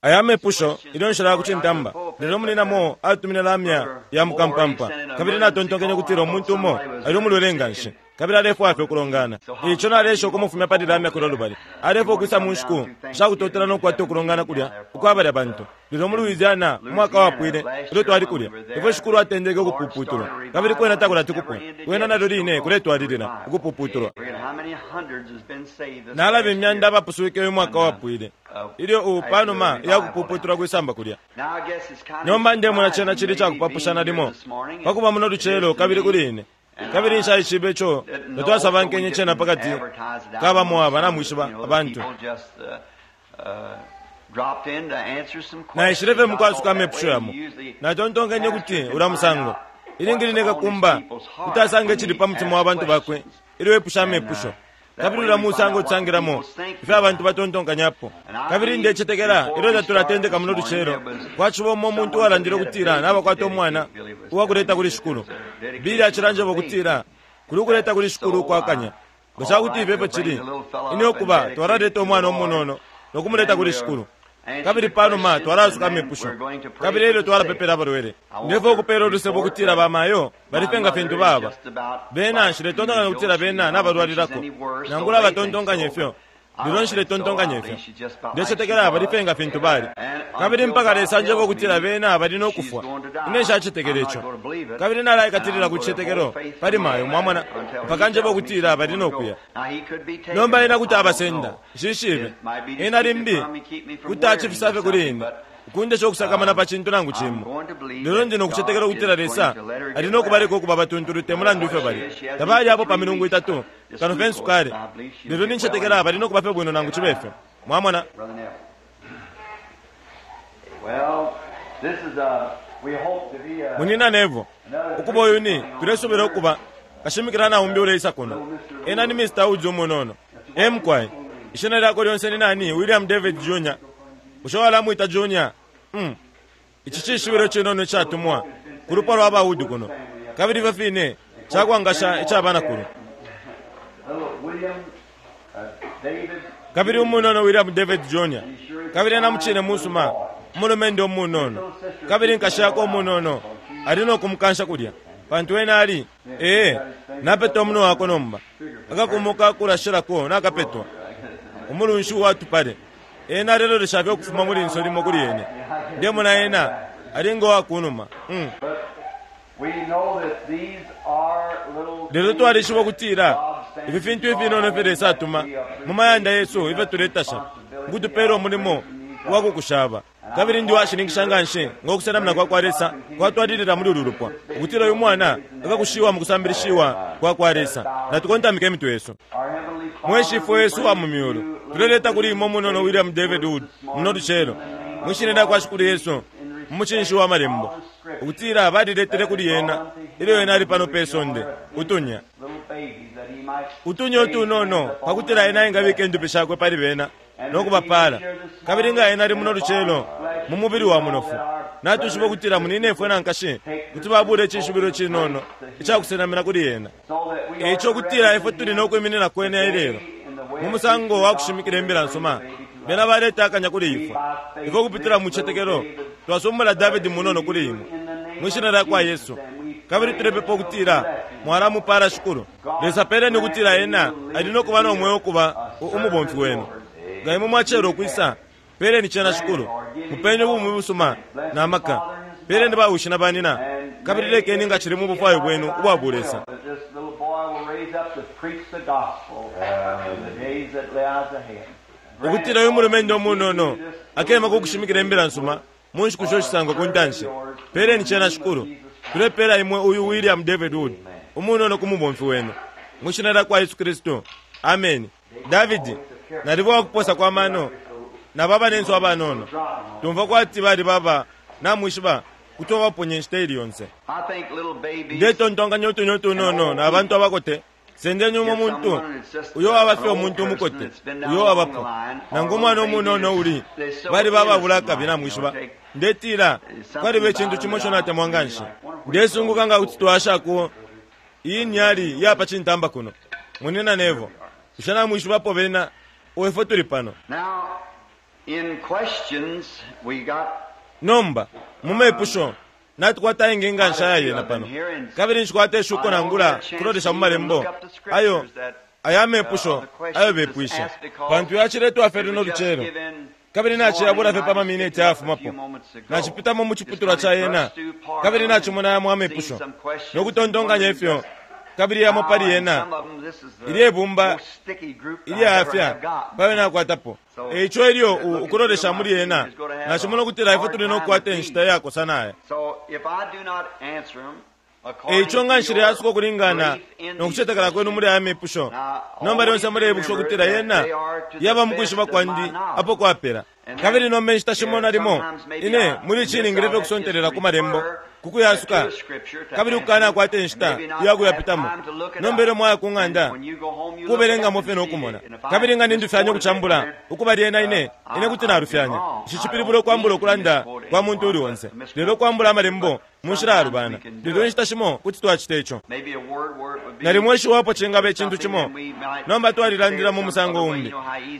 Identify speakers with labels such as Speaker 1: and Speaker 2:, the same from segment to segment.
Speaker 1: Aya mepusho ilyo nshilaya ku cintamba, lelo Munyina Moore atumine lamya ya mukampampa, kabili natontonkenye ukutila umuntu umo ali umulwele nganshi kabili alefwaya fye ukulongana. E ico naleesha ukumufumya pali lamya kulya lubali. Alefwaya ukwisa mu nshiku sha kutotela no kukwata ukulongana kulya ukwa balya bantu. Lelo mu Louisiana umwaka wapwile ilyo twali kulya, ifyo Shikulu atendeke ukupuputulwa, kabili kwena takulati kupwe, kwena nalyo line kuletwalilila ukupuputulwa. Nalaba imyanda abapuswike uyu mwaka wapwile ilyo u panuma ya kupuputulwa kwi samba kulya. Nomba ndemona cena cili cakupapusha nalimo pakuba muno lucelo kabili kuli ine. Kabili nshaishibe ico tatwasabankenye cena pakati ka bamo aba, namwishiba, abantu. Naishile fye mukwasuka amepusho yamo. Natontonkenye ukuti ulya musango, ilingi line kakumba kuti asanga icili pa mutima wa bantu bakwe ilyo epusha amepusho. Kabili ulya musango tusangilamo ifyo abantu batontonkanyapo. Kabili ndecetekela ilyo tatulatendeka muno lucelo, kwaciba umo umuntu uwalandile ukutila nabakwata umwana uwakuleta kuli Shikulu. Billy acilanjeba ukutila kuli ukuleta kuli Shikulu ukwa kanya. Nga ca kuti ifyo efyo cili, ine ukuba twalaleta umwana umunono no kumuleta kuli Shikulu. Kabili panuma twalaasuka amepusho, kabili elyo twalapepela abalwele. Ndefwaya ukupela ulusebo ukutila ba mayo bali fye nga fintu baba. Bena, nshiletontonkanya ukutila bena nabalwalilako, nangula batontonkanya ifyo, lelo nshiletontonkanya ifyo. Ndecetekela bali fye nga fintu bali. Kabili mpaka Lesa anjeba ukutila bena bali no kufwa, ine nshacetekela ico. Kabili nalaikatilila ku cicetekelo pali mayo, mwamona, mpaka anjeba ukutila bali no kuya. Nomba ena kuti abasenda, nshishibe. Ena limbi kuti acifisa fye kuli ine, ukundesha ukusakamana pa cintu nangu cimo. Lelo ndi no kucetekela ukutila Lesa ali no kubaleka ukuba abatuntulu te mulandu ifyo bali. Tabali apo pa milungu itatu, kano fye nsukali. Lelo nincetekela bali no kuba fye bwino nangu cibe fyo. Mwamona? Munyina Neville, ukuba uyu ni, tulesubila ukuba, kashimikila naumbi uleisa kuno. Ena ni Mr. Woods umunono. Ee, mukwai. Ishina lyakwe lyonse ni nani? William David Junior. Bushe walamwita Junior? Um. Ici cishibilo icinono icatumwa ku lupwa lwa ba Wood kuno, kabili ifyo fine cakwangasha ica banakulu. Kabili umunono William David Junior, kabili ena mucine musuma, umulumendo umunono. Kabili nkashi yakwe umunono ali no kumukansha kulya, pantu ena ali, ee, napeta umunwe wakwe nomba, akakumu kakulashilako nakapetwa, umulunshi uwa tupale. Ena alelolesha fye ukufuma mu linso limo kuli ine. Ndemona ena ali ngo wa kunuma. Mm. Lelo twalishiba ukutila ifi fintu ifinono ifyo Lesa atuma mu mayanda yesu ifyo tuletasha ukutupela umulimo wa kukushaba. Kabili ndi uwashininkisha nganshi ngo kusenamina kwa kwa Lesa kwatwalilila muli ulu lupwa, ukutila uyu mwana akakushiwa mu kusambilishiwa kwa kwa Lesa. Natukontamike imitwe yesu. Mwe Shifwe wesu uwa mu Myulu, tuleleta kuli Imwe umunono William David Wood muno lucelo, mwi Shina lyakwa Shikulu Yesu, mu mucinshi wa Malembo, ukutila baliletele kuli Ena ilyo Ena ali pano pe sonde, utunya, utunya utunono, pakutila Ena engabika indupi Shakwe pali bena no kubapaala. Kabili nga Ena ali muno lucelo mu mubili wa munofu, natwishiba ukutila munyinefwe na nkashi kuti babula icishibilo cinono ica kusenamina kuli Ena. E ico ukutila ifwe tuli no kwiminina kwene ilelo mu musango wa kushimikila Imbila nsuma, bena baleta akanya kuli ifwe. Ifwe ukupitila mu citetekelo twasumbula Davidi munono kuli Imwe, mwi Shina lyakwa Yesu, kabili tulepepa ukutila Mwalamupala, Shikulu. Lesa peleni ukutila ena ali no kuba no mweo ukuba u, umubomfi Wenu. Nga Imwe mwacelwa ukwisa, Peleni cena, Shikulu. Mupeni ubumi busuma na maka. Peleni ba wishi na banina, kabili lekeni nga cili mu bufwayo Bwenu ubwa Bulesa. Ukutila uyu mulumendo umunono akema ku kushimikila Imbila nsuma mu nshiku isho shisangwa ku ntanshi. Peleni cena, Shikulu. Tulepela Imwe uyu William David Wood umunono ku mubomfi Wenu. Mwi Shina lyakwa Yesu Kristu. Ameni. Davidi, naliba uwakuposa kwa mano na ba banensu abanono. Tumfwa kwati baliba aba, namwishiba, kuti wabaponya inshita ili yonse. Ndetontonkanya utunya utunono na bantu abakote. Sendeni umo muntu uyo waba fye umuntu umukote uyo wabapo, nangu umwana umunono uli, baliba ababula akabi, namwishiba. Ndetila, kwaliba icintu cimo ico natemwa nganshi. Ndesunguka nga kuti twashako Iyi nyali ya pa cintamba kuno, Munyina Neville. Bushe namwishibapo bena? O, ifwe tuli pano. Nomba, mu mepusho, natukwata ayengi nganshi aya yena pano, kabili nshikwata ishuko nangula kulolesha mu Malembo ayo aya mepusho ayo bepwishe, pantu yaciletwa fye luno lucelo, kabili naciyabula fye pa mamineti ayafumapo. Nacipitamo mu ciputulwa ca yena, kabili nacimona yamo amepusho, no kutontonkanya ifyo, kabili yamo pali yena ilye bumba ilyayafya payo nakwatapo. E ico ilyo ukulolesha muli yena, nacimona ukutila ifwe tuli no kukwata inshita iyakosa naya. E ico nga nshileyasuka ukulingana no kucetekela kwenu muli aya mepusho, nomba lyonse muleibukisha ukutila yena yaba mu kwishiba kwandi apo kwapela. Kabili nomba inshita shimo nalimo ine muli ici ningile fye ukusontelela ku Malembo ku kuyasuka, kabili ukukanakwata inshita iya kuyapitamo. Nomba ilyo mwaya ku ng'anda, kubelengamo fye no kumona. Kabili nga nindufyanya ukucambula ukuba lyena ine, ine kuti nalufyanya. Nshicipilibula ukwambula ukulanda kwa muntu uuli onse, lelo ukwambula Amalembo mu nshila yalubana. Lelo inshita shimo kuti twacita ico. Nalimo ishiwi apo cingaba icintu cimo, nomba twalilandila mu musango umbi.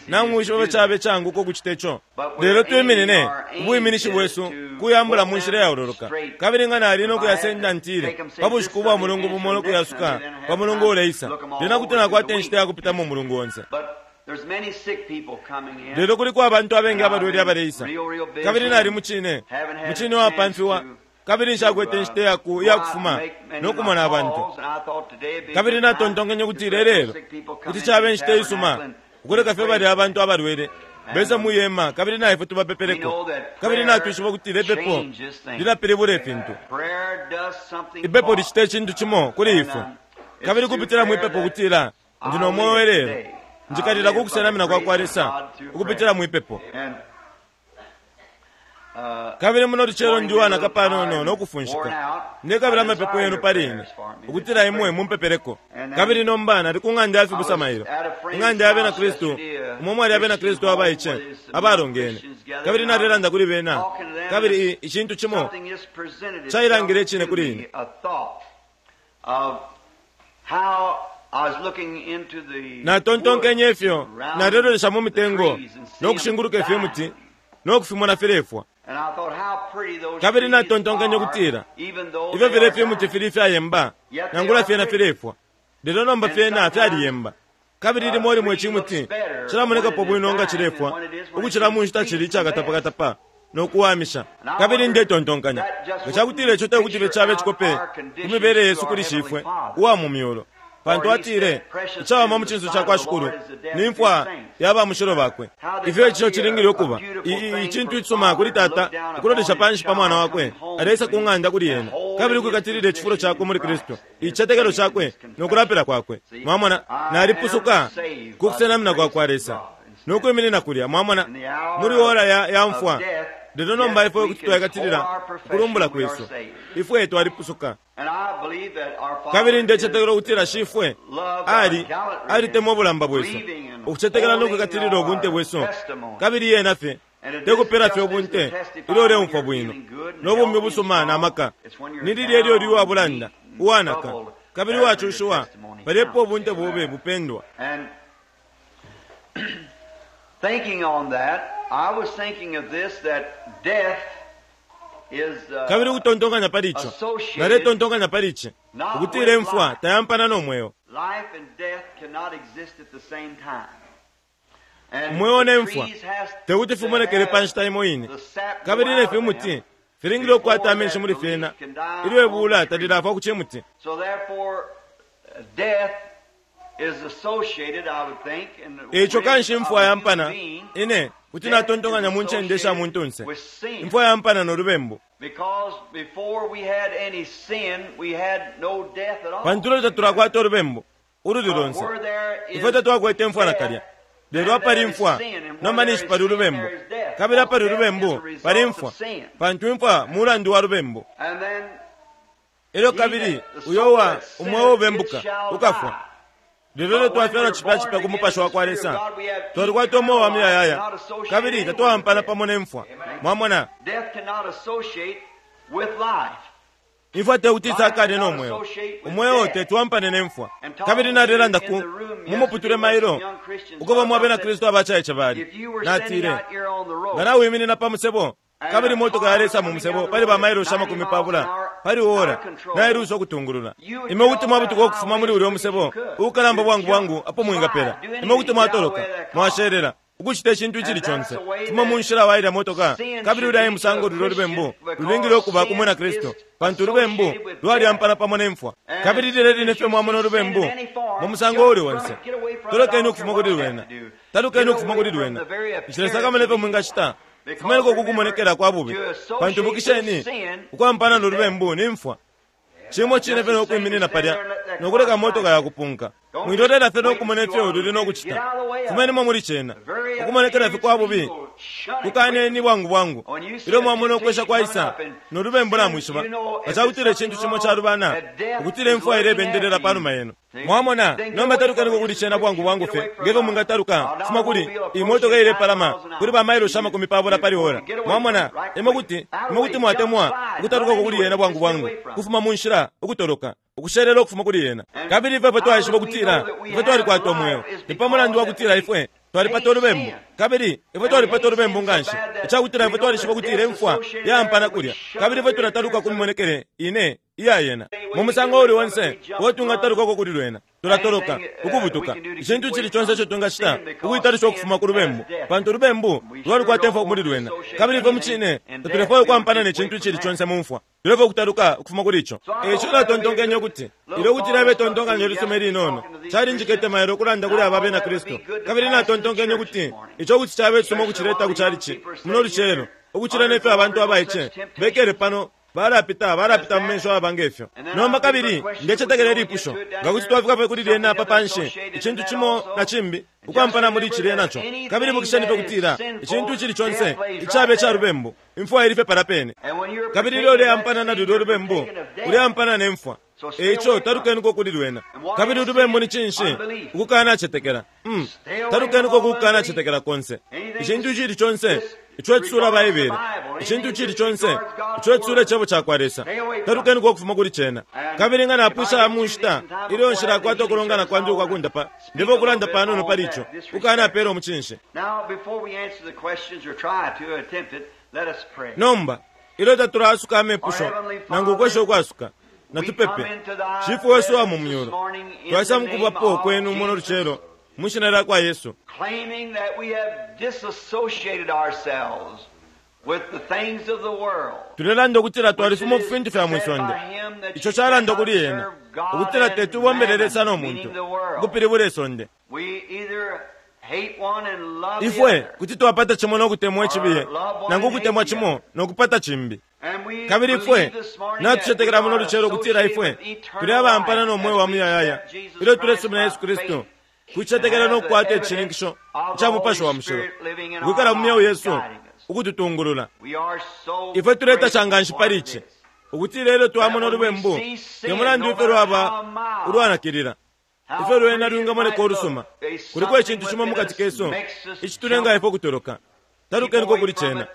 Speaker 1: Namwishiba ifyo caba icaanguka ukucita ico. Lelo twiminine, ubwiminishi bwesu kuyambula mu nshila iyaololoka. Kabili nga nali no kuyasenda ntile, pa bushiku ubwa mulungu bumo no kuyasuka pa mulungu uleisa, lyena kuti nakwata inshita ya kupitamo umulungu onse. Lelo kuliko abantu abengi abalwele abaleisa, kabili nali mucine, mucine uwapamfiwa, kabili nshakwete inshita iyaku, iyakufuma no kumona abantu. Kabili natontonkenye ukutila ilelo kuti caba inshita isuma ukuleka fye balya abantu abalwele bese mwi hema kabili na ifwe tubapepeleko. Kabili natwishiba ukutila ipepo lilapilibula ifintu. Ipepo licita icintu cimo kuli ifwe. Kabili kupitila mwi pepo ukutila ndi no mweo ilelo, njikalila ku kusenamina kwa kwa Lesa ukupitila mwi pepo. Kabili muno lucelo ndi uwanaka panono no kufunshika. Ndekabila amapepo yenu pali ine, ukutila imwe mumpepeleko. Kabili nomba nali ku ng'anda ya fibusa mailo, ing'anda ya Bena Kristu, umo mwali Abena Kristu abaice abalongene. Kabili nalelanda kuli bena, kabili i, icintu cimo cailangile icine kuli ine. Natontonkenye ifyo nalelolesha mu mitengo no kushinguluka ifimuti, no kufimona filefwa. Kabili natontonkenye ukutila, Ifyo filya ifimuti fili ifyayemba, nangula fyena filefwa. Lelo nomba fyena fyaliyemba. Kabili limo limo icimuti cilamonekapo bwino nga cilefwa ukucila mu nshita cili icakatapakatapa no kuwamisha. Kabili ndetontonkanya, nga cakutila ico te kuti fye cabe cikope ku mibele yesu kuli Shifwe uwa mu myulu, Pantu atile, Icawama mu cinso ca kwa Shikulu ni mfwa ya ba mushilo bakwe. Ifyo ico cilingile ukuba i, i, icintu icisuma kuli tata ukulolesha panshi pa mwana wakwe aleisa ku ng'anda kuli ena, kabili ukwikatilila icifulo cakwe muli Kristu, icicetekelo cakwe no kulapila kwakwe. Mwamona, nalipusuka ku kusenamina kwa kwa Lesa no kwiminina kulya, mwamona, muli ora ya, ya mfwa. Lelo nomba ifwe kuti twaikatilila ukulumbula kwesu. Ifwe twalipusuka. Kabili ndecetekela ukutila Shifwe ali, alitemwa ubulamba bwesu, ukucetekela no kwikatilila ubunte bwesu. Kabili yena fye te kupela fye ubunte ilyo uleumfwa bwino no bumi ubusuma na maka. Ni lilya ilyo uli uwa bulanda, uwanaka, kabili uwacushiwa, palya epo ubunte bobe bupendwa.
Speaker 2: Thinking on that, I was thinking of this, that death
Speaker 1: Kabili ukutontonkanya pali ico, naletontonkanya pali ici, ukutila imfwa tayampana no mweo. Umweo ne mfwa te kuti fimonekele pa nshita imo ine, kabili ne fimuti filingile ukukwata amenshi muli fyena ilyo ibula talilafwa ku cimuti. Eico kanshi imfwa yampana, ine kuti natontonkanya mu ncende sha muntunse, imfwa yampana no lubembu. Pantu ilyo tatulakwata ulubembu ululi lonse, ifwe tatwakwete imfwa nakalya. Lelo apali imfwa, nomba ninshi pali ulubembu, kabili apali ulubembu pali imfwa, pantu imfwa mulandu wa lubembu. Elyo kabili uyo uwa umweo ubembuka ukafwa. Lelo ilyo twafyalwa cipya cipya ku Mupashi wa kwa Lesa, twalikwata umweo wa muyayaya kabili tatwaampana pamo ne mfwa. Mwamona? Imfwa tekuti isakane no mweo. Umweo tetwampane ne mfwa. Kabili nalelanda ku mumuputule mailo uko bamo abena Kristu abacaice bali. Natile, nga nawiminina pa musebo kabili motoka yalesa mu musebo pali ba mailoshi 20 pali ora, nailusa ukutungulula. Imwe kuti mwabutuka ukufuma muli ulya musebo uukalamba bwangu bwangu apo mwingapela. Imwe kuti mwatoloka, mwashelela, ukucita icintu icili conse. Fuma mu nshila wa ilya motoka, kabili ulya e musango lulyo lubembu lulingile ukuba ku mwina Kristu, pantu ulubembu lwalyampana pamo ne mfwa. Kabili lilya line fye mwamona ulubembu mu musango uuli onse, tolokeni ukufuma kuli lwena, talukeni ukufuma kuli lwena. Nshilesakamana ifyo mwingacita, fumeniko kukumonekela kwa bubi, pantu ibukisheni, ukwampana no lubembu ni mfwa. Cimo cine fye no kwiminina palya no kuleka motoka yakupunka. Mwilolela fye no kumona ifyo luli no kucita. Fumenimo muli cena. Ukumonekela fye kwa bubi kukaneni bwangu bwangu. Ilyo mwamona ukwesha kwaisa no lubembu namwishiba, nga cakutila icintu cimo calubana, ukutila imfwa ilebendelela pa numa yenu. Mwamona, nomba talukaniko kuli cena bwangu bwangu fye ngefyo mwingataluka kufuma kuli iyi motoka ilepalama kuli ba mailoshi 20 pali ora. Mwamona, imwe kuti, imwe kuti mwatemwa ukutalukako kuli yena bwangu bwangu, kufuma mu nshila, ukutoloka, ukushelela ukufuma kuli yena. Kabili ifwe ifwe twaishiba ukutila ifwe twalikwata umweo, ni pa mulandu wa kutila ifwe twalipata ulubembu. Kabili ifwe twalipata ulubembu nganshi icakutila ifwe twalishiba ukutila imfwa yampana kulya, kabili ifwe tulataluka ku mimonekele ine iya yena. Mu musango uuli onse uo tungatalukako kuli lwena, tulatoloka, ukubutuka, icintu icili conse ico twingacita ukuitalisha ukufuma ku lubembu, pantu ulubembu lwalikwata imfwa muli lwena. Kabili ifwe mucine tatulefwaya ukwampana ne cintu icili conse mu mfwa, tulefwaya ukutaluka ukufuma kuli ico. Eico natontonkenye ukuti ilyo kuti lyabe tontonkanyo lisuma ilinono, calinjikete mailo ukulanda kuli aba bena Kristu. Kabili natontonkenye ukuti ico kuti cabe cisuma ukucileta ku calici muno lucelo, ukucila nefyo abantu abaice bekele pano balapita balapita mu menso aba ngefyo. Nomba kabili ndecetekela ilipusho, nga kuti twafika fye kuli lyena apa panshi, icintu cimo na cimbi ukwampana muli cilya naco. Kabili ibukisheni fye kutila icintu icili conse icabe ca lubembu, imfwa ili fye palya pene. Kabili ilyo uleampana na lulyo lubembu, uleampana ne mfwa. Eico talukeniko kuli lwena. Kabili ulubembu ni cinshi? Ukukanacetekela. Talukeniko ku kukanacetekela konse. Icintu icili conse ico cisula Baibele, icintu icili conse ico cisula Icebo cakwa Lesa, talukeniko ukufuma kuli cena. Kabili nga napwisha mu nshita ilyo nshilakwata ukulongana kwandi ukwa kundapa, ndefwaya ukulanda panono pali ico, ukukanapeela umucinshi. Nomba, ilyo tatulaasuka amepusho nangu ukwesha ukwasuka, natupepe. Shifwe wesu uwa mu myulu, twaisa mukubapo kwenu muno lucelo mu shina lya kwa Yesu,
Speaker 2: claiming that we have disassociated ourselves with the things of the world.
Speaker 1: Tulelanda ukutila twalifuma ku fintu fya mwi sonde. Ico calanda kuli ena ukutila tetubombele Lesa no muntu, ukupilibula isonde.
Speaker 2: We either hate one and love the
Speaker 1: Ifwe
Speaker 2: other.
Speaker 1: kuti twapata cimo no kutemwa icibiye, nangu ukutemwa cimo no kupata cimbi.
Speaker 2: And we
Speaker 1: Kabili ifwe
Speaker 2: believe this morning
Speaker 1: natucetekela
Speaker 2: that we
Speaker 1: muno
Speaker 2: are
Speaker 1: lucelo ukutila ifwe
Speaker 2: associated with eternal
Speaker 1: tuli abampana no
Speaker 2: life
Speaker 1: mweo wa
Speaker 2: as we
Speaker 1: muyayaya
Speaker 2: accept Jesus
Speaker 1: ilyo tulesumina
Speaker 2: Christ
Speaker 1: Yesu
Speaker 2: by
Speaker 1: Kristu,
Speaker 2: faith.
Speaker 1: kucetekela no kukwata icishininkisho ica Mupashi wa Mushilo ukwikala mu myeo yesu ukututungulula.
Speaker 2: We are so
Speaker 1: Ifwe tuletasha nganshi
Speaker 2: grateful
Speaker 1: pali
Speaker 2: for
Speaker 1: ici
Speaker 2: this.
Speaker 1: ukutila ilyo twamona ulubembu, te mulandu ifyo lwaba ulwanakilila, ifyo lwena lwingamoneka ulusuma, kuliko icintu cimo mukati kesu icitulenga ifwe ukutoloka. Talukeniko kuli cena.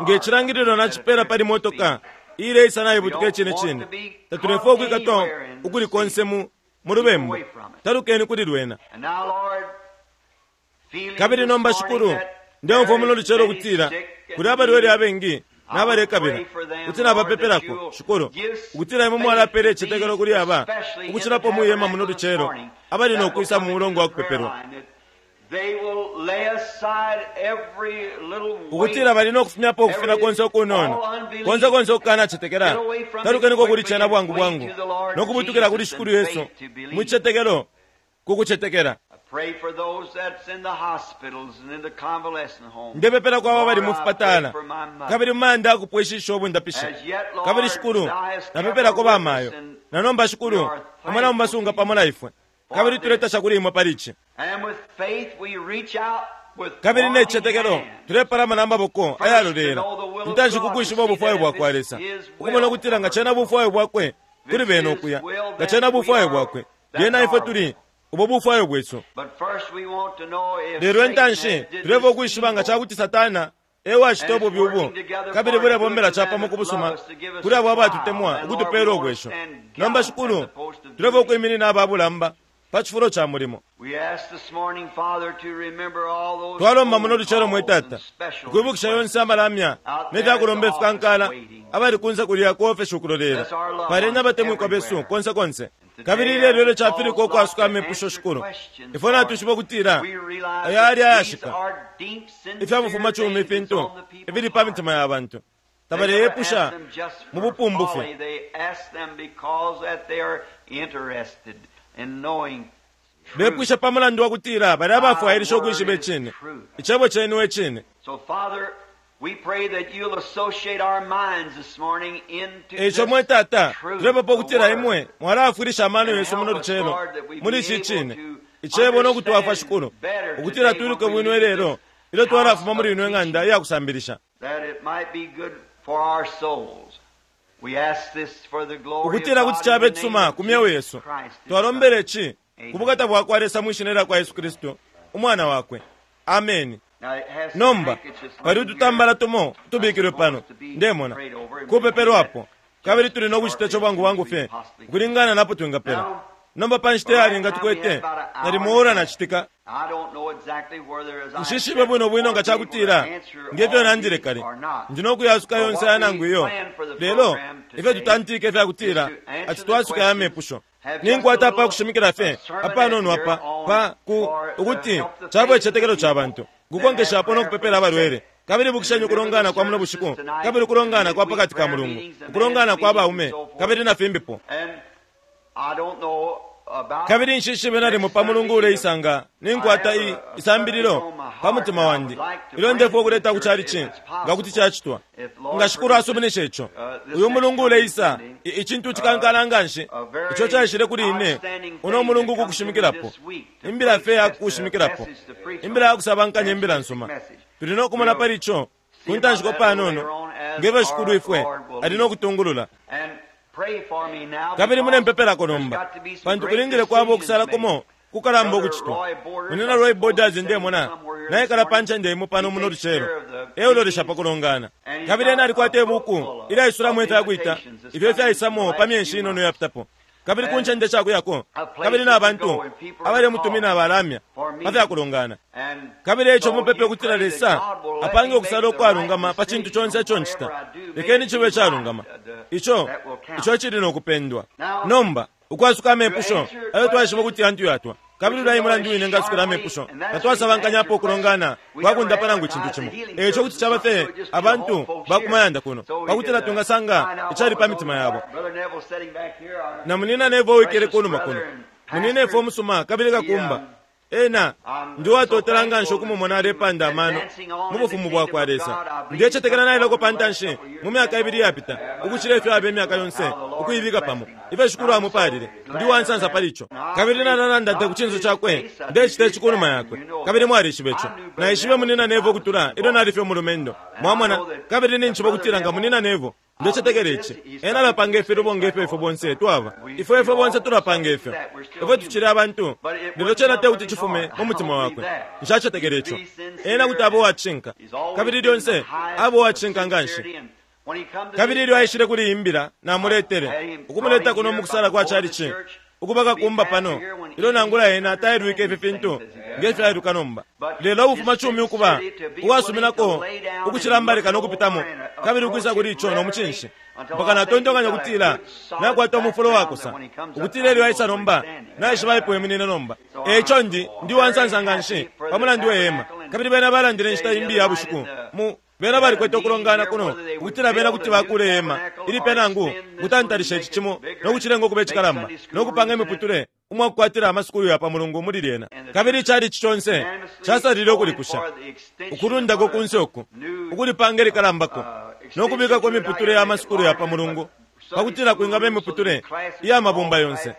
Speaker 1: Nge cilangililo nacipela pali motoka iileisa naibutuka icine cine, tatulefwaya ukwikatwa ukuli konse mu lubembu. Talukeni kuli lwena. Kabili nomba Shikulu, ndeumfwa muno lucelo ukutila kuli abalwele abengi nabalekabila kuti nabapepelako, Shikulu, ukutila imwe mwalapela icitetekelo kuli aba ukucilapo mwihema muno lucelo abali no kwisa mu mulongo wa kupepelwa, ukutila bali no kufumyapo ukufina konse ukunono, konse konse ukukanacetekela. Talukeniko kuli cena bwangu bwangu no kubutukila kuli Shikulu Yesu mu cicetekelo ku kucetekela. Ndepepela kwa abo abali mu fipatala kabili mu mayanda akupwishisha ubundapishi. Kabili Shikulu, napepelako bamayo. Na nomba Shikulu, imwe namubasunga pamo na ifwe, kabili tuletasha kuli imwe pali ici. Kabili ne cicetekelo tulepalama na maboko ayalolela intanshi ku kwishiba ubufwayo bwakwa Lesa, ukumona ukutila nga cena bufwayo bwakwe kuli bena ukuya, nga cena bufwayo bwakwe, lyena ifwe tuli ubo bufwayo bwesu. Lelo intanshi tulefwaya ukwishiba nga cakuti Satana E wacita ububi ubu, kabili bulebombela capamo ku busuma kuli abo abatutemwa, ukutupeela ubwesho. Nomba, Shikulu, tulefwaya ukwiminina aba bulamba pa cifulo ca mulimo. Twalomba muno lucelo, mwe Tata, ukwibukisha yonse amalamya ne fya kulomba ifikankala abali kunse kulya ku ofeshi ukulolela. Paleni abatemwikwa besu konse konse. Kabili ilelo ilyo cafilikwa ukwasuka amepusho, Shikulu, ifwe natwishiba ukutila ayali ayashika ifya bufumacumi ifintu ifili pa mitima ya bantu. Tabaleyepusha mu bupumbu fye. Bepwisha pa mulandu wa kutila bali abafwailisha ukwishiba icine. Icebo cenu e cine. E ico, mwe Tata, tulepepa ukutila imwe mwalaafwilisha amano yesu muno lucelo muli ici cine Icebo no kutwafwa, Shikulu, ukutila twiluke bwino ilelo ilyo twalafuma muli ino ng'anda iya kusambilisha, ukutila kuti cabe cisuma ku myeo yesu. Twalombele ci ku bukata bwa kwa Lesa mwi shina lya kwa Yesu Kristu, Umwana wakwe. Ameni. Nomba pali ututambala tumo utubikilwe pano, ndemona kupepelwapo, kabili tuli no kucita ico bwangu bwangu fye ukulingana napo twingapela. Nomba pa nshita yalinga tukwete nalimo ora na citika. Nshishibe bwino bwino nga ca kutila nge fyo nandile kale ndi no kuyasuka yonse aya nangu iyo, lelo ifyo tutantike ifya kutila ati twasuka ya mepusho. Ninkwata apa kushimikila fye apanono apa pa ku ukuti cabo icitetekelo ca bantu kukonkeshapo no kupepela abalwele. Kabili ibukisheni ukulongana kwa muno bushiku, kabili ukulongana kwa pa kati ka mulungu, ukulongana kwa baume, kabili na fimbipo. Kabili nshishibe nalimo pa mulungu uleisanga ninkwata i isambililo pa mutima wandi ilyo ndefwaya ukuleta ku chalichi, nga kuti cacitwa, nga Shikulu asuminisha ico, uyu mulungu uleisa, icintu cikankala nganshi ico caishile kuli ine uno mulungu ku kushimikilapo imbila fye ya kushimikilapo, imbila ya kusabankanya imbila nsuma. Tuli no kumona pali ico ku ntanshiko panono, nge fyo Shikulu ifwe ali no kutungulula. Kabili mulempepelako nomba, pantu kulingile kwaba ukusala kumo kukalamba ukucitwa. Munyina Roy Borders, ndemona naikala pa ncende imo pano muno lucelo, e ulolesha pa kulongana. Kabili ena alikwata ibuku ilyaisulamo ifya kwita ifyo ifyaisamo pa myeshi inono yapitapo, kabili ku ncende shakuyako, kabili na bantu abalemutumina abalamya pa fya kulongana. Kabili eico mupepe ukutila Lesa apange ukusala ukwalungama pa cintu conse ico ncita. Lekeni cibe icalungama, ico ico cili no kupendwa. Nomba ukwasuka amepusho ayo twaishiba ukuti yantu yatwa, kabili ulya e mulandu wine ngasukila amepusho tatwasabankanyapo ukulongana kwa kundapa nangu icintu cimo. Eico kuti caba fye abantu ba ku mayanda kuno, pa kutila twingasanga icali pa mitima yabo. Na Munyina Neville uwikele kunuma kuno, munyinefwe umusuma kabili kakumba, ena ndi uwatotela nganshi ukumumona alepanda amano mu Bufumu bwakwa Lesa. Ndecetekela naileko pa ntanshi mu myaka ibili iyapita ukucila ifyo aba imyaka yonse ukuibika pamo. Ifyo Shikulu amupaalile! Ndi uwansansa pali ico. Kabili nalalanda te ku cinso cakwe, ndecita ici kunuma yakwe. Kabili mwalishiba ico. Naishibe Munyina Neville ukutula ilyo nali fye umulumendo. Mwamona? Kabili ninjishiba ukutila nga Munyina Neville, Ndecetekela ici. Ena alapanga ifilubo nge fyo ifwe bonse twaba. Ifwe, ifwe bonse tulapanga ifyo. Ifwe tucili abantu. Lelo cena tekuti cifume mu mutima wakwe. Nshacetekela ico. Ena kuti aba uwacishinka. Kabili lyonse aba uwacishinka nganshi. Kabili ilyo aishile kuli iyi mbila, namuletele, ukumuleta kuno mukusala kwa chalichi, ukuba kakumba pano, ilyo nangula ena tailwike ifi fintu nge fyo ailuka nomba. Lelo ubufumacumi ukuba uwasuminako ukucilambalika no kupitamo, kabili ukwisa kuli ico no mucinshi, mpaka natontonkanya ukutila nakwata umufulo wakosa, ukutila ilyo aisa nomba, naishiba apo eminine nomba. E ico ndi, ndi uwansansa nganshi pa mulandu we hema. Kabili bena balandile inshita imbi iya bushiku mu Bena balikwete ukulongana kuno ukutila bena kuti bakuula ihema ilipya nangu ukutantalisha ici cimo no kucilenga ukuba icikalamba no kupanga imiputule umwa kukwatila amasukulu ya pa Mulungu muli lyena. Kabili icalici conse casalile ukulikusha, ukulundako kunse uku, ukulipanga ilikalambako no kubikako imiputule ya masukulu ya pa Mulungu pa kutila kwingaba imiputule iya mabumba yonse,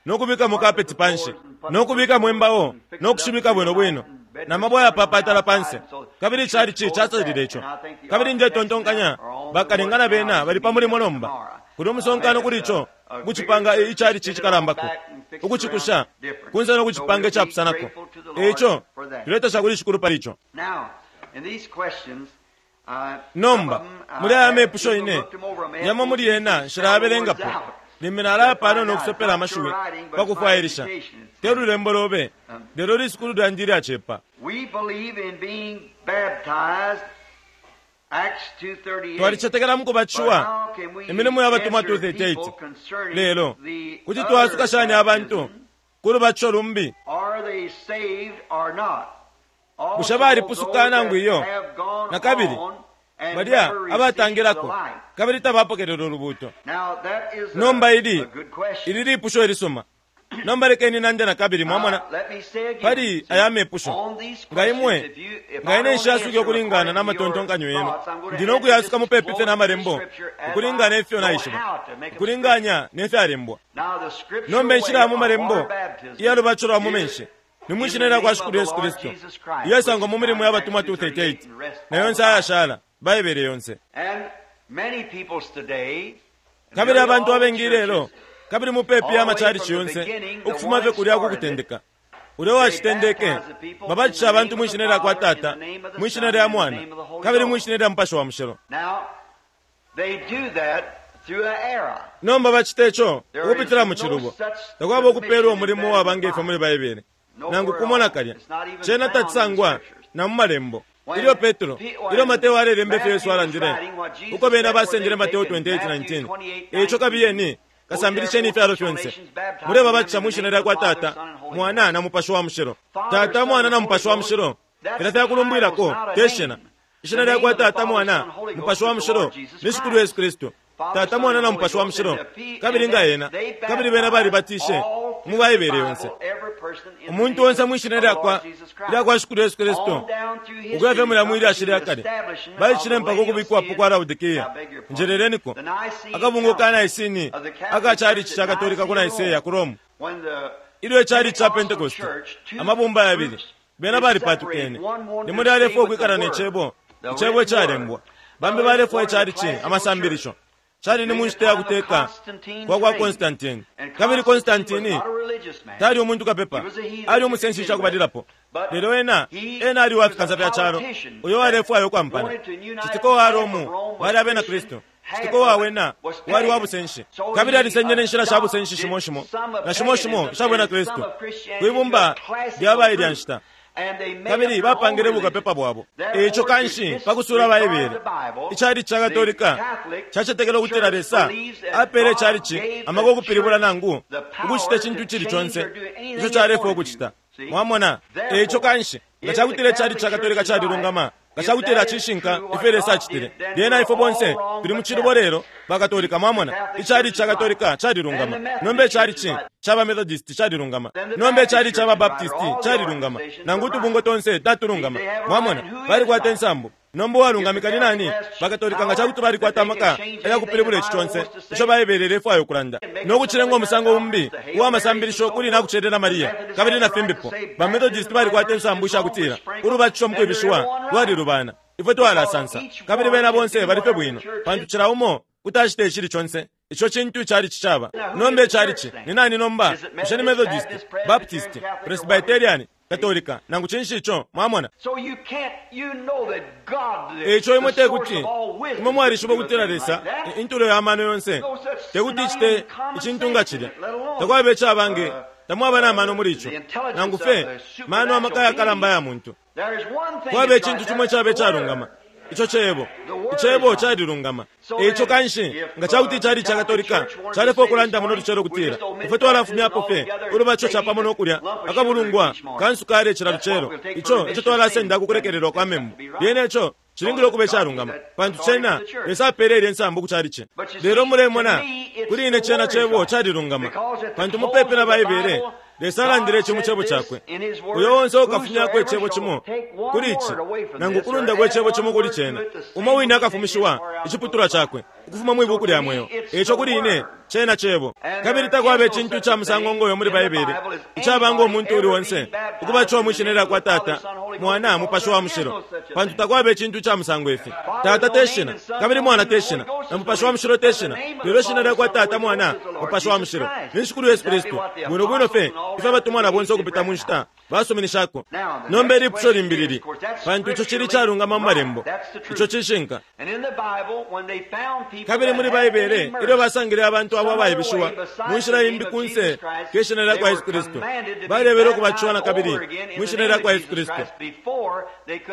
Speaker 1: no kubikamo kapeti panshi, no kubikamo imbao no kushibika bwino bwino, na mabwe ayapapatala panse. Kabili icalici casalile ico. Kabili ndetontonkanya bakalinga na bena bali pa mulimo nomba. Kuli umusonkano kuli ico, ukucipanga i, icalici icikalambako, ukucikusha kunse no kucipanga icapusanako. E ico tuletasha kuli Shikulu pali ico. Nomba, muli aya mepusho ine, yamo muli yena nshilayabelengapo. Limbi nalaya panono ukusopela amashiwi pa kufwailisha. Te lulembo lobe, lelo lisukulu lyandi ilyacepa. Twalicetekela mu kubatishiwa, Imilimo ya Batumwa 2:38. Lelo, kuti twa-asuka shani abantu ku lubatisho lumbi? Bushe balipusuka nangu iyo? Na kabili, balya abatangilako kabili tabapokelela ulubuuto. Nomba ili, ili lipusho ilisuma. Nomba lekeni nande na kabili, mwamona, pali aya mepusho. Nga imwe, nga ine nshiyasuke ukulingana na matontonkanyo yenu, ndi no kuyasuka mupepi fye na Malembo, ukulingana ifyo naishiba, ukulinganya ne fyalembwa. Nomba inshila ya mu Malembo iya lubatisho lwa mu menshi ni mwi Shina lya kwa Shikulu Yesu Kristu, iyasangwa mu Milimo ya Batumwa 2:38 na yonse ayashala, Baibele yonse. Kabili abantu abengi ilelo, kabili mupepi amachalichi yonse, ukufuma fye kulya ku kutendeka, ulya uwacitendeke, babatisha abantu mwi Shina lya kwa Tata, mwi Shina lya Mwana, kabili mwi Shina lya Mupashi wa Mushilo. Nomba bacite co ukupitila mu cilubo. Takwaba ukupeelwa umulimo uwaba nge fyo muli Baibele, nangu kumo nakalya. Cena tacisangwa na mu Malembo. Ilyo Petro, ilyo Mateo alelemba ifyo Yesu alandile, uko bena basendele Mateo 28:19, e ico kabiyeni, kasambilisheni ifyalo fyonse, mulebabatisha mwi shina lya kwa Tata, Mwana, na Mupashi wa Mushilo. Tata, Mwana, na Mupashi wa Mushilo, filya fyakulumbwilako, te shina. Ishina lya kwa Tata, Mwana, Mupashi wa Mushilo ni Shikulu Yesu Kristu. Tata, Mwana, na Mupashi wa Mushilo, kabili nga Ena, kabili bena balibatishe mu Baibele yonse. Umuntu onse mwi Shina lyakwa, lyakwa Shikulu Yesu Kristu, ukuya fye mulya mwi lyashi lya kale, baishile mpaka ukubikwapo kwa Laodikea. Njeleleniko, akabungwe ka Nicene aka chalichi ca Katolika ku Nicaea ku Rome, ilyo icalichi ca Pentecost, amabumba yabili, bena balipatukene. Limo lyalefwaya ukwikala ne Cebo, Icebo icalembwa. Bambi balefwaya icalichi, amasambilisho. Cali ni mu nshita ya kuteka kwa kwa Constantine. Kabili Constantine tali umuntu kapepa, ali umusenshi ica kubalilapo. Lelo ena, ena ali uwa fikansa fya calo, uyo walefwaya ukwampana. Citika uwa Romu bali abena Kristu. Citika uwa wena wali wa busenshi. Kabili alisengele inshila sha busenshi shimo shimo na shimo shimo isha bwena Kristu kwi bumba lya ba ilya nshita. Kabili bapangile bukapepa bwabo. E ico kanshi, pa kusuula Baibele, icalici ca Katolika cacetekela ukutila Lesa apeele icalici amaka ukupilibula nangu ukucita icintu icili conse ico calefwaya ukucita. Mwamona? E ico kanshi, nga ca kutila icalici ca Katolika calilungama, nga ca kutila cishinka ifyo Lesa acitile, lyena ifwe bonse tuli mu cilubo lelo, ba Katolika. Mwamona? Icalici ca Katolika calilungama. Nomba icalici ca ba Methodist calilungama. Nomba icalici ca ba Baptist calilungama. Nangu utubungwe tonse tatulungama. Mwamona? Balikwata insambu. Nomba uwalungamika ni nani? Bakatolika nga ca kuti balikwata amaka ayakupilibula ici conse ico Baibele ilefwaya ukulanda, no kucilenga umusango umbi uwa masambilisho kuli Nakucelela Maria, kabili na fimbipo. Ba Methodist balikwata insambu isha kutila ulubatisho mu kwibishiwa lwalilubana. Ifwe twalasansa. Kabili bena bonse bali fye bwino, pantu cila umo kuti acita icili conse. Ico cintu icalici caba. Nomba icalici ni nani nomba? Bushe ni Methodist, Baptist, Presbyterian, Katolika, nangu cinshi ico? Mwamona? E ico imwe te kuti, imwe mwalishiba ukutila Lesa, intulo ya mano yonse, te kuti icite icintu nga cilya. Takwaba icaba nge, tamwaba na mano muli ico, nangu fye mano amaka yakalamba ya muntu. Kwaba icintu cimo icaba icalungama. Ico Cebo. Icebo calilungama. E ico kanshi, nga ca kuti icalici ca Katolika calefwaya ukulanda muno lucelo ukutila, Ifwe twalafumyapo fye ulubatisho capamo no kulya akabulungwa ka nsukali cila lucelo, ico eco twalasenda ku kulekelelwa kwa membu, lyena ico cilingile ukuba icalungama, pantu cena Lesa apeele ilye nsambu ku calici. Lelo mulemona, kuli ine cena Cebo calilungama, pantu mupepi na Baibele, Lesa alandile ici mu Cebo Cakwe, Uyo onse uukafumyako icebo cimo kuli Ici, nangu ukulundako icebo cimo kuli Cena, umo wine akafumishiwa iciputulwa cakwe ukufuma mwi Buku lya Mweo. Eico kuli ine, Cena Cebo. Kabili takwaba icintu ica musango ngoyo muli Baibele, icaba ngo muntu uuli onse ukubatishiwa mwi Shina lyakwa Tata, Mwana, Mupashi wa Mushilo, pantu takwaba icintu ica musango ifi. Tata te shina, kabili Mwana te shina, na Mupashi wa Mushilo te shina, lelo Ishina lyakwa Tata, Mwana, Mupashi wa Mushilo ni Shikulu Yesu Kristu, bwino bwino fye ifyo abatumwa na bonse ukupita mu nshita Basuminishako. Nomba ilipusho limbi lili, pantu ico cili icalungama mu Malembo. Ico cishinka. Kabili muli Baibele, ilyo basangile abantu abo abaibishiwa mu nshila imbi kunse ke shina lya kwa Yesu Kristu, balebele ukubatishiwa na kabili mwi shina lya kwa Yesu Kristu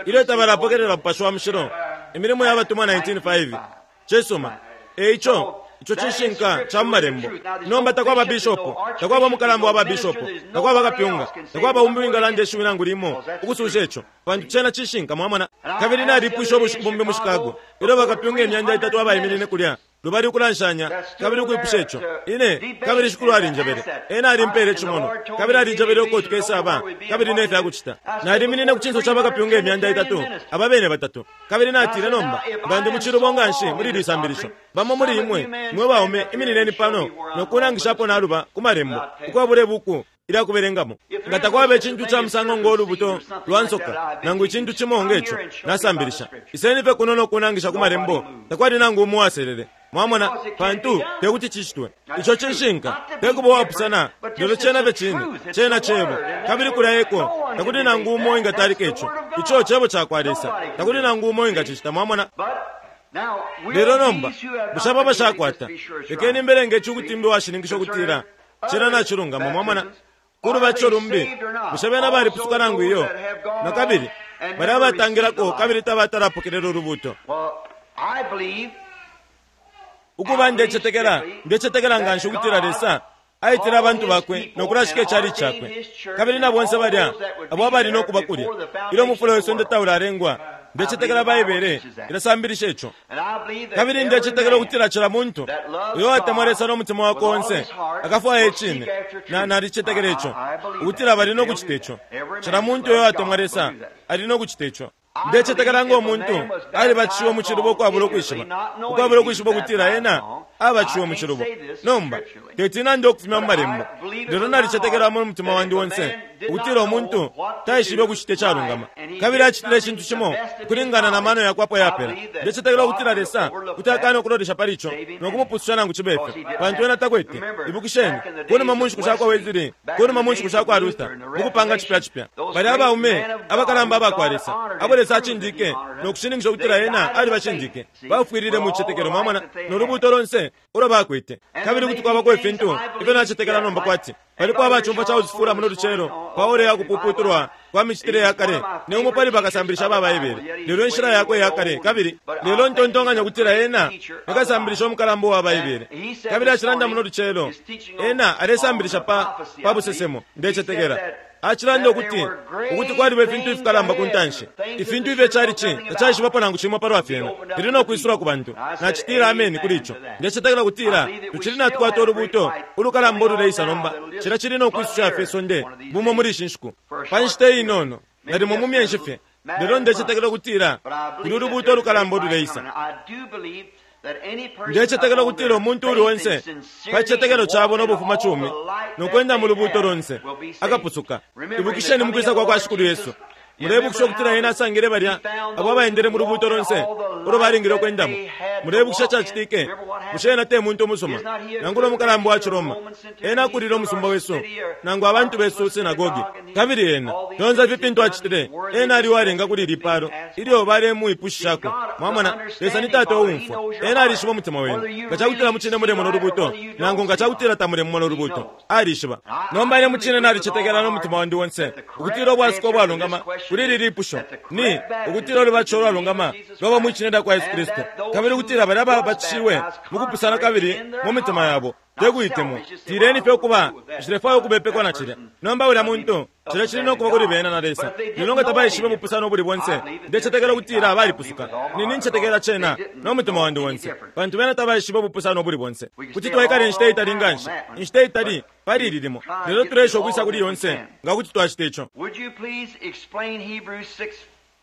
Speaker 1: ilyo tabalapokelela Mupashi wa Mushilo. Imilimo ya Batumwa 19:5. Cisuma. E ico, ico cishinka ca mu Malembo. Nomba takwaba bishopo, takwaba umukalamba wa ba bishopo, takwaba kapyunga, takwaba umbi uwingalanda ishiwi nangu limo ukususha ico, pantu cena cishinka, mwamona. Kabili nalipwishe ubushiku bumbi mu Chicago, ilyo bakapyunga 300 abaiminine kulya lubali ukulanshanya kabili ukwipusha ico. Ine, kabili Shikulu alinjebele. Ena alimpele icimonwa, kabili alinjebele uko tukesaba kabili ne fya kucita. Naliminine ku cinso ca bakapyunga 300, aba bene batatu. Kabili natile, nomba, nga ndi mu cilubo nganshi muli ili sambilisho, bamo muli imwe mwe baume iminineni pano no kunangishapo naluba ku Malembo, ukwabula ibuku ilya kubelengamo. Nga takwaba icintu ca musango ngo lubuto lwa nsoka nangu icintu cimo nge co nasambilisha, iseni fye kuno no kunangisha ku Malembo. Takwali nangu umo uwaselele. Mwamona, pantu te kuti cicitwe. Ico cishinka. Te kuba uwapusana, lelo cena fye cine. Cena Cebo. Kabili kulya eko. Takuli nangu umo uwingatalika ico. Ico Cebo cakwa Lesa. Takuli nangu umo uwingacicita. Mwamona? Lelo nomba, bushe abo abashakwata? Lekeni mbelenge ici ukuti mbe uwashininkisha ukutila cena nacilungama. Mwamona? Ku lubatisho lumbi, bushe bena balipusuka nangu iyo? Na kabili, balya abatangilako kabili tabatalapokelela ulubuuto. Ukuba, ndecetekela, ndecetekela nganshi ukutila Lesa aitile abantu Bakwe no kulashika icalici Cakwe, kabili na bonse balya abo abali no kuba kulya ilyo umufula we sonde taulalengwa. Ndecetekela Baibele ilasambilisha ico. Kabili ndecetekela ukutila cila muntu uyo watemwa Lesa no mutima wakwe onse akafwaya icine. Na, nalicetekela ico, ukutila bali no kucita ico. Cila muntu uyo watemwa Lesa ali no kucita ico. Ndecetekela ngo muntu alibatishiwe mu cilubo ukwabula ukwishiba, ukwabula ukwishiba ukutila ena abatishiwe mu cilubo. Nomba, teti nande ukufumya mu Malembo, lelo nalicetekela mu mutima wandi onse ukutila umuntu taishibe ukucita icalungama, kabili acitile icintu cimo ukulingana na mano yakwe apo yapela. Ndecetekela ukutila Lesa kuti akana ukulolesha pali ico no kumupususha nangu cibe fyo, pantu ena takwete. Ibukisheni, kunuma mu nshiku shakwa Wesley, kunuma mu nshiku shakwa Luther, mukupanga cipya cipya, balya abaume abakalamba abakwa Lesa, abo Lesa acindike no kushininkisha ukutila Ena alibacindike, bafwilile mu cicetekelo, mwamona, no lubuuto lonse ulo bakwete. Kabili kuti kwabako ifintu ifyo nacetekela nomba kwati paliko abacumfwa ca kufula muno lucelo pa ora ya kupuputulwa kwa micitile ya kale. Ni umo pali bakasambilisha ba Baibele, lelo inshila yakwe ya kale. Kabili lelo ntontonkanya ukutila ena ni kasambilisha umukalamba uwa Baibele. Kabili acilanda muno lucelo, ena alesambilisha pa, pa busesemo, ndecetekela. Acilanda ukuti, ukuti kwaliba ifintu ifikalamba ku ntanshi, ifintu ifyo icalici tacaishibapo nangu cimo palwa fyena, fili no kwisulwa ku bantu. Nacitila ameni kuli ico. Ndecetekela kutila tucili natukwata ulubuuto ulukalamba ululeisa nomba. Cilya cili no kwisusha fye isonde bumo muli ishi nshiku, pa nshita inono, nalimo mu myeshi fye. Lelo ndecetekela ukutila kuli ulubuuto ulukalamba ululeisa. Ndecetekela ukutila umuntu uuli onse pa cicetekelo cabo no bufumacumi no kwenda mu lubuuto lonse akapusuka. Ibukisheni mu kwisa kwa kwa Shikulu Yesu. Muleibukisha ukutila Ena asangile balya abo abaendele mu lubuuto lonse ulo balingile ukwendamo. Muleibukisha icacitike? Bushe Ena te muntu umusuma, nangula umukalamba wa ciRoma? Ena akulile umusumba wesu, nangu abantu besu, sinagogi. Kabili Ena, fyonse ifi fintu acitile, Ena ali uwalinga kuli ili palo ilyo balemwipushishako. Mwamona, Lesa ni Tata uumfwa. Ena alishiba umutima wenu, nga cakutila mucine mulemona ulubuuto, nangu nga cakutila tamulemona ulubuuto. Alishiba. Nomba ine mucine nalicetekela no mutima wandi onse ukutila ubwasuko ubwalungama kuli ili lipusho ni ukutila ulubatisho ulwalungama lwaba mwi shina lyakwa Yesu Kristu, kabili ukutila balya ababatishiwe mukupusana kabili mu mitima yabo, te kuitemwa. Tileni fye ukuba, nshilefwaya ukubepekwa na cilya. Nomba ulya muntu, cilya cili no kuba kuli bena na Lesa. Lelo nga tabaishibe ubupusano ubuli bonse, ndecetekela ukutila balipusuka. Ni, nincetekela cena no mutima wandi onse, pantu bena tabaishibe ubupusano ubuli bonse. Kuti twaikala inshita itali nganshi, inshita itali pali ili limo, lelo tuleesha ukwisa kuli yonse nga kuti twacita ico.
Speaker 2: Would you please explain Hebrews 6,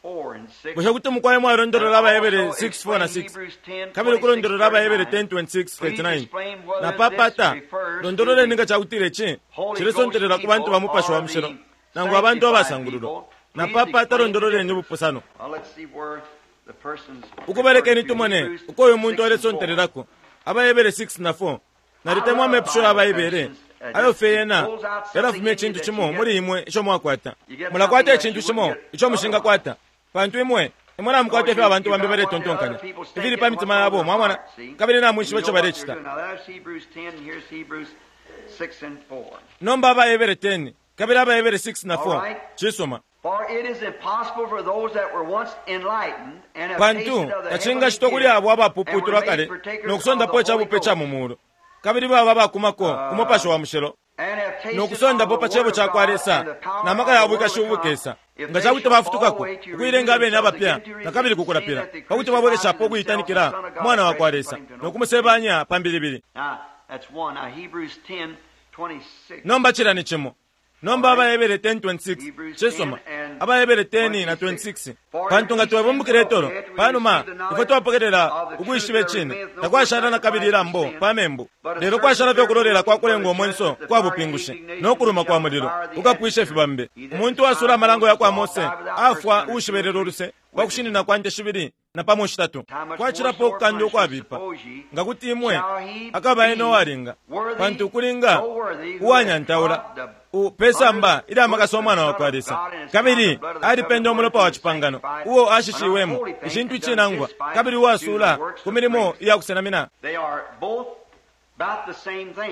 Speaker 2: 4 and 6?
Speaker 1: Bushe kuti mukwai mwalondolola AbaHebere 6, 4 na 6, kabili ukulondolola AbaHebere 10, 26, 39? Napapata londololeni nga cakutila ici cilesontelela ku bantu ba Mupashi wa Mushilo nangu abantu abasangululwa. Napapata londololeni ubupusano.
Speaker 2: Well, let's see where the person's
Speaker 1: Ukuba lekeni
Speaker 2: referred to.
Speaker 1: tumone
Speaker 2: Hebrews
Speaker 1: uko uyu muntu
Speaker 2: 6 and 4.
Speaker 1: alesontelelako. AbaHebere 6 na 4. Nalitemwa amepusho ya Baibele Ayo fye yena yalafumya icintu cimo muli imwe ico mwakwata. Mulakwata icintu cimo ico mushingakwata, pantu imwe imwe namukwata ifyo abantu bambi baletontonkanya, ifili pa mitima yabo, mwamona, kabili namwishiba ico balecita. Nomba AbaHebere 10 kabili AbaHebere 6 na 4. Cisuma. Pantu tacingacitwa kuli abo abapuputulwa kale no kusondapo ica bupe ca mu mulu, kabili baba abakumako ku Mupashi wa Mushilo, no kusondapo pa Cebo ca kwa Lesa na maka ya bwikashi ubukesa, nga ca kuti bafutukako ukuilenga abene abapya na kabili ku kulapila, pa kuti babwekeshapo ukuitanikila Mwana wa kwa Lesa no kumusebanya pa mbilibili. Nomba cilya ni cimo. Nomba AbaHebere 10:26. Cisuma. AbaHebere 10 na 26. Pantu nga twabumbukila itolo, pa numa ifwe twapokelela ukwishiba icine, takwashala na kabili ilambo pa membu, lelo kwashala fye ukulolela kwa kulenga umwenso kwa bupingushi no kuluma kwa mulilo ukapwisha ifibambe. Umuntu uwasuula amalango ya kwa Mose afwa uushibelela uluse pa kushinina kwa nte shibili napamo shitatu. Kwacilapo ukukanda ukwabipa, nga kuti imwe akaba ena uwalinga, pantu ukulinga uwanyantaula pe samba ilya makasa Umwana wa kwa Lesa, kabili alipenda umulopa wa cipangano uo ashishiwemo, icintu icinangwa, kabili uwasuula ku milimo iya kusenamina.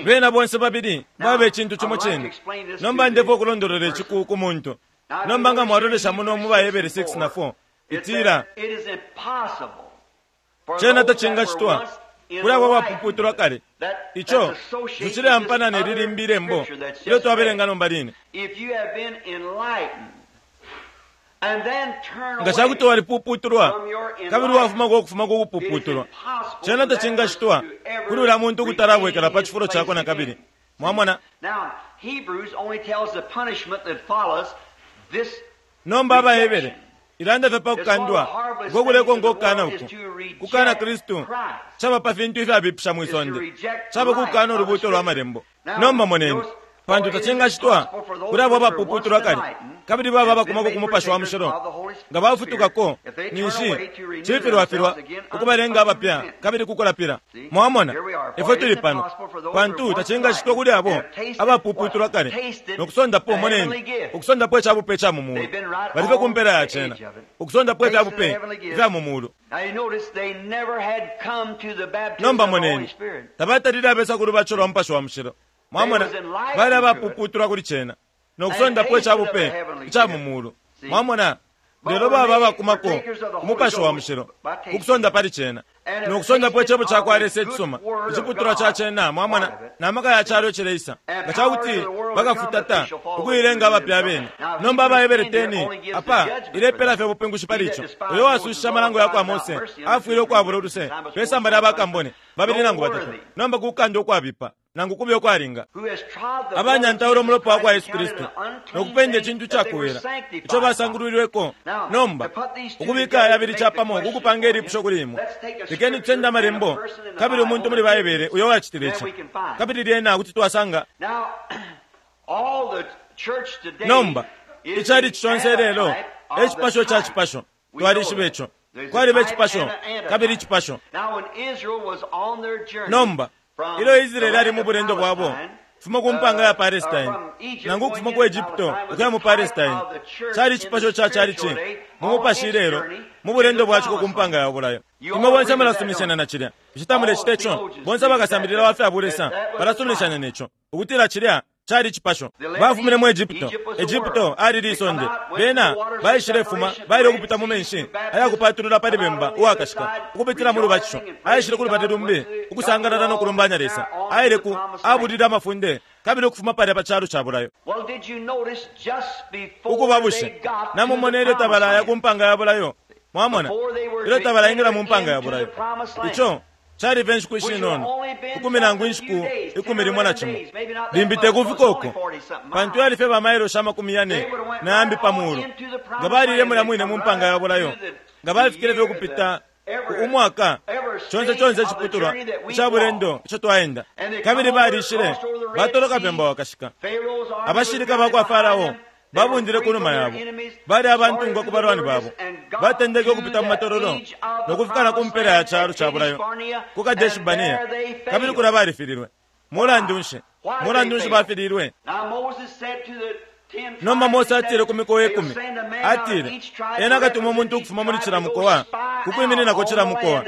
Speaker 1: Bena bonse babili baba icintu cimo cine. Nomba ndefwaya ukulondolola ici ku, ku muntu. Nomba nga mwalolesha muno mu baHebere 6 na 4, itila, Cena tacingacitwa kuli abo abapuputulwa kale. Ico ticileampana ne li limbi ilembo ilyo twabelenga nomba line. Nga ca kuti walipuputulwa kabili wafumako ukufuma ku kupuputulwa, cena tacingacitwa kuli ulya muntu ukutalabwekela pa cifulo cakwe na kabili. Mwamona? Nomba AbaHebere ilanda fye pa kukandwa uko kulekonka ukukana uku. Kukana Kristu caba pa fintu ifyabipisha mwi sonde. Caba kukana ulubuuto lwa Malembo. Nomba moneni, pantu tacingacitwa kuli abo abapuputulwa kale, kabili baba abakumako ku Mupashi wa Mushilo, nga bafutukako, ninshi cifilwafilwa ukubalenga abapya kabili kukulapila. Mwamona, ifwe tuli pano, pantu tacingacitwa kuli abo abapuputulwa kale no kusondapo, moneni, ukusondapo ica bupe ica mu mulu. Bali fye ku mpela ya cena, ukusondapo ifya bupe ifya mu mulu. Nomba moneni, tabatalile abesa ku lubatisho lwa Mupashi wa Mushilo. Mwamona, bali abapuputulwa kuli cena, no kusondapo ica bupe ica mu mulu. Mwamona? Lelo baba abakumako ku Mupashi wa Mushilo, ku kusonda pali cena, no kusondapo Icebo cakwa Lesa icisuma, iciputulwa ca cena, mwamona, na maka ya calo icileisa, nga ca kuti bakafutata ukuilenga abapya abene. Nomba AbaHebere 10 apa ilepela fye ubupingushi pali ico. Uyo uwasushishe amalango yakwa Mose afwile ukwabula uluse pe samba lya bakambone babili nangu batatu. Nomba kukanda ukwabipa nangu kube ukwalinga. Abanyantaula umulopa wa kwa Yesu Kristu no kupenda icintu icakowela ico basangulwilweko. Nomba, ukubika aya yabili capamo ku kupanga ilipusho kuli imwe, lekeni tusende Amalembo kabili umuntu muli Baibele uyo wacitile ici, kabili lyena kuti twasanga. Nomba, icalici conse ilelo e cipasho ca cipasho. Twalishiba ico. Kwaliba icipasho kabili icipasho. Nomba, ilyo Israele ali mu bulendo bwabo ukufuma ku mpanga ya Palestine, nangu ukufuma ku Egypto ukuya mu Palestine, cali icipasho ca chalichi mu mupashi ilelo mu bulendo bwa ciko ku mpanga ya bulayo. Imwe bonse mulasuminishanya na cilya. Bushe tamulecita ico? Bonse abakasambilila wa fya bulesa balasuminishanya ne co, ukutila cilya cali icipasho. Bafumine mu Egypto. Egypto ali lisonde. Bena baishilefuma, baile ukupita mu menshi ayakupatulula pali Bemba Uwakashika, ukupitila mu lubatisho. Aishile ku lubali lumbi, ukusangalala no kulumbanya Lesa. Aile ku, abulile amafunde, kabili ukufuma palya pa calo ca bulayo. Ukuba bushe, namumona ilyo tabalaya ku mpanga ya bulayo? Mwamona, ilyo tabalaingila mu mpanga ya bulayo. Ico cali fye inshiku ishinono, ukumi nangu inshiku 11 na cimo, limbi te kufika uko, pantu yali fye ba mailoshi 40 na yambi pa mulu. Nga balile mulya mwine mu mpanga ya bulayo, nga bafikile fye ukupita umwaka, conse conse iciputulwa ica bulendo ico twaenda. Kabili balishile batoloka Bemba Wakashika. Abashilika ba kwa Farao babundile ku numa yabo, bali abantungwa ku balwani babo. Batendeke ukupita mu matololo no kufika na ku mpela ya calo ca bulayo, ku Kadeshi-Barnea, kabili kulya balifililwe. Mulandu nshi? Mulandu nshi bafililwe? Nomba Mose atile ku mikowa ikumi, atile, Ena akatuma umuntu ukufuma muli cila mukowa ku kwimininako cila mukowa,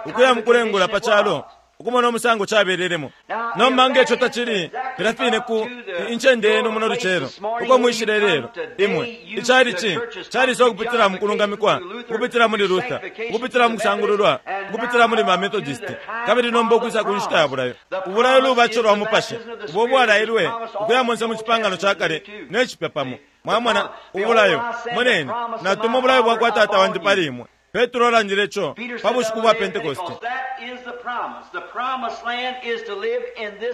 Speaker 1: ukuya mukulengula pa calo, ukumona umusango cabelelemo. Nomba nge co tacili filya fine ku incende yenu muno lucelo, uko mwishile ilelo, imwe, icalici calisa ukupitila mu kulungamikwa, ukupitila muli Luther, ukupitila mu kusangululwa, ukupitila muli ba Methodist, kabili nomba ukwisa ku nshita ya bulayo. Ubulayo lubatisho lwa Mupashi, ubo ubwalailwe ukuya monse mu Cipangano ca Kale ne Cipya pamo. Mwamona, ubulayo. Moneni, natuma ubulayo bwakwa Tata wandi pali imwe. Petro alandile co pa bushiku bwa Pentekoste.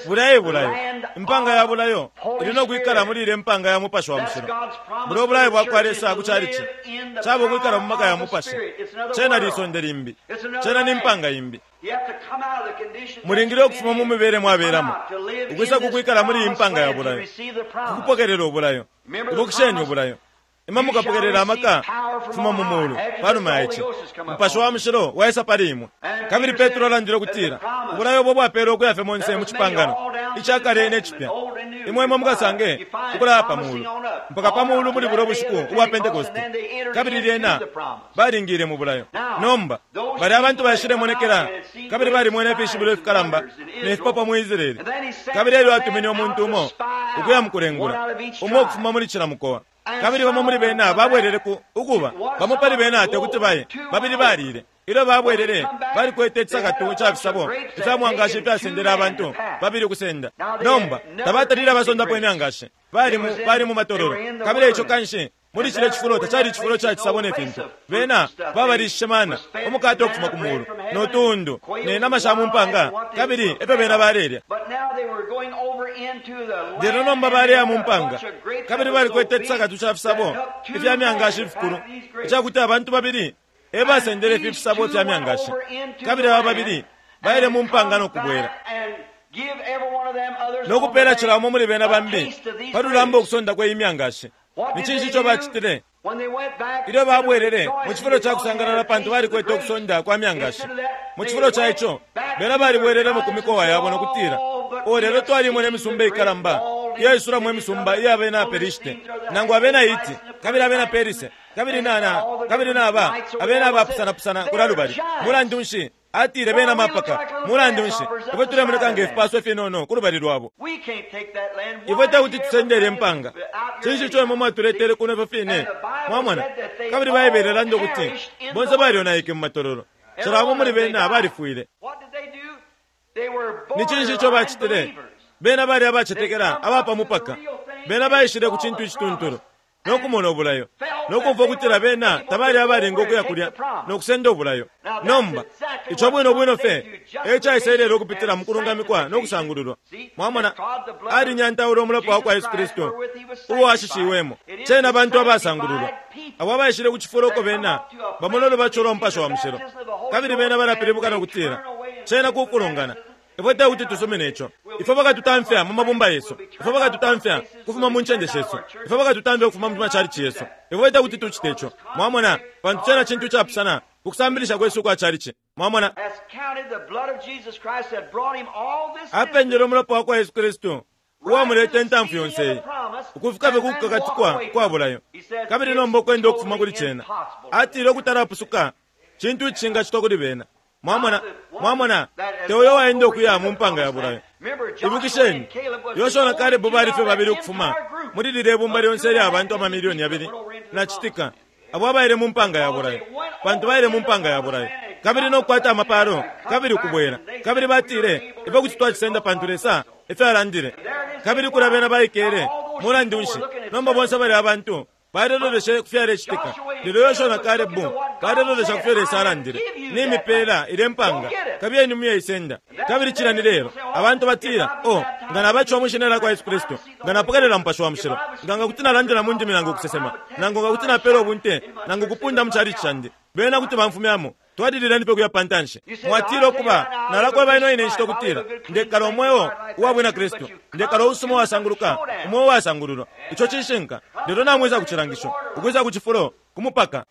Speaker 1: Bulya e bulayo. Impanga ya bulayo ili no kwikala muli ilya mpanga ya Mupashi wa Mushilo. Bulya ubulayo bwa kwa Lesa ku chalichi caba ukwikala mu maka ya Mupashi. Cena lisonde limbi. Cena ni mpanga imbi. Mulingile ukufuma mu mibele mwabelamo, ukwisa ku kwikala muli iyi mpanga ya bulayo, ku kupokelela ubulayo. Ibukisheni ubulayo. Imwe mukapokelela amaka kufuma mu mulu panuma ya ici. Mupashi wa Mushilo waisa pali imwe. Kabili Petro alandile ukutila ubulayo ubo bwapelwe ukuya fye monse mu cipangano ica kale ne cipya. Imwe imwe mukasange ukulaya pa mulu mpaka pa mulu muli bulyo bushiku ubwa Pentekoste, kabili lyena balingile mu bulayo. Nomba balya abantu baishilemonekela kabili balimwene ifishibilo ifikalamba ne fipapwa mu Israele. Kabili elyo atumine umuntu umo ukuya mukulengula, umo ukufuma muli cila mukowa. Kabili bamo muli bena babwelele ku, ukuba, bamo pali bena te kuti baye, babili balile. Ilyo babwelele, balikwete icisakatu ca fisabo ifya mwangashi ifyasendele abantu babili ukusenda. Nomba, tabatalile abasondapo imyangashi. Bali mu, bali mu matololo. Kabili eico kanshi, muli cilya cifulo tacali icifulo ca cisabo ne fintu. Bena babalishishe mana, umukate ukufuma ku mulu, no tuundu, ne nama sha mu mpanga, kabili efyo bena balelya. Lelo nomba baleya mu mpanga, kabili balikwete icisakatu ca fisabo ifya myangashi ifikulu, icakuti abantu babili e basendele ifi fisabo fya myangashi. Kabili aba babili baile mu mpanga no kubwela, no kupela cila umo muli bena bambi pa lulamba ukusonda kwe imyangashi. Ni cinshi ico bacitile? Ilyo babwelele mu cifulo ca kusangalala pantu balikwete ukusonda kwa myangashi, mu cifulo ca ico, bena balibwelelemo ku mikowa yabo no kutila, O lelo twalimona imisumba ikalamba iyaisulamo imisumba iya bena Pelishite, nangu abena Hiti, kabili abena Perise, kabili na, na, kabili na ba, abena abapusanapusana kulya lubali. Mulandu nshi, atile, bena mapaka. Mulandu nshi, ifwe tulemoneka nge fipaswa ifinono ku lubali lwabo. Ifwe tekuti tusende ilye mpanga. Cinshi ico imwe mwatuletele kuno ifyo fine? Mwamona? Kabili Baibele ilanda ukuti bonse balyonaike mu matololo. Cila umo muli bena balifwile. Ni cinshi ico bacitile? Bena bali abacetekela aba pa mupaka. Bena baishile ku cintu icituntulu, no kumona ubulayo, no kumfwa ukutila bena tabali abalinga ukuya kulya no kusenda ubulayo. Nomba, ico bwino bwino fye e caisa ilelo ukupitila mu kulungamikwa no kusangululwa. Mwamona, alinyantaula umulopa wa kwa Yesu Kristu uo ashishiwemo. Cena bantu abasangululwa abo abaishile ku cifulo uko bena bamona ulubatisho lwa Mupashi wa Mushilo, kabili bena balapilibuka no kutila, Cena kukulungana. Ifwe tekuti tusumine ico. Ifwe bakatutamfya mu mabumba yesu. Ifwe bakatutamfya kufuma mu ncende shesu. Ifwe bakatutamfya ukufuma mu machalichi yesu. Ifwe tekuti tucite ico. Mwamona, pantu cena cintu icapusana ku kusambilisha kwesu ukwa chalichi. Mwamona? Apendele umulopa wakwa Yesu Kristu uwamuleta intamfu yonse iyi, ukufika fye ku kukakatikwa kwa bulayo, kabili nomba ukwenda ukufuma kuli cena. Atile ukutalapusuka cintu icishingacitwa kuli bena. Mwamona? Mwamona? Te uyo waenda ukuya mu mpanga ya bulayo. Ibukisheni, Yoshua na Kalebu bali fye babili ukufuma muli lilye bumba lyonse ilya bantu amamilioni yabili na citika abo abaile mu mpanga ya bulayo, pantu baile mu mpanga ya bulayo kabili no kukwata amapalo kabili ukubwela. Kabili batile, Ifwe kuti twacisenda pantu Lesa efyo alandile. Kabili kulya bena baikele. Mulandu nshi, nomba bonse balya abantu Balelolesha ku fyalecitika, lelo Yoshua na Kalebu balelolesha ku fyo Lesa alandile. Nimipela ilye mpanga, kabiyeni muyeisenda. Kabili cilya ni lelo. Abantu batila, Oh, nga nabatishiwa mwi Shina lyakwa Yesu Kristu, nga napokelela Mupashi wa Mushilo, nga nga kuti nalandila mu ndimi nangu ukusesema, nangu nga kuti napela ubunte, nangu ukupunda mu chalichi candi, bena kuti bamfumyamo. Twalilileni fye ukuya pa ntanshi. Mwatila, Ukuba, nalakweba ino ine nshita ukutila ndekala umweo uwa bwina Kristu. Ndekala uusuma uwasanguluka, umweo uwasangululwa. Ico cishinka. Lelo namwisa ku cilangisho, ukwisa ku cifulo, ku mupaka.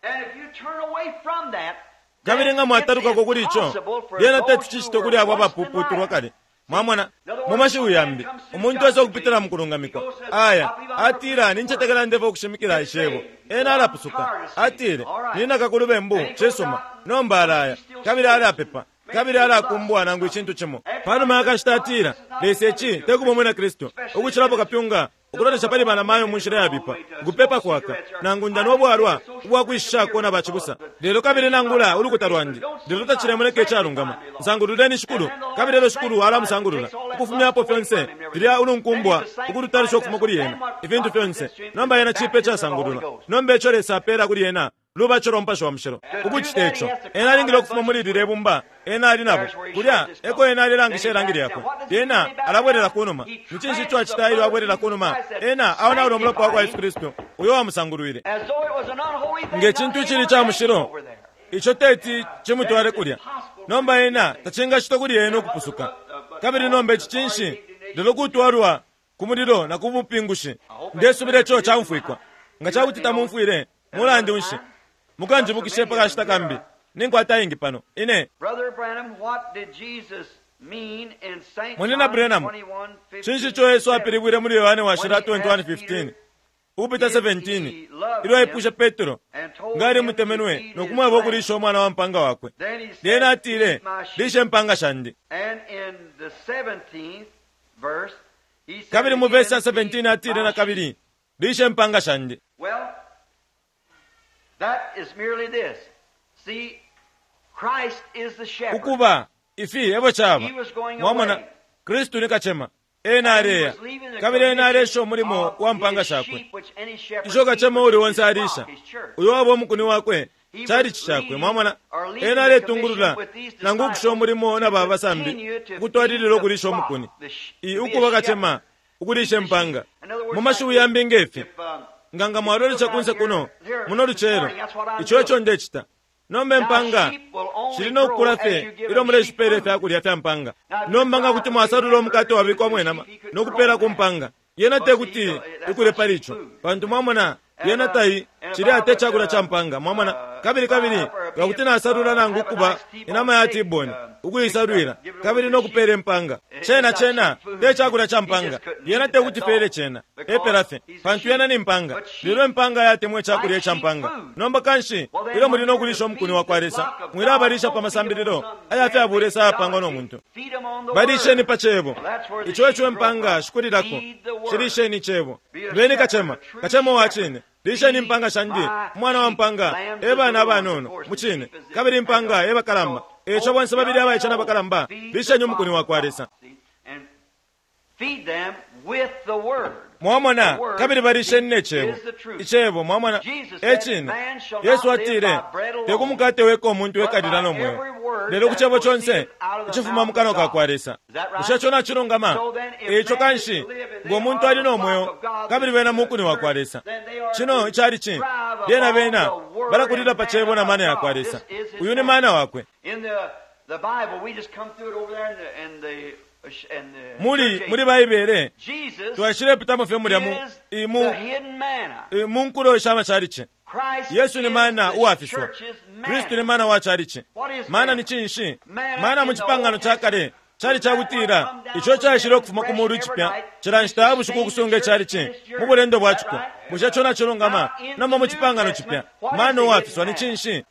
Speaker 1: Kabili nga mwatalukako kuli ico, lyena teti cicitwe kuli abo abapuputulwa kale. Mwamona? Mu mashiwi yambi, umuntu esa ukupitila mu kulungamikwa. Aya, atila, Nincetekela ndefwa ukushimikila Icebo. Ena alapusuka. Atile, Ninaka ku lubembu. Cisuma. Nomba alaya, kabili alapepa, kabili alakumbwa nangu icintu cimo. Panuma yakashita atila, Lesa ici tekuba umwina Kristu, ukucilapo kapyunga, ukulolesha pali banamayo mu nshila yabipa, ukupepa kwaka, nangu ndanwa ubwalwa ubwa kwishishako na bacibusa. Lelo kabili nangula ulukuta lwandi, lelo tacilemoneka icalungama. Nsangululeni Shikulu, kabili elyo Shikulu alamusangulula, ukufumyapo fyonse filya ulunkumbwa ukulutalusha ukufuma kuli ena, ifintu fyonse. Nomba ena cipe icasangululwa. Nomba ico Lesa apela kuli ena lubatisho lwa Mupashi wa Mushilo. Ukucita ico, ena alingile ukufuma muli lilye bumba ena ali nabo. Kulya eko ena alelangisha ilangi lyakwe. Lyena alabwelela kunuma. Ni cinshi ico acita ilyo abwelela kunuma? Ena aonaula Umulopa wakwa Yesu Kristu uyo uwamusangulwile. Nge cintu icili ica mushilo, ico teti cimutwale kulya. Nomba ena tacingacitwa kuli ena ukupusuka. Kabili nomba ici cinshi? Lelo kutwalwa ku mulilo na ku bupingushi. Ndesubila ico caumfwikwa. Nga ca kuti tamumfwile, mulandu nshi, mukanjibukishe pa kashita kambi. Ninkwata ayengi pano. Ine. Munyina Branham, cinshi ico Yesu apilibwile muli Yohane Washila 21:15 ukupita 17 ilyo aipwishe Petro nga alimutemenwe no kumweba ukuliisha umwana wa mpanga wakwe? Lyena atile, Liisha impaanga shandi. Kabili mu vesi ya 17 atile na kabili, Liisha impaanga shandi. Ukuba, ifi ebo caba. Mwamona, Kristu ni kacema. Ena aleya, kabili ena alesha umulimo wa mpanga shakwe, isho kacema uuli onse alisha, uyo waba umukuni wakwe, chalichi cakwe. Mwamona, ena aletungulula nangu ukusha umulimo na ba basambi ukutwalilila ukulisha umukuni, i ukuba kacema ukulisha impanga. Mu mashiwi yambi nge fi, nga nga mwalolesha kunse kuno muno lucelo, ico eco ndecita. Nomba impanga shili no kukula fye ilyo muleshipeela ifya kulya fya mpanga. Nomba nga kuti mwasalula umukate wabikwamo inama no kupeela ku mpanga, yena te kuti ikule pali ico, pantu mwamona, yena tai, cilya te cakulya ca mpanga. Mwamona? Kabili, kabili nga kuti nasalula nangu ukuba inama ya T-bone, ukuisalwila, kabili no kupeela impanga, cena, cena te cakulya ca mpanga. Yena te kuti peele cena, epela fye, pantu yena ni mpanga. Lelo impanga yatemwa icakulya ica mpanga. Nomba kanshi, ilyo muli no kulisha umukuni wa kwa Lesa, mwilabalisha pa masambililo aya fya bulesa ayapangwa no muntu. Balisheni pa Cebo. Ico eco impanga shikulilako. Shilisheni Icebo. Beni kacema, kacema uwa cine. Lisheni impanga shandi, umwana wa mpanga e bana abanono, mucine, kabili impanga e bakalamba. Eco bonse babili abaice na bakalamba, lisheni umukuni wa kwa Lesa. Mwamona, kabili balisheni ne Cebo. Icebo, mwamona, e Cine. Yesu atile, Te ku mukate weka umuntu ekalila no mweo, lelo ku Cebo conse icifuma mu kanwa ka kwa Lesa. Bushe ico nacilungama? E ico kanshi, ngo muntu ali no mweo, kabili bena mukuni wa kwa Lesa, cino icalici, lyena bena balakulila pa Cebo na mana yakwa Lesa. Uyu ni mana Wakwe. Muli, muli Baibele, twaishilepitamo fye mulya mu, i, mu, i, mu nkulo sha macalici. Yesu ni mana uwafiswa. Kristu ni mana wa calici. Mana ni cinshi? Mana mu Cipangano ca Kale cali ca kutila ico caishile ukufuma ku mulu icipya cila nshita ya bushiku ukusunga icalici mu bulendo bwa ciko. Bushe ico nacilungama? Nomba mu Cipangano Cipya, mana uwafiswa ni cinshi?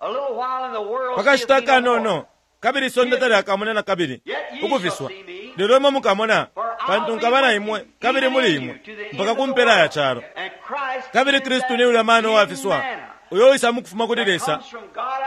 Speaker 1: Pa kashita akanono, kabili isonde talyakamone na kabili ukufiswa, lelo imwe mukamona, pantu nkaba na imwe kabili muli imwe mpaka ku mpela ya calo. Kabili Kristu ni ulya mana uwafiswa uyo uwisa mukufuma kuli Lesa,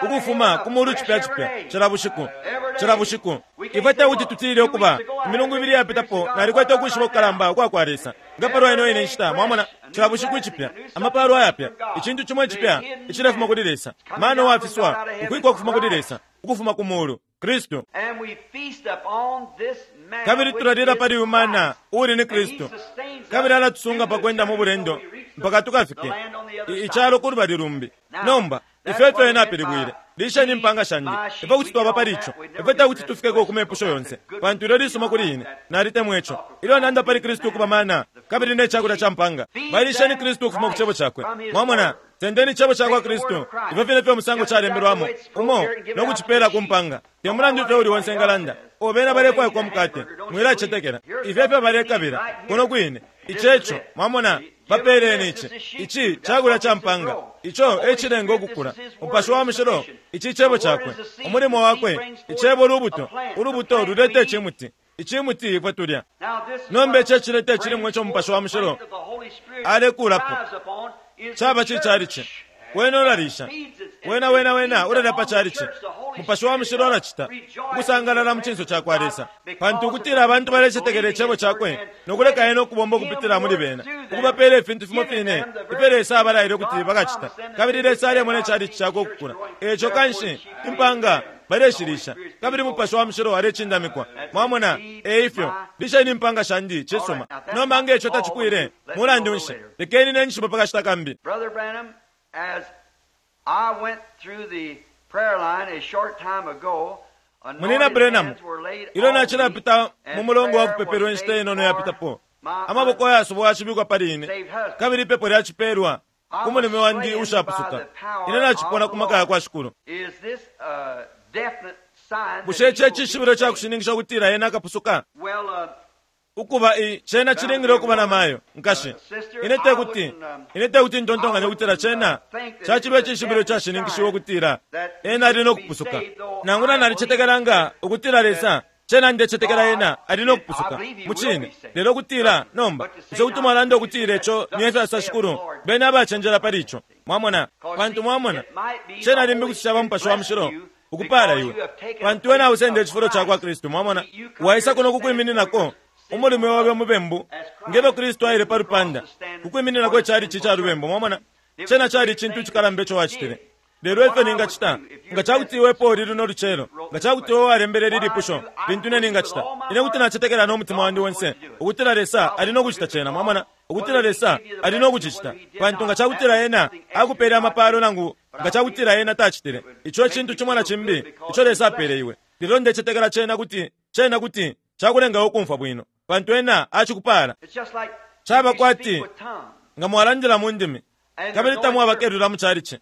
Speaker 1: ukufuma ku mulu cipya cipya cila bushiku, cila bushiku. Ifwe tekuti tutile ukuba, imilungu ibili iyapitapo nalikwete ukwishiba kukalamba ukwa kwa Lesa nga palwa ino ine nshita, mwamona, cila bushiku icipya, amapalo ayapya, icintu cimo icipya icilefuma kuli Lesa, mana uwafiswa, ukwikwa ukufuma kuli Lesa, ukufuma ku mulu, Kristu. Kabili tulalila pali uyu mana uuli ni Kristu, kabili alatusunga pa kwenda mu bulendo mpaka tukafike icalo ku lubali lumbi. Nomba, ifyo efyo Ena apilibwile, Lisheni impanga shandi. Ifwe kuti twaba pali ico. Ifwe tekuti tufikeko ku mepusho yonse, pantu ilyo lisuma kuli ine. Nalitemwa ico. Ilyo nanda pali Kristu ukuba mana kabili ne cakulya ca mpanga, balisheni Kristu ukufuma ku Cebo Cakwe. Mwamona? Sendeni Icebo cakwa Kristu, ifyo fine fye umusango calembelwamo umo, no kucipela ku mpanga. Te mulandu ifyo uli onse engalanda, O, bena balefwaikwa umukate, mwilacetekela. Ifyo efyo balekabila, kuno kwine. Ici eco, mwamona, bapeleni ici. Ici cakulya ca mpanga. Ico e cilenga ukukula. Umupashi wa Mushilo, ici Cebo Cakwe. Umulimo Wakwe, Icebo lubuto. Ulubuto luleta icimuti. Icimuti ifwe tulya. Nomba ici ecileta icilimwa ico Mupashi wa Mushilo alekulapo. Caba ci chalichi. Wena ulalisha. Wena, wena, wena ulalya pa chalichi. Mupashi wa Mushilo alacita. Ukusangalala mu cinso cakwa Lesa. Pantu ukutila abantu balecetekela Icebo Cakwe no kuleka Ena ukubomba ukupitila muli bena, ukubapela ifintu fimo fine ifyo Lesa abalaile ukuti bakacita. Kabili Lesa alemona ichalichi Cakwe ukukula. Eico kanshi, impanga baleshilisha, kabili Mupashi wa Mushilo alecindamikwa. Mwamona? Eifyo. Lisheni impanga shandi. Cisuma. Nomba nga ico tacipwile, mulandu nshi, lekeni ine njishibe pa kashita kambi.
Speaker 2: Brother Branham, as I went through the prayer line a short time ago,
Speaker 1: Munyina Branham, ilyo nacilapita mu mulongo wa kupepelwa inshita inono yapitapo, amaboko ayasubwa yacibikwa pali ine, kabili ipepo lyacipelwa ku mulume wandi uushapusuka. Ine nacipona ku maka yakwa Shikulu.
Speaker 2: Is this a definite sign
Speaker 1: Bushe ici e cishibilo ca kushininkisha ukutila ena akapusuka?
Speaker 2: Well,
Speaker 1: Ukuba, i, cena cilingile ukuba na mayo, nkashi. Ine tekuti, ine tekuti ntontonkanye ukutila cena caciba icishibilo icashininkishiwa ukutila ena ali no kupusuka. Nangula nalicetekela nga ukutila Lesa, cena ndecetekela ena ali no kupusuka, mucine. Lelo ukutila, nomba, bushe kuti mwalanda ukutila ico ni efyasosa shikulu? Beni abacenjela pali ico. Mwamona? Pantu, mwamona, cena limbi kuti caba Mupashi wa Mushilo ukupala iwe, pantu iwe nausenda icifulo cakwa Kristu. Mwamona? Waisa kuno kukwimininako umulume obe umubembu, nge fyo Kristu aile pa lupanda ku kwimininako ichalichi ica lubembu. Mwamona? Cena cali icintu icikalamba ico wacitile. Lelo ifyo ningacita, nga cakuti iwe epo uli luno lucelo, nga cakuti iwe walembele ili lipusho, lintu ine ningacita, ine kuti nacetekela no mutima wandi onse ukutila Lesa ali no kucita cena, mwamona, ukutila Lesa ali no kucicita. Pantu nga cakutila Ena akupele amapalo nangu nga cakutila Ena tacitile, ico ecintu cimo na cimbi ico Lesa apele iwe. Lelo ndecetekela cena kuti, cena kuti cakulenga iwe ukumfwa bwino, pantu Ena acikupala.
Speaker 2: It's just like
Speaker 1: Caba
Speaker 2: if you
Speaker 1: kwati
Speaker 2: speak with tongues
Speaker 1: nga mwalandila mu ndimi
Speaker 2: and
Speaker 1: kabili
Speaker 2: there's no
Speaker 1: tamwaba
Speaker 2: interpreter.
Speaker 1: kelula mu chalichi.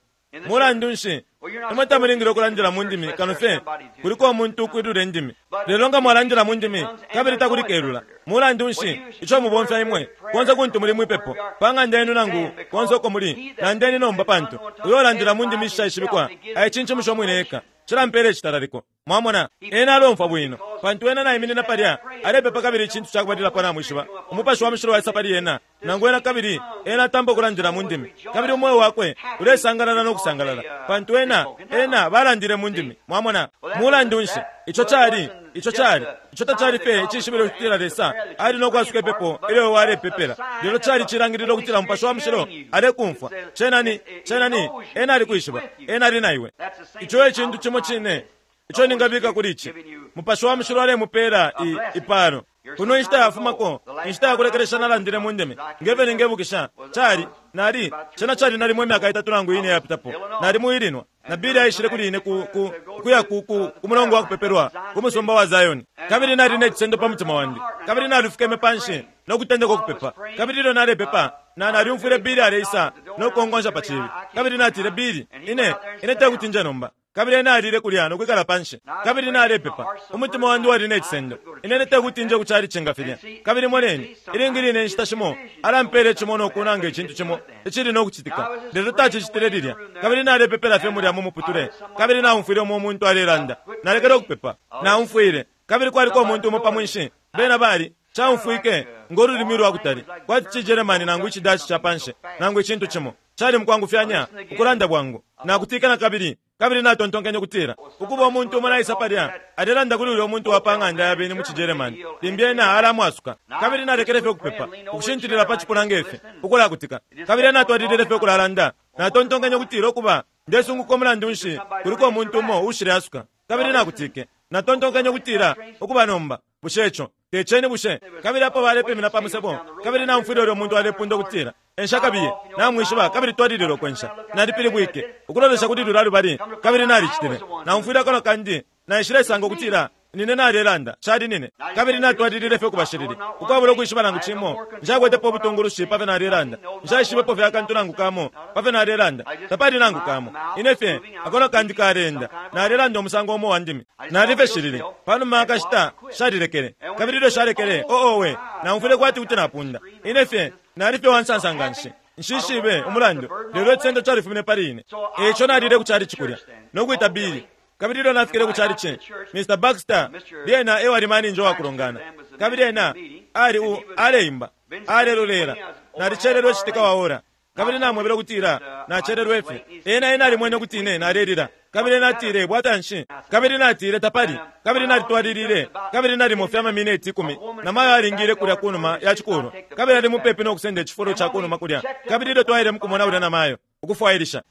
Speaker 1: Mulandu nshi, imwe tamulingile ukulandila mu ndimi kano fye kuliko umuntu ukwilula indimi. Lelo nga mwalandila mu ndimi kabili takuli kelula, mulandu nshi, ico mubomfya imwe konse kuntu muli mwi pepo, pa ng'anda yenu nangu konse uko muli, landeni nomba pantu uyo ulandila mu ndimi ishishaishibikwa aicincimusha umwine eka. Cilampela icitalaliko. Mwamona, ena alomfwa bwino, pantu ena naiminina palya alepepa kabili icintu cakubalilapo namwishiba, Umupashi wa Mushilo waisa pali ena, nangu ena kabili ena atampa ukulandila mu ndimi, kabili umweo wakwe ulesangalala no kusangalala, pantu ena, ena balandile mu ndimi. Mwamona? Mulandu nshi, ico cali, ico cali, ico tacali fye icishibilo ukutila Lesa ali no kwasuka ipepo ilyo walepepela, lelo cali cilangililo ukutila Mupashi wa Mushilo alekumfwa. Cena ni, cena ni, Ena alikwishiba, Ena ali na iwe. Ico e cintu cimo cine ico ningabika kuli ici. Mupashi wa Mushilo alemupela i, ipalo. Kuno inshita yafumako, inshita yakulekelesha nalandile mu ndimi, nge fyo ningebukisha, cali, nali, cena cali nalimo imyaka itatu nangu ine iyapitapo. Nali mu Illinois, na Billy aishile kuli ine ku, ku, kuya ku, ku, ku mulongo wa kupepelwa ku musumba wa Zion. Kabili nali ne cisendo pa mutima wandi, kabili nalifukeme panshi no kutendeka ukupepa. Kabili ilyo nalepepa, na, nalyumfwile Billy aleisa no kukonkonsha pa cibi. Kabili natile, Billy, ine, ine tekuti nje nomba. Kabili ena alile kulya no kwikala panshi. Kabili nalepepa. Umutima wandi wali ne cisendo. Ine tekuti nje ku chalichi nga filya. Kabili moneni, ilingi line inshita shimo alampela icimonwa ukunanga icintu cimo icili no kucitika, lelo tacicitile lilya. Kabili nalepepela fye mulya mu muputule, kabili naumfwile umo umuntu alelanda. Nalekele ukupepa. Naumfwile. Kabili kwaliko umuntu umo pa mwinshi. Bena bali, caumfwike ngo lulimi lwa kutali, kwati ci Germany nangu ici Dutch ca panshi, nangu icintu cimo. Cali mukwangufyanya, ukulanda bwangu. Nakutike na kabili, kabili natontonkenye ukutila, Ukuba, umuntu umo naisa palya, alelanda kuli ulyo muntu wa pa ng'anda ya beni mu ciGerman, limbi ena alamwasuka. Kabili nalekele fye ukupepa, ukushintilila pa cipuna nge fi, ukulakutika. Kabili ena atwalilile fye ukulalanda. Natontonkenye ukutila, Ukuba, ndesunguka umulandu nshi kuliko umuntu umo uushileasuka. Kabili nakutike. Natontonkenye ukutila, Ukuba nomba, bushe ico te ceni bushe? Kabili apo balepimina pa musebo, kabili naumfwile ulyo muntu alepunda ukutila, Ensha kabiye, namwishiba, kabili twalilile ukwensha. Nalipilibwike, ukulolesha kuli lulya lubali, kabili nalicitile. Naumfwile akanwa kandi, naishilesanga ukutila Nine nalelanda, cali nine. Kabili natwalilile fye ukuba shilili, ukwabula ukwishiba nangu cimo. Nshakwetepo ubutungulushi pa fyo nalelanda. Nshaishibepo fye akantu nangu kamo pa fyo nalelanda, tapali nangu kamo. Ine fye, akanwa kandi kaleenda, nalelanda umusango umo uwa ndimi. Nali fye shilili. Pa numa ya kashita, shalilekele. Kabili ilyo shalekele, oh, owe, naumfwile kwati kuti napunda. Ine fye, nali fye uwansansa nganshi. Nshishibe umulandu, lelo icisendo califumine pali ine. E ico nalile ku calici kulya, no kwita Billy. Kabili ilyo nafikile ku calici, Mr. Baxter lyena e wali maninja wa kulongana. Kabili ena ali u, aleimba, alelolela. Nalicelelwe citika wa ora. Kabili namwebele ukutila nacelelwe fye. Ena, ena alimwene ukuti ine nalelila. Kabili ena atile, Bwafya nshi? Kabili natile, Tapali. Kabili nalitwalilile, kabili nalimo fye amamineti ikumi, namayo alingile kulya kunuma ya cikulwa, kabili ali mupepi no kusenda icifulo ca kunuma kulya. Kabili ilyo twaile mukumona ulya namayo, ukufwailisha.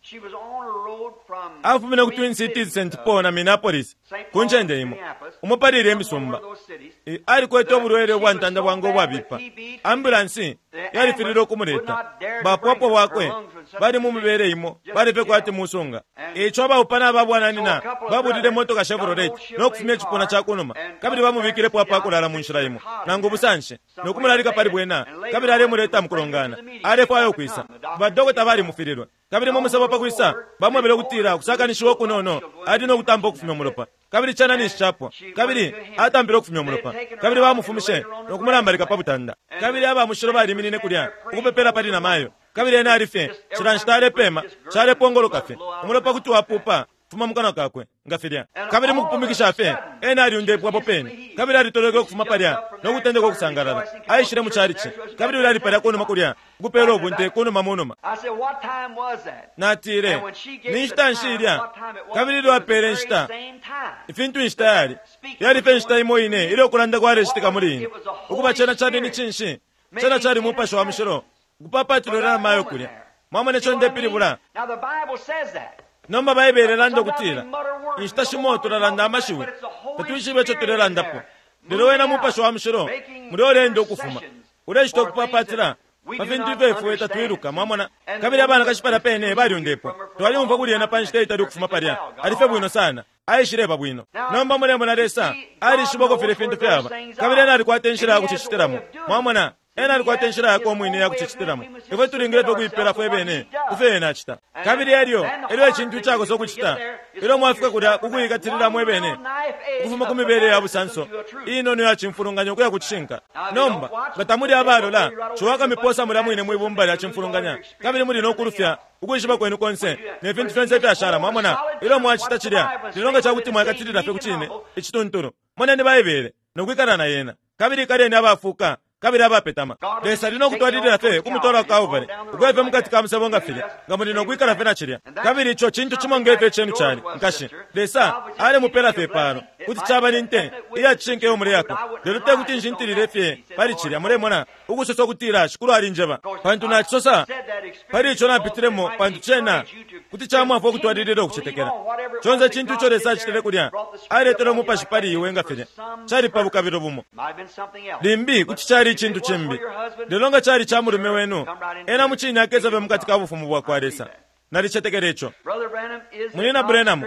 Speaker 1: Afumine ku Twin Cities, St. Paul na Minneapolis, ku ncende imo, umo pali ilye misumba. Alikwete ubulwele ubwa ntanda bwangu ubwabipa. Ambulansi yalifililwe ukumuleta. Bapwapwa bwakwe bali mu mibele imo, bali fye kwati musunga. E ico abaupana aba bwananyina babulile motoka Chevrolet no kufumya icipuna ca ku numa, kabili bamubikilepo apa kulala mu nshila imo, nangu ubusanshi, no kumulalika pali bwena, kabili alemuleta mu kulongana. Alefwaya ukwisa. Badokota balimufililwe. Kabili mu musebo pa kwisa, bamwebele ukutila ukusakanishiwa ukunono ali no kutampa ukufumya umulopa. Kabili cena ninshi capwa. Kabili atampile ukufumya umulopa. Kabili bamufumishe no kumulambalika pa butanda. Kabili aba mushilo baliminine kulya, ukupepela pali namayo. Kabili ena ali fye, cila nshita alepema, calepongoloka fye. Umulopa kuti wapupa ukufuma mu kanwa kakwe, nga filya. Kabili mukupumikisha fye, ena alyundepwe apo pene. Kabili alitolweke ukufuma palya no kutendeka ukusangalala. Aishile mu chalichi. Kabili ulya ali palya kunuma kulya, ukupela ubunte kunuma munuma. Natile, Ni nshita nshi ilya? Kabili ilyo apele inshita, ifintu inshita yali, yali fye inshita imo ine ilyo ukulanda kwalecitika muli ine. Ukuba cena cali ni cinshi? Cena cali Mupashi wa Mushilo ukupapatila ulya namayo kulya. Mwamona ico ndepilibula? Nomba Baibele ilanda ukutila inshita shimo tulalanda amashiwi tatwishibe ico tulelandapo, lelo wena Mupashi wa Mushilo mulya uleenda ukufuma, ulecita ukupapatila pa fintu ifyo ifwe tatwiluka. Mwamona? Kabili abanakashi palya pene balyundepwa. Twalyumfwa kuli ena pa nshita itali ukufuma palya. Ali fye bwino sana. Aishileba bwino. Nomba mulemona Lesa alishiba uko filya fintu fyaba, kabili Ena alikwata inshila ya kucicitilamo. Mwamona? Ena alikwata inshila yakwe umwine iya kucicitilamo. Ifwe tulingile fye ukuipela fwebene ku fyo Ena acita. Kabili elyo, elyo icintu icakosa ukucita, ilyo mwafika kulya ku kuikatilila mwebene ukufuma ku mibele ya busanso inono iya cimfulunganya ukuya ku cishinka. Nomba, nga tamuli abalola, ciwa akamiposa mulya mwine mwi bumba lya cimfulunganya, kabili muli no kulufya ukwishiba kwenu konse ne fintu fyonse ifyashala. Mwamona? Ilyo mwacita cilya, lelo nga cakuti mwaikatilila fye ku Cine icituntulu, moneni Baibele no kwikala na Yena, kabili ikaleni abafuuka kabili abapetama. Lesa ali no kutwalilila fye ukumutwala ku Kalbale, ukuya fye mukati ka musebo nga filya, nga muli no kwikala fye na cilya. Kabili ico cintu cimo nge fyo icenu cali, nkashi. Lesa alemupela fye ipalo. Kuti caba ni nte iya cishinka iyo muleyako, lelo te kuti nshintilile fye pali cilya, mulemona, ukusosa ukutila Shikulu alinjeba. Pantu nacisosa pali ico napitilemo, pantu cena kuti camwafwa ukutwalilila ukucetekela. Conse icintu ico Lesa acitile kulya, aletele Umupashi pali iwe nga filya, cali pa bukabilo bumo. Limbi kuti cali icintu cimbi, lelo nga cali ca mulume wenu, ena mucine akesa fye mukati ka Bufumu bwakwa Lesa. Nalicetekela ico. Munyina Branham,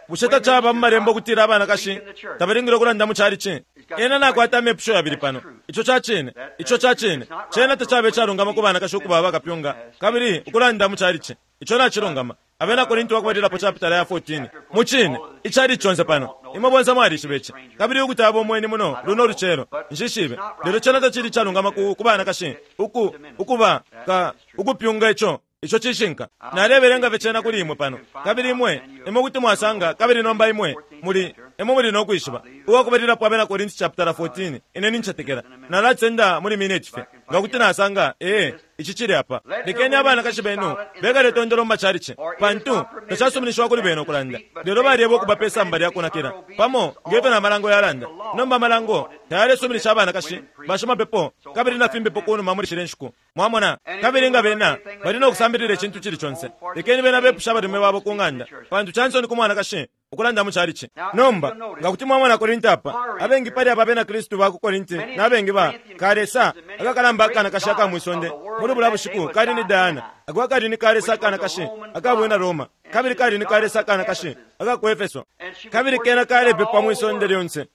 Speaker 1: bushe tacaba mu Malembo ukutila abanakashi tabalingile ukulanda mu chalichi? Ena nakwata amepusho yabili pano. Ico ca cine. Ico ca cine. Cena tacaba icalungama ku banakashi ukuba bakapyunga kabili ukulanda mu chalichi. Ico nacilungama. Abena Korinti wakubalilapo chapitala ya 14. Mucine, icali conse pano. Imwe bonse mwalishiba ici. Kabili ukuti abo mweni muno luno lucelo, nshishibe. Lelo cena tacili icalungama ku, ku banakashi uku, ukuba, ka, ukupyunga ico. Ico cishinka. Nalebelenga fye cena kuli imwe pano. Kabili imwe, imwe kuti mwasanga, kabili nomba imwe muli, imwe muli no kwishiba. Uwakubalilapo Abena Korinti chapitala 14, ine nincetekela. Nalacisenda muli mineti fye, nga kuti nasanga. Ee, ici cili apa. Lekeni abanakashi benu bekale tondolo mu macalici, pantu tacasuminishiwa kuli bena ukulanda. Lelo balyebwa ukuba pe samba lya kunakila, pamo nge fyo na malango yalanda. Nomba amalango tayalesuminisha abanakashi, bashimapepo, kabili na fimbipo kunuma muli shilye nshiku. Mwamona? Kabili nga bena bali no kusambilila icintu cili conse, lekeni bena bepushe abalume babo ku ng'anda, pantu ca nsoni ku mwanakashi ukulanda mu calici. Nomba, nga kuti mwamona Korinti apa, abengi pali aba Benakristu ba ku Korinti na bengi ba ka lesa akakalamba akanakashi aka mwi sonde muli bulya bushiku kali ni Diana, ako akali ni ka lesa akanakashi aka bwina Roma, kabili kali ni ka lesa akanakashi aka ku Efeso, kabili kena kalepepwa mwi sonde lyonse.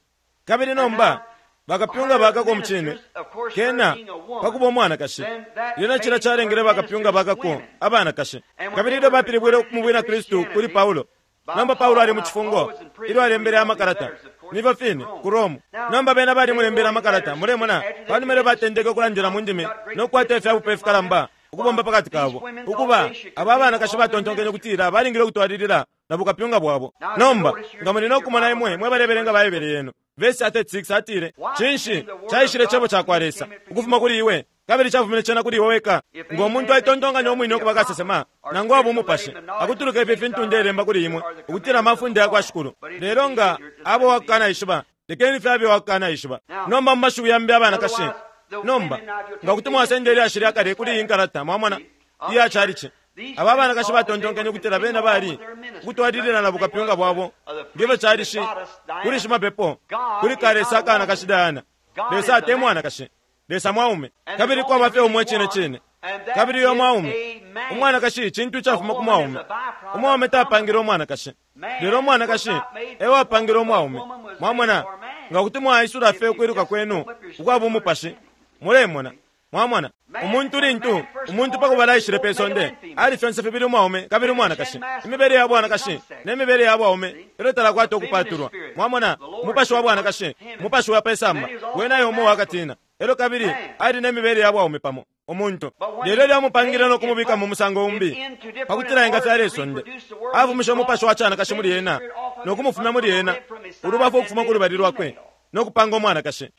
Speaker 1: Kabili nomba bakapyunga bakako mucine kena pakuba umwanakashi, lyena cilya calengele bakapyunga bakako abanakashi. Kabili ilyo bapilibwile mu bwina Kristu kuli Paulo, nomba Paulo ali mu cifungo ilyo alembele amakalata, nifyo fine ku Rome. Nomba bena balimulembele amakalata, mulemona, panuma ilyo batendeke ukulandila mu ndimi no kukwata ifya bupe ifikalamba ukubomba pakati kabo. Ukuba, aba abanakashi batontonkenye ukutila balingile ukutwalilila na bukapyunga bwabo. Nomba, nga muli no kumona imwe mwe balebelenga Baibele yenu, vesi ya 36 atile, Cinshi caishile Cebo cakwa Lesa ukufuma kuli iwe, kabili cafumine cena kuli iwe weka? Ngo muntu aitontonkanya umwine ukuba kasesema, nangu aba umupashi, akutuluka ifi fintu ndelemba kuli imwe, ukutila amafunde yakwa Shikulu. Lelo nga aba uwakukanaishiba, lekeni fye abe uwakukanaishiba. Nomba mu mashiwi yambi abanakashi, nomba, nga kuti mwasenda ilyashi lya kale kuli iyi nkalata, mwamona, iya chalichi. Aba abanakashi batontonkenye ukutila bena bali ukutwalilila na bukapyunga bwabo ngefyo cali shi kuli shimapepo kuli kalesa akanakashi Diana. Lesa te mwanakashi, Lesa mwaume. Kabili kwaba fye umo icine cine, kabili uyo mwaume. Umwanakashi cintu icafuma ku mwaume. Umwaume tapangile umwanakashi, lelo umwanakashi e wapangile umwaume. Mwamona, nga kuti mwaisula fye ukwiluka kwenu ukwa bumupashi, mulemona. Mwamona, umuntu lintu umuntu pa kubala aishile pe sonde, ali fyonse fibili umwaume kabili umwanakashi, imibele ya bwanakashi ne mibele ya bwaume, elyo talakwata ukupatulwa. Mwamona, umupashi wa bwanakashi, umupashi wa pe samba, wena e umo wakatina, elyo kabili ali ne mibele ya bwaume pamo, umuntu. Lelo ilyo amupangile no kumubika mu musango umbi, pa kutila engafyala isonde, afumishe umupashi wa canakashi muli ena, no kumufumya muli ena, ulubafu ukufuma ku lubali lwakwe, no kupanga umwanakashi.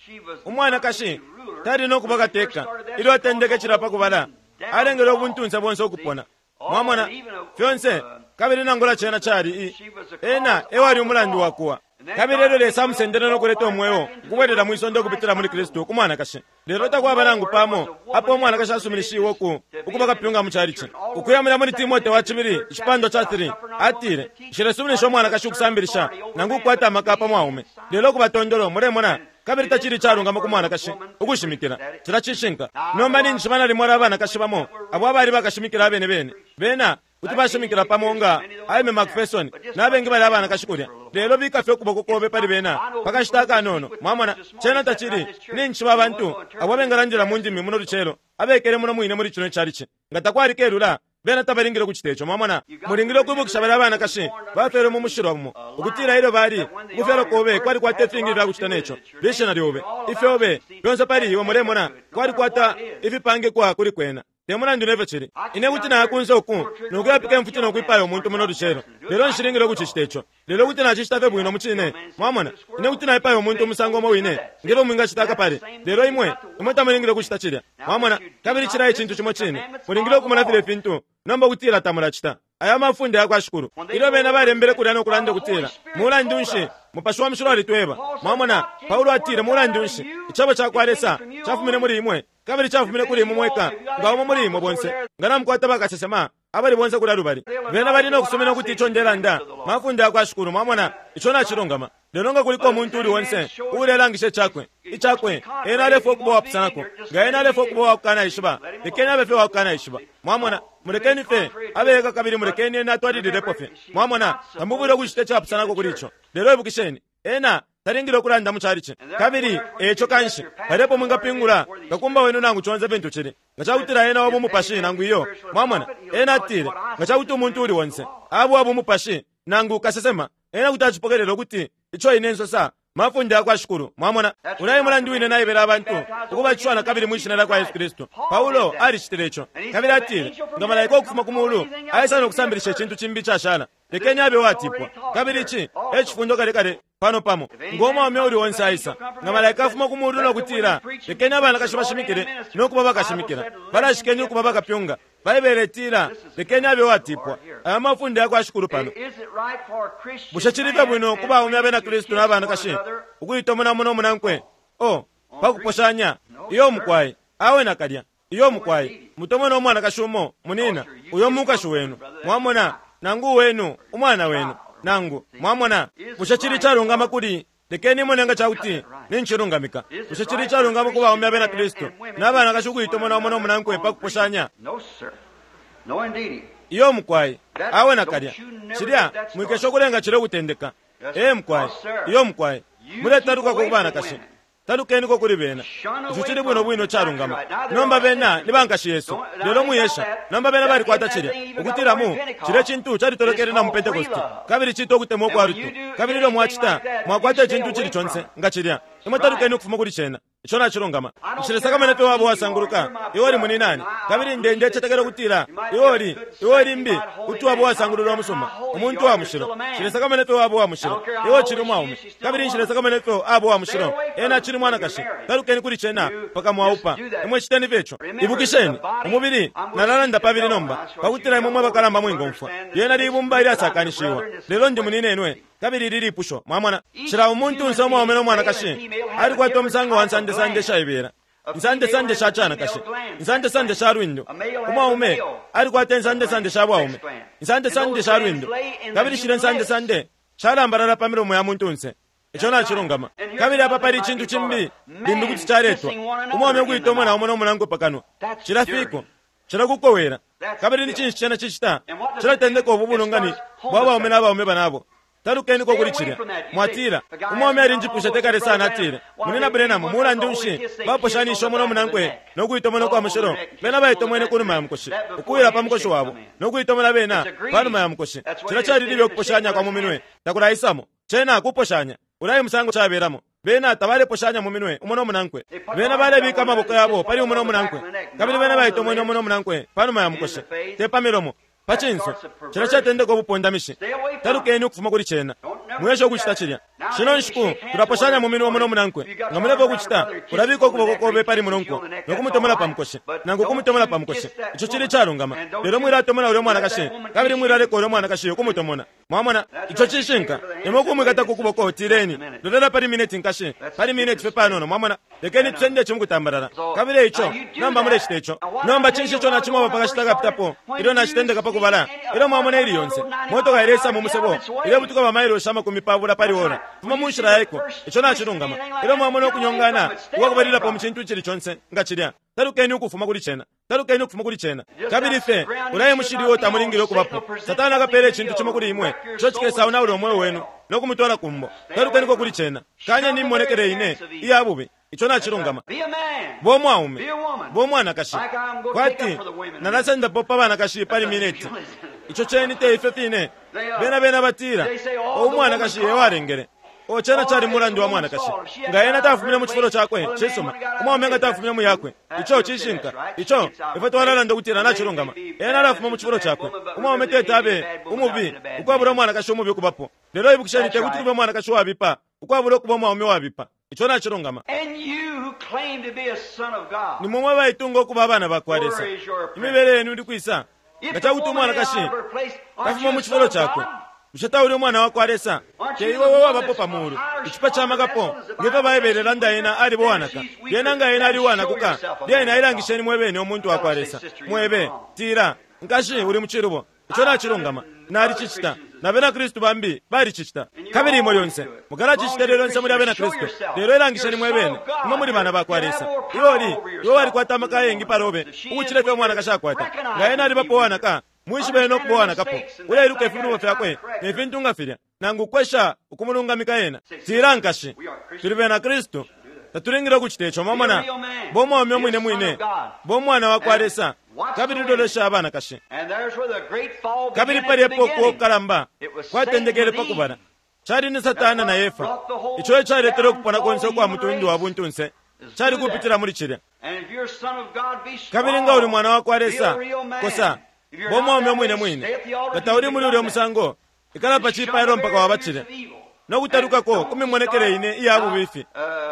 Speaker 1: Umwanakashi tali no kuba kateka. Ilyo atendeke cilya pa kubala, alengele ubuntunse bonse ukupona. Mwamona, fyonse, kabili nangula cena cali i, ena e wali umulandu wa kuwa. Kabili elyo Lesa amusendele no kuleta umweo ukubwelela mwi sonde ukupitila muli Kristu ku mwanakashi. Lelo takwaba nangu pamo apo umwanakashi asuminishiwe uku, ukuba kapyunga mu chalichi. Ukuya mulya muli Timote wa cibili icipandwa ca 3, atile, Nshilesuminisha umwanakashi ukusambilisha nangu ukukwata amaka pa mwaume, lelo ukuba tondolo, mulemona, kabili tacili icalungama ku mwanakashi ukushimikila. Cilya cishinka. Nomba ninjishiba nalimo abanakashi bamo abo abali bakashimikila abene bene. Bena kuti bashimikila pamo nga Aimee McPherson na bengi balya abanakashi kulya, lelo bika fye ukuboko kobe pali bena pa kashita akanono. Mwamona, cena tacili. Ninjishiba abantu abo abengalandila mu ndimi muno lucelo, abekele muno mwine muli cino chalichi. Nga takwali kelula, bena tabalingile ukucita ico. Mwamona, mulingile ukwibukisha balya abanakashi bafyelwe mu mushilwa umo, ukutila ilyo bali, ukufyalwa kobe kwalikwata ifingi ifya kucita neco, lishina lyobe, ifyobe, fyonse pali iwe, mulemona, kwalikwata ifipangikwa kuli kwena. Te mulandu nefyo cili, ine kuti naya kunse uku no kuyapika imfuti no kwipaya umuntu muno lucelo, lelo nshilingile ukucicita ico. Lelo kuti nacicita fye bwino mucine. Mwamona, ine kuti naipaya umuntu umusango umo wine nge fyo mwingacita akapale, lelo imwe, imwe tamulingile ukucita cilya. Mwamona? Kabili cilya e cintu cimo cine. Mulingile ukumona filye fintu nomba ukutila tamulacita. Aya mafunde yakwa Shikulu. Ilyo bena balembele kulya no kulanda ukutila, Mulandu nshi, Mupashi wa Mushilo alitweba. Mwamona, Paulo atile, Mulandu nshi, Icebo cakwa Lesa cafumine muli imwe, kabili cafumine kuli imwe mweka, nga umo muli imwe bonse, nga namukwata bakasesema abali bonse kulya lubali, bena bali no kusumina ukuti ico ndelanda mafunde yakwa Shikulu. Mwamona, ico nacilungama. Lelo nga kuliko umuntu uli onse uulelangisha icakwe, icakwe, ena alefwaya ukuba uwapusanako. Nga ena alefwaya ukuba uwakukanaishiba, lekeni abe fye uwakukanaishiba. Mwamona, mulekeni fye abe eka kabili mulekeni ena atwalililepo fye. Mwamona, tamufwile ukucita icapusanako kuli ico. Lelo ibukisheni, ena talingile ukulanda mu chalichi. Kabili e ico kanshi, palya epo mwingapingula kakumba wenu nangu conse fintu cili, nga cakutila ena wa bumupashi nangu iyo. Mwamona, ena atile, nga cakuti umuntu uuli onse aba uwa bumupashi nangu kasesema, ena kuti acipokelela ukuti ico ine nsosa mafunde yakwa Shikulu. Mwamona? Ulya e mulandu wine naebele abantu ukubatishiwa nakabili mwi Shina lyakwa Yesu Kristu. Paulo alicitile ico. Kabili atile, Nga malaika ukufuma ku Mulu aisa no kusambilisha icintu cimbi icashala, lekeni abe uwatipwa. Kabili ici e cifundo kale kale pano pamo. Ngo mwaume uli onse aisa, nga malaika afuma ku Mulu no kutila, Lekeni abanakashi bashimikile no kuba bakashimikila, balashikeni ukuba bakapyunga, Baibele itila, Lekeni abe uwatipwa. Aya mafunde ya kwa Shikulu pano. Bushe cili fye bwino ku baume Abena Kristu na banakashi ukuitomona umo no munankwe? Oh, pa kuposhanya? Iyo mukwai. Awe nakalya. Iyo mukwai. Mutomone umwanakashi umo, munina, uyo mukashi wenu. Mwamona? Nangu uwenu, umwana wenu. Nangu, mwamona? Bushe cili icalungama kuli Lekeni imone nga ca kuti nincilungamika. Bushe cili icalungama ku baume Abena Kristu na banakashi ukuitomona umo no munankwe pa kuposhanya? Iyo mukwai, awe nakalya. Cilya, mwikesha ukulenga cilya ukutendeka. Ee mukwai, iyo mukwai. Muletalukako ku banakashi. Talukeniko kuli bena. Ico cili bwino bwino icalungama. Nomba bena ni bankashi yesu. Lelo mwiesha. Nomba bena balikwata cilya. Ukutila mu, cilye cintu calitolokele na mu Pentecost. Kabili citwa ukutemwa ukwa lutu. Kabili ilyo mwacita, mwakwata icintu icili conse nga cilya. Imwe talukeni ukufuma kuli cena. Ico nacilungama. Nshilesakamana ifyo waba uwasanguluka, iwe uli muninani. Kabili nde, ndecetekela ukutila iwe uli, iwe limbi kuti waba uwasangululwa umusuma, umuntu wa mushilo. Nshilesakamana ifyo waba uwa mushilo, iwe ucili umwaume. Kabili nshilesakamana ifyo aba uwa mushilo, ena acili mwanakashi. Talukeni kuli cena mpaka mwaupa. Imwe citeni fye ico. Ibukisheni, umubili, nalalanda pabili nomba, pakutila imwe mwe bakalamba mwingomfwa. Lyena libumba ilyasakanishiwa. Lelo ndi muninenwe. Kabili ili lipusho, mwamona, cila umuntunse umwaume no mwanakashi alikwata umusango wa nsandesande ishaibela, insandesande sha canakashi, insandesande sha lwindo. Umwaume alikwata insandesande sha bwaume, insandesande sha lwindo, kabili shilya nsandesande shalambalala pa milomo ya muntunse. Ico nacilungama. Kabili apa pali icintu cimbi limbi kuti caletwa, umwaume ukuitomona umo no munankwe pa kanwa. Cila fiko, cila kukowela. Kabili ni cinshi cena cicita? Cilatendeka ubu bulungani bwa baume na baume banabo. Talukeniko kuli cilya. Mwatila, Umwaume alinjipwishe te kale sana, atile, Munyina Branham, mulandu nshi baposhanisha umo no munankwe no kuitomona ukwa mushilo? Bena baitomwene ku numa ya mukoshi, ukuwila pa mukoshi wabo, no kuitomona bena pa numa ya mukoshi. Cilya cali libe ukuposhanya kwa mu minwe takulaisamo. Cena kuposhanya. Ulya e musango cabelamo. Bena tabaleposhanya mu minwe umo no munankwe. Bena balebika amaboko yabo pali umo no munankwe, kabili bena baitomwene umo no munankwe pa numa ya mukoshi, te pa milomo. Pa cinso, cilya catendeka ubupondamishi. Talukeni ukufuma kuli cena. Mwiesha ukucita cilya. Shino nshiku tulaposhanya mu minwe umo no munankwe. Nga mulefwaya ukucita, ulabika ukuboko kobe pali munonko no kumutomola pa mukoshi, nangu ukumutomola pa mukoshi. Ico cili icalungama. Lelo mwilatomona ulyo mwanakashi, kabili mwilaleka ulyo mwanakashi ukumutomona. Mwamona? Ico cishinka. Imwe ukumwikata ku kuboko, tileni, Lolela pali mineti, nkashi, pali mineti fye panono. Mwamona? Lekeni tusende ici mukutambalala. Kabili eico, nomba mulecita ico. Nomba cinshi ico nacimweba pa kashita akapitapo, ilyo nacitendeka pa kubala? Ilyo mwamona ili yonse motoka ileisa mu musebo, ilebutuka ba mailoshi 20 pali ora, fuma mu nshila yaiko. Ico nacilungama. Ilyo mwamona ukunyongana ukwa kubalilapo mu cintu icili conse nga cilya, talukeni ukufuma kuli cena. Talukeni ukufuma kuli cena. Kabili fye, ulya e mushili uo tamulingile ukubapo. Satana akapela icintu cimo kuli imwe, ico cikesaonaula umweo wenu no kumutwala ku mbo. Talukeniko kuli cena. Kanyeni imimonekele ine iya bubi. Ico nacilungama. Bo mwaume, bo mwanakashi. Kwati, nalasandapo pa banakashi pali mineti. Ico ceni te ifyo fine. Bena, bena batila, O umwanakashi e walengele. O cena cali mulandu wa mwanakashi. Nga ena tafumine mu cifulo cakwe, cisuma. Umwaume nga tafumine mu yakwe. Ico cishinka. Ico, ifwe twalalanda ukutila nacilungama. Ena alafuma mu cifulo cakwe. Umwaume teti abe umubi ukwabula umwanakashi umubi ukubapo. Lelo ibukisheni tekuti kube umwanakashi uwabipa ukwabula ukuba umwaume uwabipa. Ico nacilungama. Ni mwe mwe baitunga ukuba abana bakwa Lesa. Imibele yenu ili kwisa? Nga cakuti umwanakashi tafuma mu cifulo cakwe, bushe tauli umwana wakwa Lesa? Te iwe we wabapo pa mulu, icipa ca makapo, nge fyo Baibele ilanda ena aliba uwanaka. Lyena nga ena ali uwanakuka, lyena ilangisheni mwe bene umuntu wakwa Lesa. Mwebe, tila, Nkashi, uli mu cilubo. Ico nacilungama. Nalicicita. Na Bena Kristu bambi balicicita. Kabili imwe lyonse mukalacicita ilyo lyonse muli Abena Kristu. Lelo ilangisheni mwe bene, imwe muli bana bakwa Lesa. Iwe uli, iwe walikwata amaka ayengi palobe ukucila ifyo umwanakashi akwata. Nga ena alibapo uwanaka, mwishibe ena ukuba uwanakapo. Uleiluka ifilubo fyakwe ne fintu nga filya, nangu ukwesha ukumulungamika ena. Tila, nkashi, tuli Bena Kristu. Tatulingile ukucita ico. Mwamona? Bo mwaume umwine mwine. Bo mwana wakwa Lesa. Kabili lolesha abanakashi. Kabili palya epo ukuwa kukalamba kwatendekele pa kubala. Cali ni Satana na Efa. Ico e caletele ukupona konse ukwa mutundu wa buntunse, cali kupitila muli cilya. Kabili nga uli mwana wakwa Lesa, kosa, bo mwaume umwine mwine. Nga tauli muli ulyo musango, ikala pa cipailo mpaka waba cilya. No kutalukako ku mimonekele ine iya bubifi,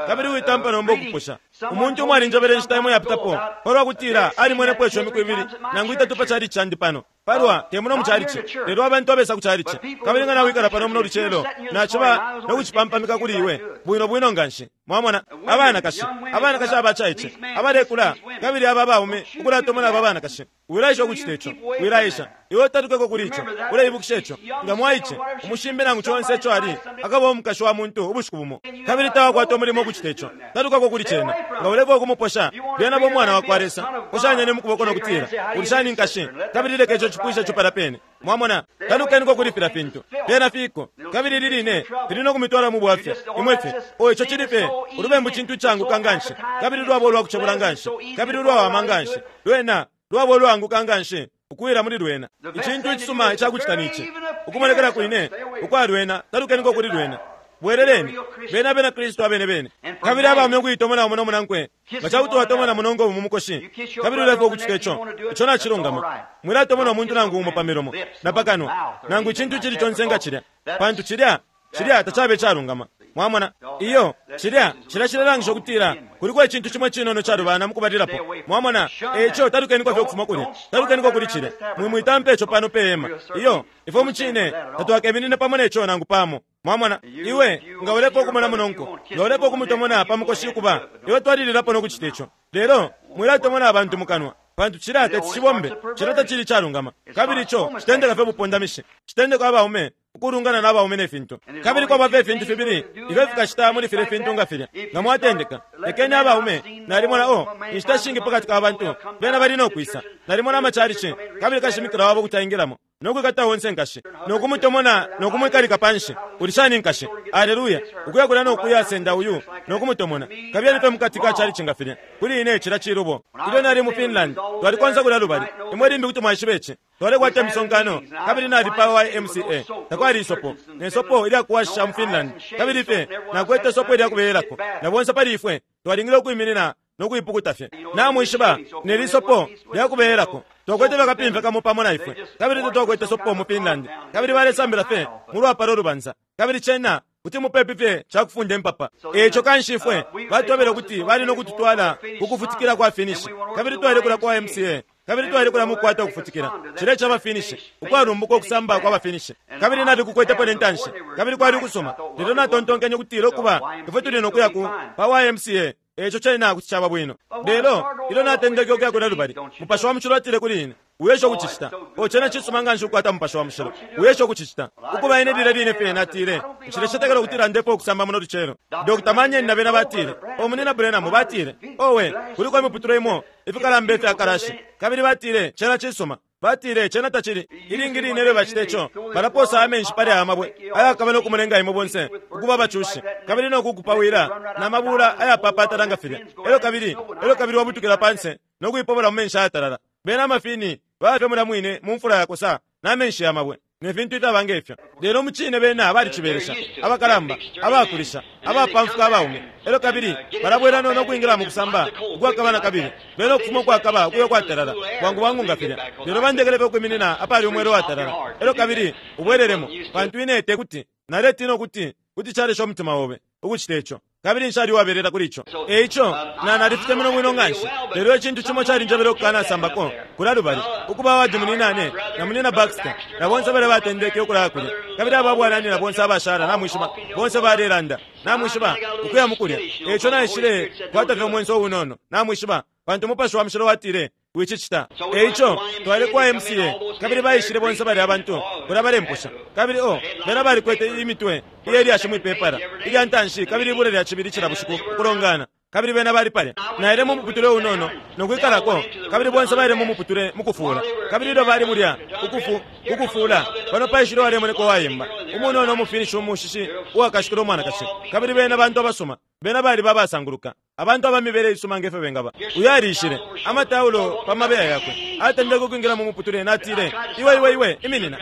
Speaker 1: kabili witampa nomba ukuposha. Umuntu umo alinjebele inshita imo iyapitapo palwa kutila alimwenepo ico imiku ibili nangu itatu pa chalichi candi pano, palwa, te muno mu chalichi, lelo abantu abesa ku chalichi. Kabili nga nawikala pano muno lucelo, naciba no kucipampamika kuli iwe bwino bwino nganshi. Mwamona? Abanakashi, abanakashi abacaice abalekula, kabili aba abaume ukulatomona aba abanakashi. Wilaesha ukucita ico. Wilaesha. Iwe utalukeko kuli ico. Uleibukisha ico. Nga mwaice, umushimbe nangu conse ico ali, akaba umukashi wa muntu ubushiku bumo. Kabili tawakwata umulimo ukucita ico. Talukako kuli cena. Nga ulefwaya ukumuposha, lyena ba umwana wakwa Lesa. Poshanyeni mu kuboko no kutila, Uli shani, nkashi? Kabili leka ico cipwishe ico palya pene. Mwamona? Talukeniko kuli filya fintu. Fyena fiko. Kabili ili line fili no kumitwala mu bwafya. Imwe fye. Oh, ico cili fye. Ulubembu cintu icaanguka nganshi, kabili lwaba ulwakucebula nganshi, kabili ulwawama nganshi. Lwena lwaba ulwaanguka nganshi ukuwila muli lwena. Icintu icisuma icakucita ni ici, ukumonekela kwine ukwa lwena, talukeniko kuli lwena. Bweleleni. Beni abena Kristu abene bene. Kabili abaume ukuitomona umo no munankwe. Nga ca kuti watomona munonko mu mukoshi, kabili ulefwaya ukucita ico, ico nacilungama. Mwilatomona umuntu nangu umo pa milomo, na pa kanwa, nangu icintu icili conse nga cilya, pantu cilya, cilya tacabe icalungama. Mwamona? Iyo, cilya, cilya cilelangisha ukutila kuliko icintu cimo icinono icalubana mukubalilapo. Mwamona? E ico talukeniko fye ukufuma kulya. Talukeniko kuli cilya. Mwi, mwitampa ico pano pe hema. Iyo, ifwe mucine tatwakeminine pamo ne co nangu pamo. Mwamona? Iwe, nga ulefwaya ukumona munonko, nga ulefwaya ukumutomona pa mukoshi ukuba, iwe twalililapo no kucita ico. Lelo, mwilatomona abantu mukanwa, pantu cilya teti cibombe. Cilya tacili icalungama. Kabili ico citendeka fye ubupondamishi. Citendeka abaume ukulungana na baume ne fintu. Kabili kwaba fye ifintu fibili ifyo fikacita muli filya fintu nga filya. Nga mwatendeka, lekeni abaume, nalimona, oh, inshita shingi pakati ka bantu, bena bali no kwisa. Nalimona amachalichi, kabili kashimikila wabo kuti aingilamo no kwikata onse nkashi, no kumutomona no kumwikalika panshi. Uli shani nkashi? Aleluya! Ukuya kulya no kuya senda uyu no kumutomona. Kabiyeni fye mukati ka chalichi nga filya. Kuli ine cilya cilubo. Ilyo nali mu Finland, twali konse kulya lubali. Imwe limbi kuti mwaishiba ici. Twalekwata imisonkano, kabili nali pa YMCA. Takwali isopo, ne sopo ilya kuwashisha mu Finland. Kabili fye nakwete sopo ilya kubeyelako, na bonse pali ifwe twalingile ukwiminina no kuipukuta fye. Namwishiba, ne li sopo lya kubeyelako. Twakwete fye akapimfya kamo pamo na ifwe, kabili tatwakwete sopo mu Finland. Kabili balesambila fye mu lwapala ulubansa. Kabili cena kuti mupepi fye ca kufunda impapa. E ico kanshi ifwe batwebele ukuti bali no kututwala ku kufutikila kwa Finnish, kabili twaile kulya ku YMCA. Kabili twali kulya mukukwata ukufutikila, cilya ica baFinnish, ukwalumbuka ukusamba kwa baFinnish. Kabili nalikukwetepo ne ntanshi, kabili kwali ukusuma. Lelo natontonkenye ukutila, Ukuba, ifwe tuli no kuya ku, pa YMCA, e ico cena kuti caba bwino. Lelo ilyo natendeke ukuya kulya lubali, Mupashi wa Mushilo atile kuli ine, Wiesha ukucicita. Oh, cena cisuma nganshi ukukwata Mupashi wa Mushilo. Wiesha ukucicita. Ukuba ine lilya line fye natile, Nshilecetekela ukutila ndefwaya ukusamba muno lucelo. Doctor Manyen na bena batile, Oh, Munyina Branham, batile, owe, kuliko imiputule imo ifikalamba ifya kalashi. Kabili batile, Cena cisuma. Batile, Cena tacili. Ilingi line ilyo bacita ico, balaposa amenshi pali aya mabwe ayakaba no kumulenga imwe bonse ukuba abacushi, kabili no kukupawila na mabula ayapapatala nga filya. Elyo kabili, elyo kabili wabutukila panse no kuipobola mu menshi ayatalala. Bena amafini baba fye mulya mwine mu mfula yakosa na menshi ya mabwe ne fintu ifyaba nge fyo. Lelo mucine bena balicibelesha, abakalamba, abakulisha, abapamfuka abaume. Elyo kabili balabwela no, no kwingila mu kusamba ukwakaba na kabili, bena ukufuma ukwakaba ukuya ukwatalala, bwangu bwangu nga filya. Lelo bandekele fye ukwiminina apali umwela uwatalala. Elyo kabili ubwelelemo, pantu ine tekuti, naletina ukuti kuti calesha umutima obe ukucita ico. Kabili nshali uwabelela kuli ico. E ico, na, nalifitemenwe bwino nganshi. Lelo icintu cimo calinjebele ukukanasambako kulya lubali, ukuba wadi munyinane na Munyina Baxter, na bonse balya batendeke ukulaya kulya. Kabili aba bwananyina bonse abashala, namwishiba, bonse balelanda, namwishiba, ukuya mukulya. E ico naishile kwata fye umwenso unono, namwishiba, pantu Umupashi wa Mushilo watile, Wicicita. E ico, twaile ku YMCA, kabili baishile bonse balya bantu kulya balemposha. Kabili, oh, bena balikwete imitwe iye lyashi mwi pepala, ilya ntanshi kabili ibula lya cibili cila bushiku ukulongana. Kabili bena bali palya. Naile mu muputule unono no kwikalako, kabili bonse baile mu muputule mukufuula. Kabili ilyo bali mulya, ukufu, ukufuula, pano paishile uwalemoneka uwayemba, umunono umuFinnish umushishi uwakashikila umwanakashi. Kabili bena bantu abasuma. Bena baliba abasanguluka, abantu aba mibele isuma nge fyo bengaba. Uyo aliishile, amataulo pa mabeya yakwe. Atendeke ukwingila mu muputule. Natile, Iwe, iwe, iwe, iminina.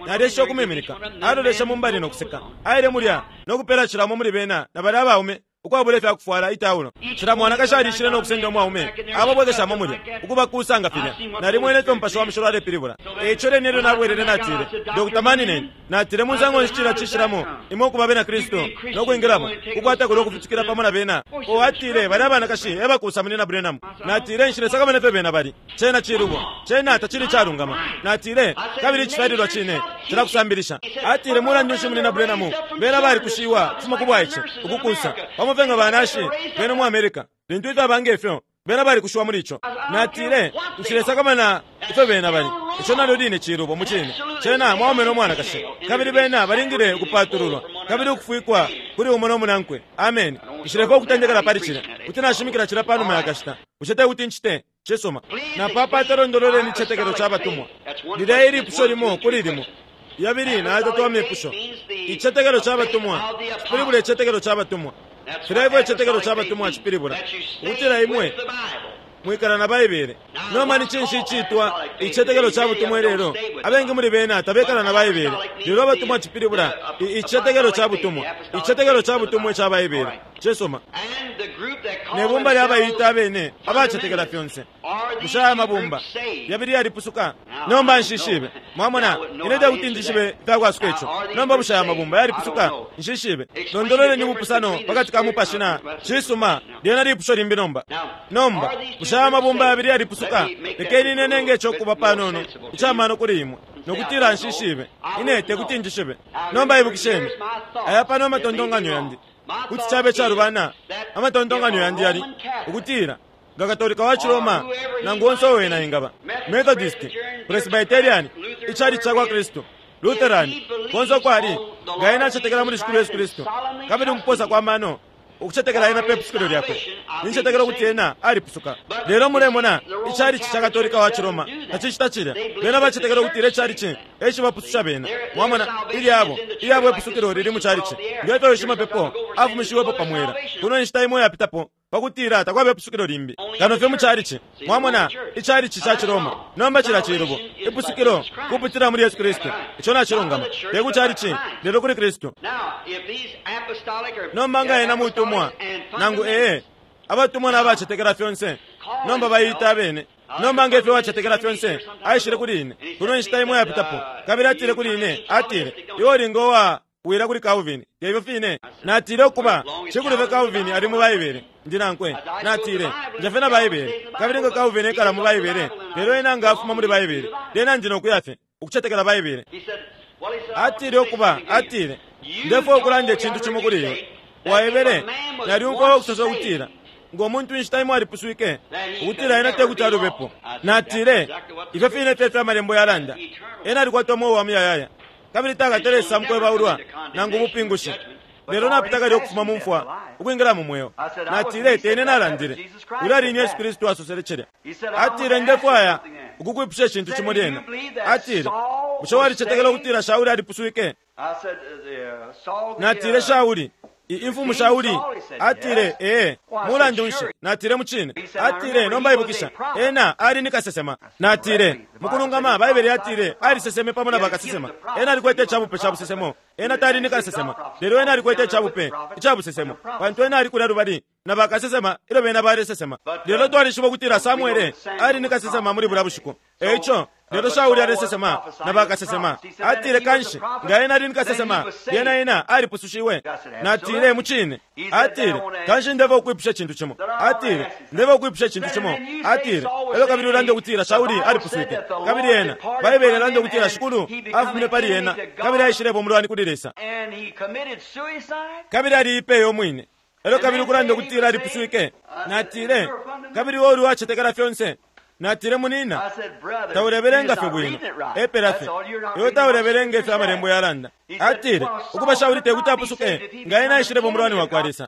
Speaker 1: Nalyesha ukumwiminika. Aloleshe mu mbali no kuseka. Aile mulya no kupela cila umo muli bena na balya abaume ukwabula ifya kufwala, itaulo. Cila mwanakashi aliishile no kusenda umwaume, ababwekeshamo mulya, ukubakuusa nga filya. Nalimwene ifyo Mupashi wa Mushilo alepilibula. E ico lyene ilyo nabwelele natile, Doctor Manninen, Natile, Musango nshi cilya cishilamo imwe ukuba abena Kristu no kwingilamo, kukwata kulyo kufutikila pamo na bena? Oh, atile, balya abanakashi e bakuusa Munyina Branham. Natile, Nshilesakamana ifyo bena bali. Cena cilubo. Cena tacili icalungama. Natile, Kabili icifyalilwa cine cilakusambilisha. Atile, Mulandu nshi, Munyina Branham, bena balikushiwa ukufuma ku bwaice, ukukuusa, pamo fye nga banashi benu mu America. Lintu ifyaba nge fyo, bena balikushiwa muli ico. Natile, Nshilesakamana ifyo bena bali. Ico nalyo line cilubo, mucine. Cena mwaume no mwanakashi, kabili bena balingile ukupatululwa kabili ukufwikwa kuli umo no munankwe. Ameni. Nshilefwaya ukutendekela pali cilya. Kuti nashimikila cilya panuma ya kashita. Bushe te kuti ncite? Cisuma. Napapata londololeni icitetekelo ca batumwa. Lilya ilipusho limo kuli limo. Yabili na yatatu amepusho. Icitetekelo ca batumwa cipilibula icitetekelo ca batumwa. Filya ifyo icitetekelo ca batumwa cipilibula ukutila imwe mwikala na Baibele. Nomba ni cinshi iciitwa icitetekelo ca butumwa ilelo? Abengi muli bena tabekala na Baibele. Lelo abatumwa cipilibula icitetekelo ca butumwa, icitetekelo ca butumwa ica Baibele. Cisuma. Ne bumba lya baita abene abacetekela fyonse. Bushe aya mabumba yabili yalipusuka? Nomba nshishibe. Mwamona, ine te kuti njishibe ifyakwasuka ico. Nomba bushe aya mabumba yalipusuka? Nshishibe. Londololeni ubupusano pakati ka mupashi na. Cisuma, lyena lipusho limbi nomba. Nomba, bushe aya mabumba yabili yalipusuka? Lekeni ine nenge ico kuba panono ica mano kuli imwe, no kutila nshishibe. Ine te kuti njishibe. Nomba ibukisheni, aya pano amatontonkanyo yandi. Kuti cabe calubana, amatontonkanyo yandi yali ukutila nga Katolika wa ciRoma nangu onse uo wena engaba, Methodist, Presbyterian, Icalici cakwa Kristu, Lutheran, konse uko ali, nga ena acetekela muli Shikulu Yesu Kristu, kabili mukuposa kwa mano ukucetekela ena pe pusukilo lyakwe, nincetekela ukuti ena alipusuka. Lelo mulemona, icalici ca Katolika wa ciRoma tacicita cilya. Bena bacetekela ukutila icalici e cibapususha bena. Mwamona, ilyabo, ilyabo ipusukilo lili mu calici. Nge fyo shimapepo afumishiwepo pa mwela kuno inshita imo yapitapo, pa kutila takwaba ipusukilo limbi kano fye mu calici. Mwamona, icalici ca ciRoma nomba cilya cilubo. Ipusukilo kupitila muli Yesu Kristu. Ico nacilungama. Te ku calici, lelo kuli Kristu. Nomba nga ena mutumwa, nangu ee, abatumwa na bacetekela fyonse, nomba baiita abene. Nomba nge fyo wacetekela fyonse, aishile kuli ine kuno inshita imo yapitapo, kabili atile kuli ine, atile, Iwe uli ngo wa wila kuli Calvin, te ifyo fine? Natile, Ukuba, cikulu fye Calvin ali mu Baibele, ndi nankwe. Natile, Nja fye na Baibele. Kabili nga Calvin ekala mu Baibele, lelo ena nga afuma muli Baibele, lyena ndi no kuya fye, ukucetekela Baibele. Atile, Ukuba, atile, Ndefwaya ukulanda icintu cimo kuli iwe. Waebele, Nalyumfwa ukusosa ukutila, ngo muntu inshita imo alipuswike, ukutila ena tekuti alubepo. Natile, Ifyo fine fye ifyo Amalembo yalanda. Ena alikwata umweo wa muyayaya, kabili takatale esa mukwebaulwa nangu ubupingushi, lelo napita kale ukufuma mu mfwa ukwingila mu mweo. Natile, Te ine nalandile. Ulya ali ni Yesu Kristu asosele cilya. Atile, Ndefwaya ukukwipusha icintu cimo lyena. Atile, Bushe walicetekela ukutila Shauli alipuswike? Natile, Shauli, imfumu Shauli? Atile, Ee. Mulandu nshi, natile, mucine. Atile, Nomba ibukisha, ena ali ni kasesema. Natile, Mukulungama, Baibele yatile aliseseme pamo na bakasesema. Ena alikwete icabupe ca busesemo. Ena tali ni kasesema, lelo ena alikwete icabupe ica busesemo, pantu ena ali kulya lubali na bakasesema ilyo bena balesesema. Lelo twalishiba ukutila Samwele ali ni kasesema muli bulya bushiku. E ico, lelo Shauli alesesema na bakasesema. Atile, Kanshi, nga ena ali ni kasesema, lyena ena alipusushiwe. Natile, Mucine. Atile, Kanshi ndefwaya ukwipusha icintu cimo. Atile, Ndefwaya ukwipusha icintu cimo. Atile, Elyo kabili ulande ukutila Shauli alipuswike. Kabili ena, Baibele ilanda ukutila Shikulu afumine pali ena kabili aishileba umulwani kuli Lesa. Kabili aliipeye umwine. Elyo kabili ukulanda ukutila alipuswike. Natile, Kabili iwe uli uwacetekela fyonse. Natile, Munina, taulebelenga fye bwino. Epela fye. Iwe taulebelenga ifyo Amalembo yalanda. Atile, Ukuba Shauli te kuti apusuke nga ena aishileba umulwani wa kwa Lesa.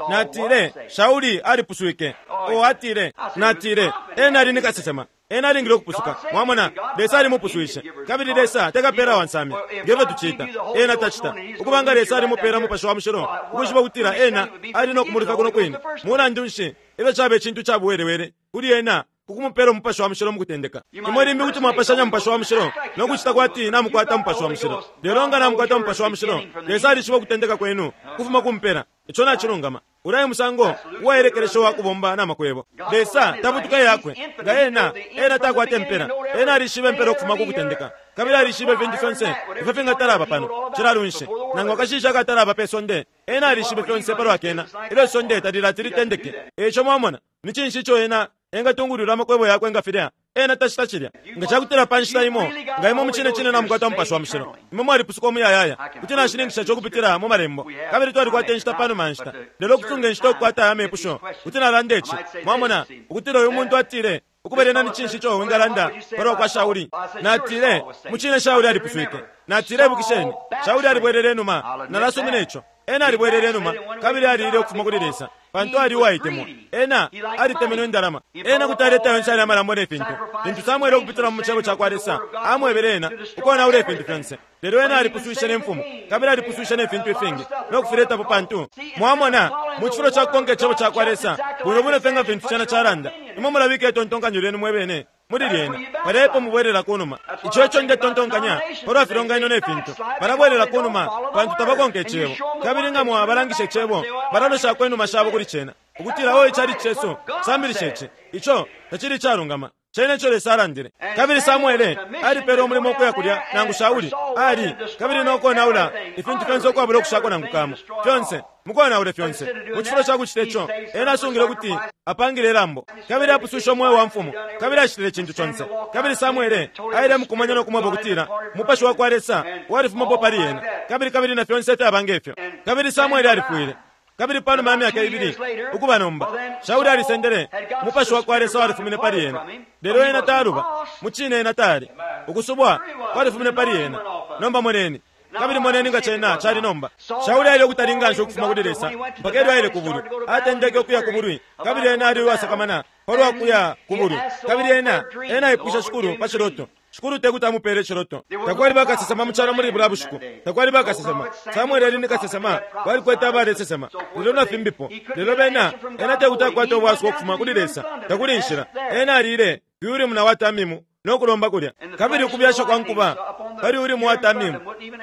Speaker 1: Natile, Shauli alipuswike. Oh, atile. Natile, Ena ali ni kasesema. Ena alingile ukupusuka. Mwamona, Lesa alimupuswishe. Kabili Lesa te kapela wa nsame, nge fyo tucita. Ena tacita. Ukuba nga Lesa alimupela Mupashi wa Mushilo, ukwishiba ukutila Ena ali no kumulufya kuno kwine, mulandu nshi, ifyo caba icintu ca buwelewele kuli Ena ku kumupela Umupashi wa Mushilo mukutendeka. Imwe limbi kuti mwapashanya Mupashi wa Mushilo no kucita kwati na mukwata Mupashi wa Mushilo. Lelo nga na mukwata Mupashi wa Mushilo, Lesa alishiba ukutendeka kwenu kufuma ku mpela. Ico nacilungama. Ulya e musango uwaelekelesha uwa kubomba na makwebo. Lesa tabutuka iyakwe. Nga Ena, Ena takwata impela. Ena alishiba impela ukufuma ku kutendeka. Kabili alishiba ifintu fyonse ifyo fingatalaba pano, cila lunshi, nangu akashishi akatalaba pe sonde. Ena alishibe fyonse palwa kena ilyo isonde talilati litendeke. Eico mwamona, ni cinshi ico Ena engatungulwila amakwebo yakwe nga filya? Ena tacita cilya. Nga cakutila pa nshita imo, nga imwe mucine cine namukwata Mupashi wa Mushilo, imwe mwalipusuka umuyayaya. Kuti nashininkisha ico ukupitila mu Malembo. Kabili twalikwata inshita panuma ya nshita. Lelo ukusunga inshita ukukwata aya mepusho, kuti nalanda ici, mwamona, ukutila uyu muntu atile, Ukuba lyena ni cinshi ico wingalanda palwa kwa Shauli? Natile, Mucine Shauli alipuswike. Natile, Ibukisheni, Shauli alibwelele inuma. Nalasumina ico. Ena alibwelele inuma kabili alile ukufuma kuli Lesa. Pantu ali uwaitemwa. Ena alitemenwe indalama. Ena kuti aleta yonse ali amalambo ne fintu. Lintu Samuele ukupitila mu cebo cakwa Lesa amwebele ena ukonaula ifintu fyonse. Lelo ena alipuswishe ne mfumu, kabili alipuswishe ne fintu ifingi no kufiletapo pantu mwamona, mu cifulo ca kukonka icebo cakwa Lesa bwino bwino fye nga fintu cena calanda, imwe mulabika itontonkanyo lyenu mwe bene muli lyena. Palya epo mubwelela ku numa. Ico eco ndetontonkanya palwa filonganino ne fintu. Balabwelela ku numa pantu tabakonka Icebo. Kabili nga mwabalangisha Icebo, balaloshako inuma shabo kuli cena, ukutila, Oh, icalici cesu cisambilisha ici. Ico tacili icalungama. Cena eco Lesa alandile. Kabili Samwele alipelwe umulimo ukuya kulya, nangu Shauli ali, kabili no konaula ifintu fyonse ukwabula ukushako nangu kamo. Fyonse, mukonaule fyonse. Mu cifulo ca kucita ico, ena asungile ukuti apangile ilambo, kabili apuswishe umweo wa mfumu, kabili acitile icintu conse. Kabili Samwele aile mukumanya no kumweba ukutila Umupashi wakwa Lesa walifumapo pali ena, kabili, kabili na fyonse ifyaba nge fyo. Kabili Samwele alifwile. Kabili panuma ya myaka ibili, ukuba nomba, Shauli alisendele, Umupashi wakwa Lesa walifumine pali ena. Lelo ena taluba. Mucine ena tali. Ukusubwa kwalifumine pali ena. Nomba moneni. Kabili moneni nga cena cali nomba. Shauli aile ukutali nganshi ukufuma kuli Lesa, mpaka ilyo aile ku bulwi. Atendeke ukuya ku bulwi, kabili ena ali uwasakamana palwa kuya ku bulwi. Kabili ena, ena aipwishe Shikulu pa ciloto. Shikulu tekuti amupele iciloto. Takwali bakasesema mu calo muli bulya bushiku. Takwali bakasesema. Samwele ali ni kasesema. Balikwete abalesesema, lelo na fimbipo. Lelo bena, ena tekuti akwate ubwasuko ukufuma kuli Lesa. Takuli inshila. Ena alile ku Urimu na wa Tamimu no kulomba kulya. Kabili ukubyasha kwa nkuba pali Urimu wa Tamimu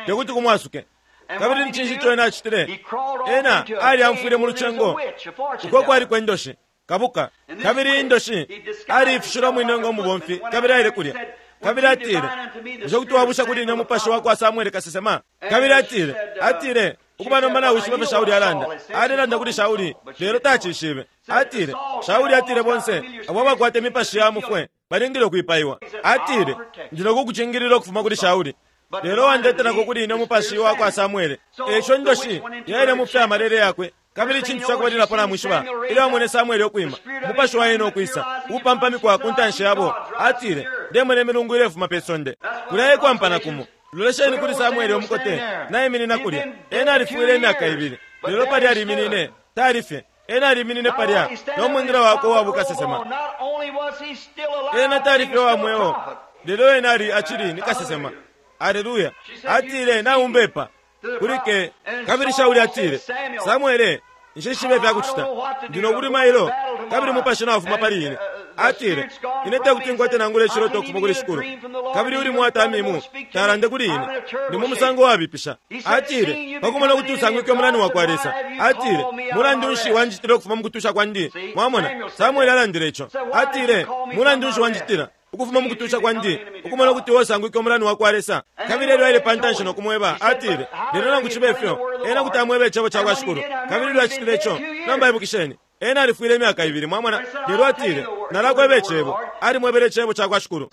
Speaker 1: tekuti kumwasuke. Kabili ni cinshi ico ena acitile? Ena alyamfwile mu lucengo uko kwaliko indoshi. Kabuka. Kabili indoshi aliifishile umwine ngo mubomfi, kabili aile kulya. Kabili atile, Bushe kuti wabusha kuli ine umupashi wa kwa Samwele kasesema? Kabili atile, atile, Ukuba nomba nawishiba ifyo Shauli alanda. Alelanda kuli Shauli, lelo tacishibe. Atile, Shauli atile bonse abo abakwata imipashi ya mufwe balingile ukwipaiwa. Atile, Ndi no kukucingilila ukufuma kuli Shauli. Lelo wandetelako kuli ine umupashi wa kwa Samwele. E ico indoshi yaile mu fya malele yakwe. Kabili icintu ca kubalilapo namwishiba, ilyo amwene Samwele ukwima, umupashi wa ena ukwisa, ukupampamikwa ku ntanshi yabo, atile, Ndemona imilungu ilefuma pe sonde. Kulya e kwampana kumo. Lolesheni kuli Samwele umukote naiminina kulya. Ena alifwile imyaka ibili, lelo palya aliminine. Tali fye. Ena aliminine palya no mwingila wakwe uwa bukasesema. Ena tali fye uwa mweo, lelo ena ali acili ni kasesema. Aleluya! Atile, Naumbepa. Kuli ke. Kabili Shauli atile, Samwele, nshishibe ifya kucita. Ndi no bulwi mailo, kabili Mupashi naufuma pali ine. Atile, Ine tekuti nkwate nangula iciloto ukufuma kuli Shikulu. Kabili Urimu wa Tamimu talande kuli ine. Ndi mu musango uwabipisha. Atile, Pa kumona ukuti usangwike umulani wakwa Lesa. Atile, Mulandu nshi wanjitila ukufuma mu kutusha kwandi? Mwamona, Samwele alandile ico. Atile, Mulandu nshi wanjitila? Ukufuma mu kutusha kwandi, ukumona ukuti iwe usangwike umulani wakwa Lesa. Kabili elyo aile pantanshi no kumweba, atile, Lelo nangu cibe fyo, ena kuti amweba Icebo cakwa Shikulu. Kabili ilyo acitile ico, nomba ibukisheni, ena alifwile imyaka ibili, mwamona. Lelo atile, Nalakweba Icebo. Alimwebele Icebo cakwa Shikulu.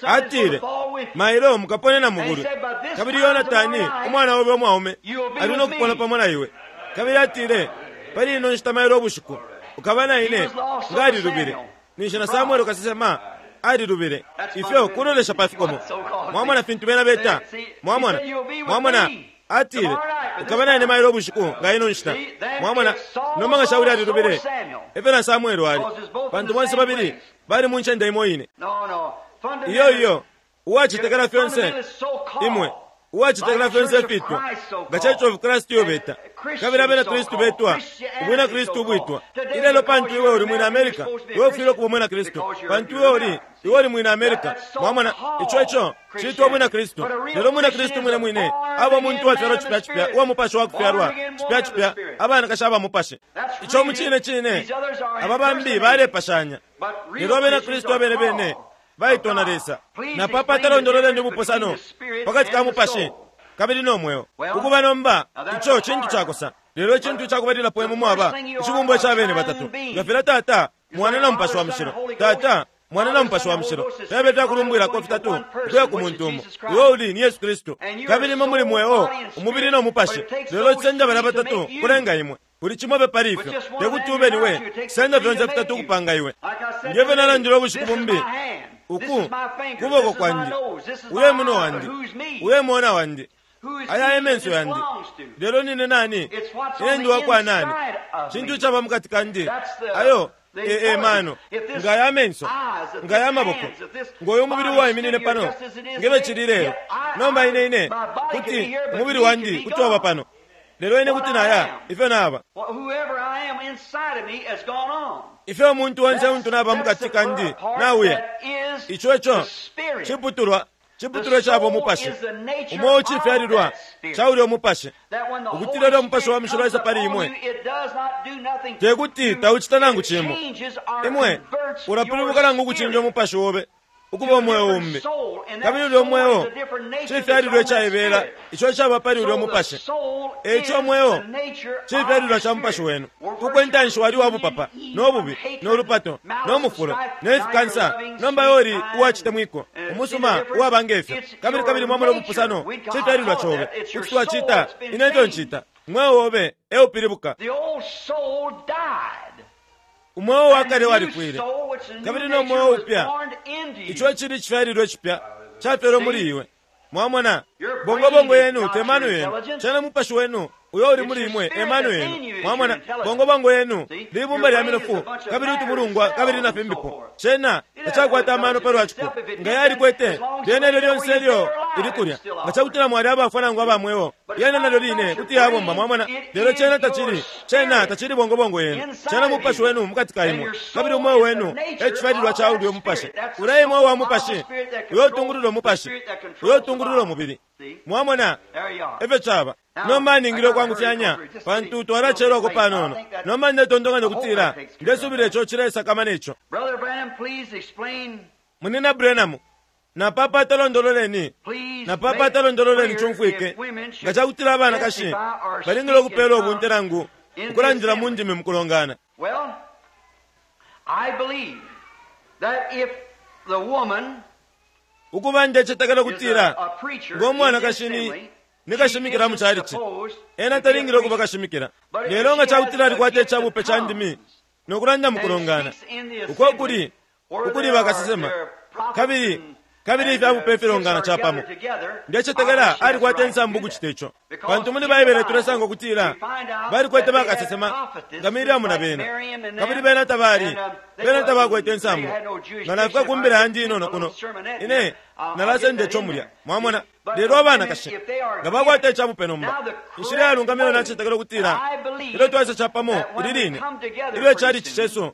Speaker 1: Atile, Mailo mukaponena mu bulwi, kabili Yonatani umwana obe umwaume ali no kupona pamo na iwe. Kabili atile, Pali ino nshita mailo ubushiku ukaba na ine. Nga alilubile, ninshi na Samwele kasesema alilubile. Ifyo kulolesha pa fikomo! Mwamona fintu bena beta? Mwamona? Mwamona? Atile, Ukaba na ine mailo ubushiku nga ino nshita. Mwamona? Nomba nga Shauli alilubile, efyo na Samwele ali, pantu bonse babili bali mu ncende imo ine. Iyo, iyo, uwacetekela fyonse, imwe. Uwacetekela fyonse ifitwa nga Church of Christ iyo beta, kabili abena Kristu betwa ubwina Kristu ubwitwa ilelo. Pantu iwe uli mwina America, iwe ufwile ukuba umwina Kristu pantu iwe uli, iwe uli mwina America. Mwamona, ico eco citwa ubwina Kristu. Lelo umwina Kristu mwine mwine aba umuntu uwafyalwa cipya cipya uwa Mupashi wa kufyalwa cipya cipya, abanakashi aba Mupashi. Ico mucine cine aba bambi balepashanya. Lelo abena Kristu abene bene baitwa na Lesa. Napapata londololeni ubupusano pakati ka mupashi kabili no mweo. Ukuba nomba, ico cintu cakosa. Lelo icintu icakubalilapo imwe mwaba icibumbwa ica bene batatu, nga filya Tata, Mwana na Mupashi wa Mushilo. Tata, Mwana na Mupashi wa Mushilo fyaba ifyakulumbwilako fitatu ukuya ku muntu umo, uyo uli ni Yesu Kristu. Kabili imwe muli mweo, umubili no mupashi, lelo cisenda balya batatu kulenga imwe. Kuli cimo fye pali ifyo, te kuti ube ni we, cisenda fyonse fitatu ukupanga iwe. Nge fyo nalandile ubushiku bumbi, Uku kuboko kwandi, uyo e munwe wandi, uyo e moona wandi. Aya e menso yandi, lelo nine nani? Ine ndi wakwa nani? Cintu icaba mukati kandi. Ayo e mano. Nga aya menso, nga aya maboko, ngo uyu mubili uwaiminine pano, ngebe cili lelo. Nomba ine ine kuti umubili wandi kuti waba pano, lelo ine kuti naya ifyo naba. Ifyo umuntu onse untu naba mukati kandi nauya. Ico eco ciputulwa ciputulwa caba umupashi. Umo ucifyalilwa ca ulya umupashi, ukutila ulya umupashi wa mushilo waisa pali imwe, te kuti taucita nangu cimo. Imwe ulapilibuka nangu ukucinja umupashi obe ukuba umweo umbi, kabili ulya umweo cifyalilwa icaibela ico icaba pali ulya umupashi. Eico umweo cifyalilwa ca mupashi wenu. Uko intanshi wali wa bupapa no bubi no lupato no mufulo ne fikansa, nomba iwe uli uwacitemwiko, umusuma, uwaba ngefyo. Kabili kabili mwamona ubupusano, cifyalilwa cobe. Kuti twacita ine ifyo ncita. Umweo obe eupilibuka. Umweo wa kale walifwile, kabili no mweo upya, ico icili icifyalilwa icipya, cafyelwe muli iwe. Mwamona, bongobongo yenu te mano yenu, cena mupashi wenu uyo uli muli imwe e mano yenu. Mwamona, bongobongo yenu libumba lya minofu kabili utumulungwa kabili na fimbipo. Cena tacakwata amano palwa ciko. Nga yalikwete, lyena ilyo lyonse ilyo ili kulya, nga cakutila mwali abafwa nangu aba mweo, yena nalyo line kuti yabomba. Mwamona, lelo cena tacili, cena tacili bongobongo yenu, cena mupashi wenu mukati ka imwe, kabili umweo wenu e cifyalilwa ca ulyo mupashi. Ulya mweo wa mupashi uyo utungulula umupashi, uyo utungulula umubili. Mwamona efyo caba. Nomba ningile ukwangufyanya pantu twalacelwako panono. Nomba ndetontonkanya ukutila ndesubila ico cilesakamana ico. Munina Branham, napapata londololeni, napapata londololeni cumfwike nga cakutila abanakashi balingile ukupelwa ubunte nangu ukulandila mu ndimi mu kulongana.
Speaker 2: Well, I believe that if the woman
Speaker 1: Ukuba ndecetekela
Speaker 2: is
Speaker 1: ukutila
Speaker 2: a preacher
Speaker 1: ngo
Speaker 2: in the
Speaker 1: mwanakashi ni
Speaker 2: assembly,
Speaker 1: ni kashimikila mu chalichi, ena talingile ukuba kashimikila. Lelo nga cakutila alikwata icabupe ca ndimi no kulanda mu kulongana, uko kuli ukuli bakasesema kabili kabili ifyabupe ifilongana capamo, ndecetekela alikwata insambu ukucita ico, pantu muli Baibele tulesanga ukutila balikwete bakasesema nga Miriamu na bena, kabili bena tabali bena tabakwete insambu. Nga nafika ku mbila yandi inono kuno, ine nalasenda ico mulya. Mwamona? Lelo abanakashi nga bakwata icabupe nomba, inshila yalungama iyo nacetekela ukutila ilyo twaisa capamo ili line ilyo icalici cesu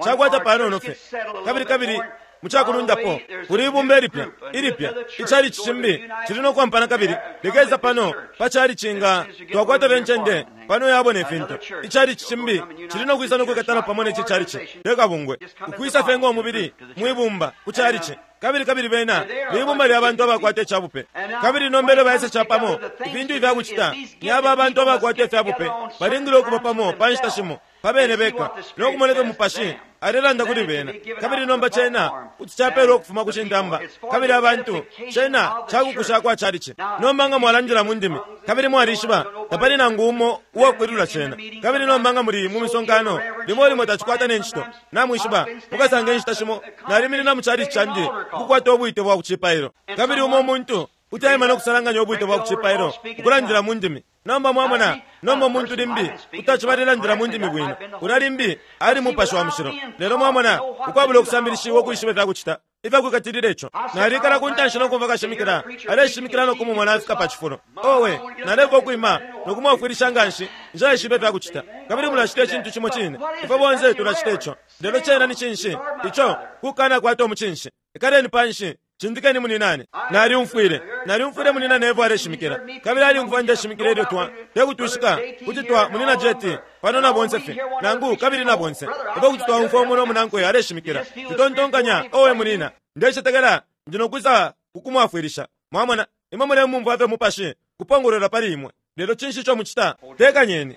Speaker 1: cakwata panono fye kabili kabili mucakulundapo kuli ibumba ilipya ilipya, icalici cimbi cili no kwampana kabili likesa pano pa calici nga twakwata fye incende pano yabo ne fintu. Icalici cimbi cili no kwisa no kwikatana pamo ne ci calici lekabungwe, ukwisa fye ngo mubili mwibumba ku calici. Kabili kabili bena libumba lya bantu abakwata icabupe, kabili nomba ilyo baisa capamo, ifintu ifya kucita ni aba abantu abakwata ifyabupe balingile ukuba pamo pa nshita shimo pa bene beka no kumona ifyo mupashi alelanda kuli bena. Kabili nomba cena kuti capelwa ukufuma ku cintamba kabili abantu, cena cakukusha kwa calici. Nomba nga mwalandila mu ndimi kabili mwalishiba tapali nangu umo uwakwilula cena, kabili nomba nga muli mu misonkano limo limo tacikwata ne ncito, namwishiba mukasanga inshita shimo naliminina mu calici candi ukukwata ubwite bwa kucipailo, kabili umo umuntu kuti aima no kusalanganya ubwite bwa kucipailo ukulandila mu ndimi. Nomba mwamona, nomba umuntu limbi kuti acibalelandila mu ndimi bwino, ulya limbi ali mupashi wa mushilo. Lelo mwamona, ukwabula ukusambilishiwa ukwishiba ifya kucita ifyakwikatilila ico, nalikala ku ntanshi no kumva kashimikila aleshimikila no kumumona afika pa cifulo. Owe, naleka ukwima no kumwafwilisha nga nshi, nshaishiba ifya kucita. Kabili mulacita icintu cimo cine, ifwe bonse tulacita ico. Lelo cena ni cinshi ico? Kukana kwata umucinshi. Ikaleni panshi, cindikeni muninane. Naliumfwile, naliumfwile munina Nevo aleshimikila, kabili aliumfwa ndeshimikila ilyo twa tekutwishika kuti twa munina Jeti pano na bonse fye nangu kabili na bonse ifwe kuti twaumfwa umo no munankwe aleshimikila. Tutontonkanya, owe munina, ndecetekela ndi nokwisa kukumwafwilisha. Mwamona, imwe mulemumfwa fye mupashi kupongolola pali imwe. Lelo cinshi ico mucita? Tekanyeni.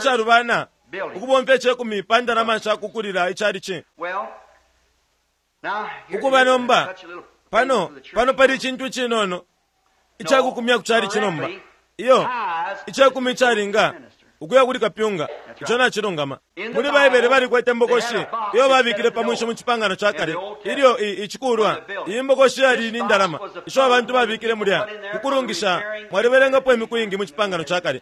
Speaker 1: icalubana ukubomfya icekumi pa ndalama sha kukulila icalici? Ukuba nomba, pano, pano pali icintu icinono icakukumya ku calici nomba. Iyo, icekumi icalinga. Ukuya kuli kapyunga. Ico nacilungama. Muli Baibele balikwete imbokoshi iyo babikile pa mwinshi mu Cipangano ca Kale ilyo i, icikulwa. Iyi mbokoshi yali ni ndalama isho abantu babikile mulya ku kulungisha. Mwalibelengapo imiku ingi mu Cipangano ca Kale.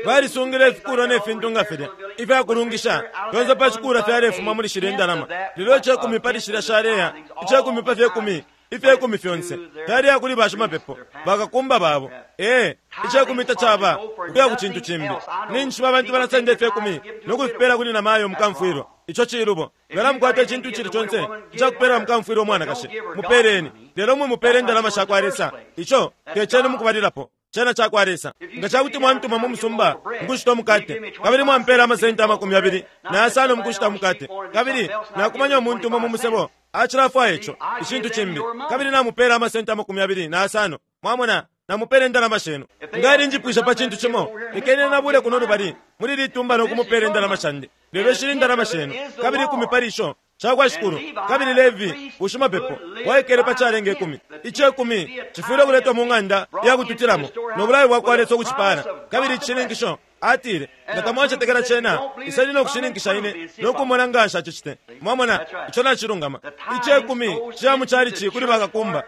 Speaker 1: Balisungile ifikulwa ne fintu nga filya ifya kulungisha fyonse pa cikulwa fyalefuma muli shilya indalama. Lelo icekumi pali shilya shaleya, icekumi pa fyekumi, ifyekumi fyonse fyaleya kuli bashimapepo, bakakumba babo. Ee, icekumi tacaba ukuya ku cintu cimbi. Ninjishiba abantu balasenda ifyekumi no kufipela kuli namayo mukamfwilwa. Ico cilubo. Nga namukwata icintu icili conse ica kupela mukamfwilwa umwanakashi, mupeleni, lelo mwimupela indalama sha kwa Lesa. Ico te cenu mukubalilapo. Cena cakwa Lesa. Nga cakuti mwantuma mu musumba mukushita umukate, kabili mwampeela amasenti 25 mukushita umukate, kabili nakumanya umuntu umo mu musebo acilafwaya ico, icintu cimbi, kabili namupeela amasenti 25, mwamona, namupeela indalama shenu. Nga alinjipwishe pa cintu cimo, lekeni ena abule kuno lubali muli ili tumba no kumupeela indalama shandi. Lelo ishili indalama shenu, kabili ikumi pali isho cakwa Shikulu, kabili Levi bushimapepo bwaikele pa calenga ikumi. Icekumi cifwile ukuletwa mu ng'anda ya kututilamo, no bulayo bwakwa Lesa ukucipaala. Kabili icishininkisho, atile, nga tamwacetekela cena, iseni no kushininkisha ine no kumona nga nshacicite. Mwamona, ico nacilungama. Icekumi ciya mu chalichi kuli bakakumba,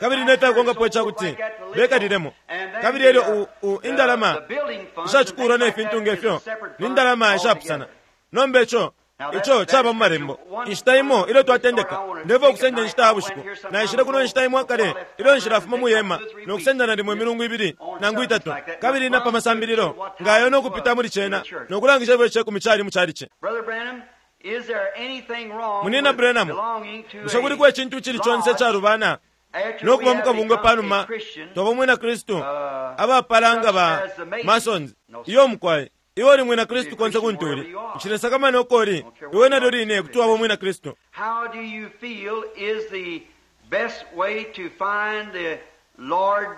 Speaker 1: kabili ne fyakonkapo icakuti bekalilemo. Kabili elyo u, u, indalama ishacikulwa ne fintu nge fyo ni ndalama ishapusana. Nomba ico Ico caba mu Malembo. Inshita imo ilyo twatendeka, ndefwaya ukusenda inshita ya bushiku. Naishile kuno inshita imo akale ilyo nshilafuma mwi hema no kusenda nalimo imilungu ibili nangu itatu, kabili na pa masambililo nga ayo no kupita muli cena no kulangisha ifyo icekumi cali mu chalichi. Munyina Branham, bushe kuliko icintu icili conse icalubana no kuba mu kabungwe panuma twaba umwina Kristu abapala nga ba Masons? Iyo mukwai. Iwe uli mwina Kristu konse kuntu uli. Nshilesakamana uko uli, iwe nalyo line kuti waba umwina Kristu.
Speaker 2: How do you feel is the best way to find the Lord?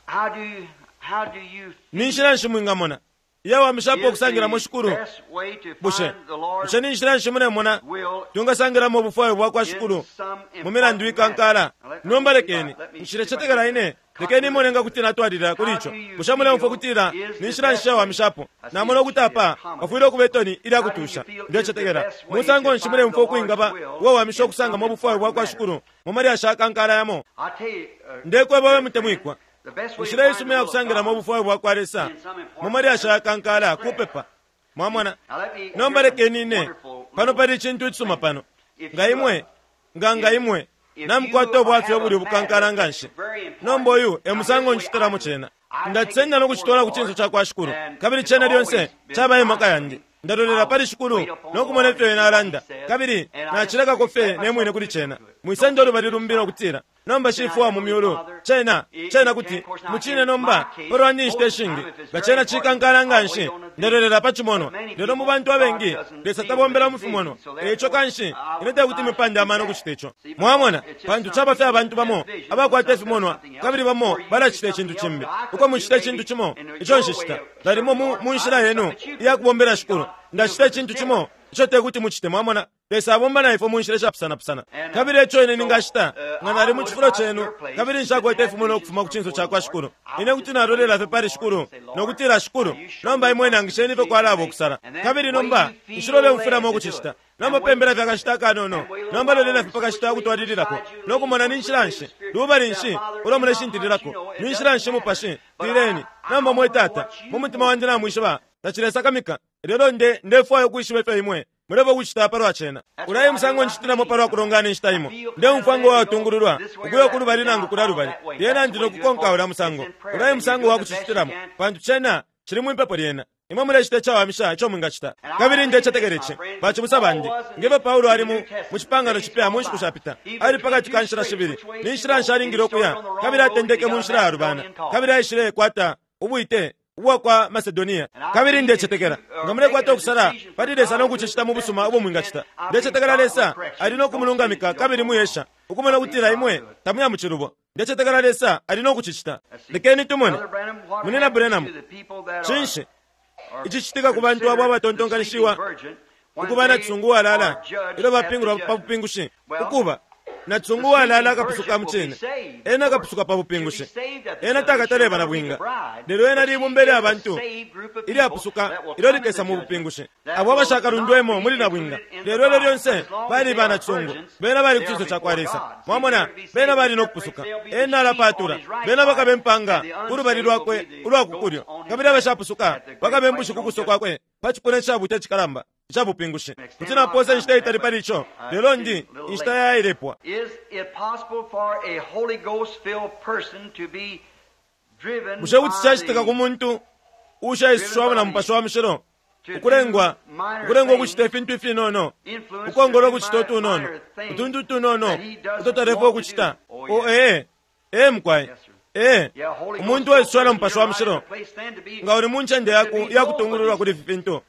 Speaker 2: How do you, how do you
Speaker 1: Ni nshila nshi mwingamona iyawamishapo ukusangilamo Shikulu? Bushe bushe ni nshila nshi mulemona twingasangilamo ubufwayo bwa kwa Shikulu mu milandu ikankala? Nomba lekeni, nshilecetekela ine, lekeni imone nga kuti natwalilila kuli ico. Bushe muleumfwa ukutila ni nshila nshi shawamishapo? Namona ukuti apa pafwile ukuba itoni ilya kutusha. Ndecetekela. Musango nshi muleumfwa ukwingaba uwawamisha ukusangamo ubufwayo bwa kwa Shikulu mu malyashi akankala yamo? Ndekweba we mutemwikwa, inshila isuma iya kusangilamo ubufwayo bwa kwa Lesa mu malyashi ayakankala kupepa. Mwamona? Nomba lekeni ine, pano pali icintu icisuma pano. Nga imwe, nga nga imwe namukwata ubwafya ubuli ubukankala nganshi, nomba uyu e musango ncitilamo cena. Ndacisenda no kucitwala ku cinso cakwa Shikulu, kabili cena lyonse caba e maka yandi. Ndalolela pali Shikulu no kumona ifyo Ena alanda, kabili nacilekako fye ne mwine kuli cena. Mwisenda ulubali lumbi no kutila, Nomba Shifwe wa mu Myulu, cena, cena kuti, mucine nomba, palwandi inshita ishingi, nga cena cikankala nganshi, Ndalolela pa cimonwa. Lelo mu bantu abengi, Lesa tabombela mu fimonwa. E ico kanshi, ine tekuti mipande amano ukucita ico. Mwamona, pantu caba fye abantu bamo abakwata ifimonwa, kabili bamo balacita icintu cimbi. Uko mucita icintu cimo ico nshicita, nalimo mu, mu nshila yenu iya kubombela Shikulu, ndacita icintu cimo ico tekuti mucite. Mwamona? Lesa abomba na ifwe mu nshila ishapusanapusana. Kabili eco ine ningacita, nga nali mu cifulo cenu kabili nshakwete ifimonwa ukufuma ku cinso cakwa Shikulu, ine kuti nalolela fye pali Shikulu no kutila, Shikulu, nomba Imwe nangisheni ifyo kwalaba ukusala. Kabili nomba nshiloleumfwilamo ukucicita. Nomba pembela fye akashita akanono. Nomba lolela fye pa kashita ukutwalililako no kumona ni nshila nshi, lubali nshi ulo muleshintililako, ni nshila nshi Mupashi. Tileni, Nomba, mwe Tata, mu mutima wandi namwishiba tacilesakamika, lelo nde, ndefwaya ukwishiba ifyo Imwe mulefwaya ukucita palwa cena. Ulya e musango ncitilamo palwa kulongana inshita imo. Ndeumfwa ngo watungululwa ukuya uku lubali nangu kulya lubali, lyena ndi no kukonka ulya musango. Ulya e musango wa kucicitilamo, pantu cena cili mwipepo lyena. Imwe mulecita icawamisha ico mwingacita. Kabili ndecetekela ici, bacibusa bandi, nge fyo Paulo ali mu, mu Cipangano Cipya mu nshiku shapita, ali pakati ka nshila shibili, ni nshila nshi alingile ukuya, kabili atendeke mu nshila yalubana, kabili aishile kwata ubwite ubwa kwa Macedonia. Kabili ndecetekela, nga mulekwata ukusala pali Lesa no kucicita mu busuma ubo mwingacita, ndecetekela Lesa ali no kumulungamika kabili mwiesha ukumona ukutila imwe tamuya mu cilubo. Ndecetekela Lesa ali no kucicita. Lekeni tumone. Munyina Branham, cinshi icicitika ku bantu abo abatontonkanishiwa ukuba na cisungu uwalala ilyo bapingulwa pa bupingushi? Ukuba, Nacisungu uwalala akapusuka mucine. Ena akapusuka pa bupingushi. Ena takataleba na bwinga. Lelo ena libumba ilya bantu ilyapusuka ilyo likesa mu bupingushi. Abo abashakalundwemo muli na bwinga. Lelo ilyo lyonse bali ba nacisungu. Bena bali ku cinso ca kwa Lesa. Mwamona, bena bali no kupusuka. Ena alapatula. Bena bakabe mpanga ku lubali lwakwe ulwa ku kulyo. Kabili abashapusuka bakabe mbushi ku kuso kwakwe pa cipuna icabuta icikalamba ica bupingushi. Kuti napoosa inshita itali pali ico, lelo ndi inshita yailepwa. Bushe kuti cacitika ku muntu uushaisushiwamo na Mupashi wa Mushilo ukulengwa ukulengwa ukucita ifintu ifinono, ukongola ukucita utunono, utuntu utunono uto talefwaya ukucita? Oh, ee. Ee, mukwai. Ee, umuntu uwaisushiwa na Mupashi wa Mushilo, nga uli mu ncende ya kutungululwa kuli ifi fintu,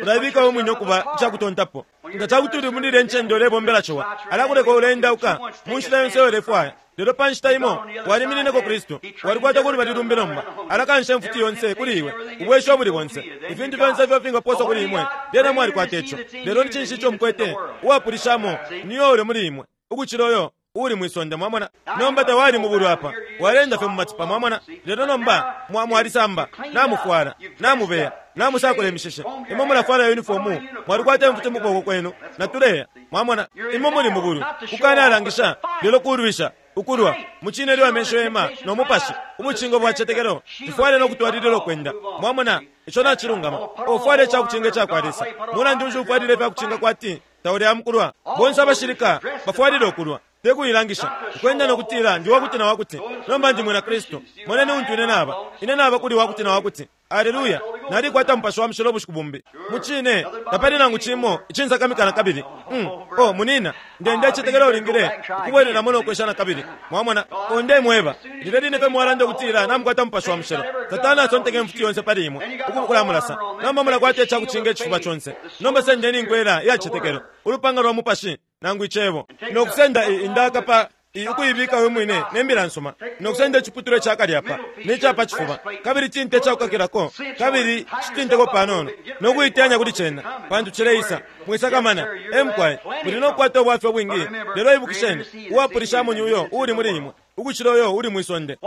Speaker 1: ulaibika we mwine ukuba icakutontapo. Nga ca kuti uli muli ilya ncende ulebombela ciwa, alakuleka uleendauka mu nshila yonse iyo ulefwaya. Lelo pa nshita imo waliminineko Kristu, walikwata ku lubali lumbi nomba. Alakansha imfuti yonse kuli iwe, ubwesho ubuli bonse, ifintu fyonse ifyo fingapooswa kuli imwe, lyena mwalikwata ico. Lelo ni cinshi ico mukwete? Uwapulishamo ni uyo uli muli imwe, ukucila uyo uuli mwi sonde. Mwamona? Nomba tawali mubulwi apa, waleenda fye mu matipa. Mwamona? Lelo nomba mwa, mwalisamba, namufwala, namubeya, namusakula imishishi. Imwe mulafwala uniformu, mwalikwata imfuti mu kuboko kwenu, natuleya. Mwamona? Imwe muli mubulwi, kukanalangisha, lelo kulwisha, ukulwa, mucine ilyo amesho yema no mupashi, ubucingo bwa citetekelo, tufwale no kutwalilila ukwenda. Mwamona? Ico nacilungama. Ufwale icakucinga icakwa Lesa. Mulandu nshi ufwalile ifyakucinga kwati tauli amukulwa? Bonse abashilika bafwalile ukulwa, te kuilangisha, ukwenda no kutila, Ndi wakuti na wakuti. Nomba ndi mwina Kristu. Moneni untu ine naba. Ine naba kuli wakuti na wakuti. Aleluya! Nalikwata Mupashi wa Mushilo ubushiku bumbi. Mucine, tapali nangu cimo icinsakamika nakabili. Mm. Oh, munina, nde, ndecetekela ulingile ukubwelelamo no kwesha nakabili. Mwamona? Oh, ndemweba, lilya line fye mwalanda ukutila namukwata Mupashi wa Mushilo, Satana asonteka imfuti yonse pali imwe, ukulamulasa. Nomba mulakwata icakucinga icifuba conse. Nomba sendeni inkwela iya cicetekelo, ulupanga lwa Mupashi, nangu Icebo, no kusenda i, indaka pa i, ukuibika we mwine ne Mbila nsuma, no kusenda iciputulwa ica kali apa, ne ca pa cifuba, kabili cinte ica kukakilako, kabili citinteko panono, no kuiteyanya kuli cena, pantu cileisa. Mwisakamana. Ee, mukwai. Muli no kukwata ubwafya ubwingi, lelo ibukisheni, uwapulishamo ni Uyo uuli muli imwe, ukucila uyo uli mwi sonde.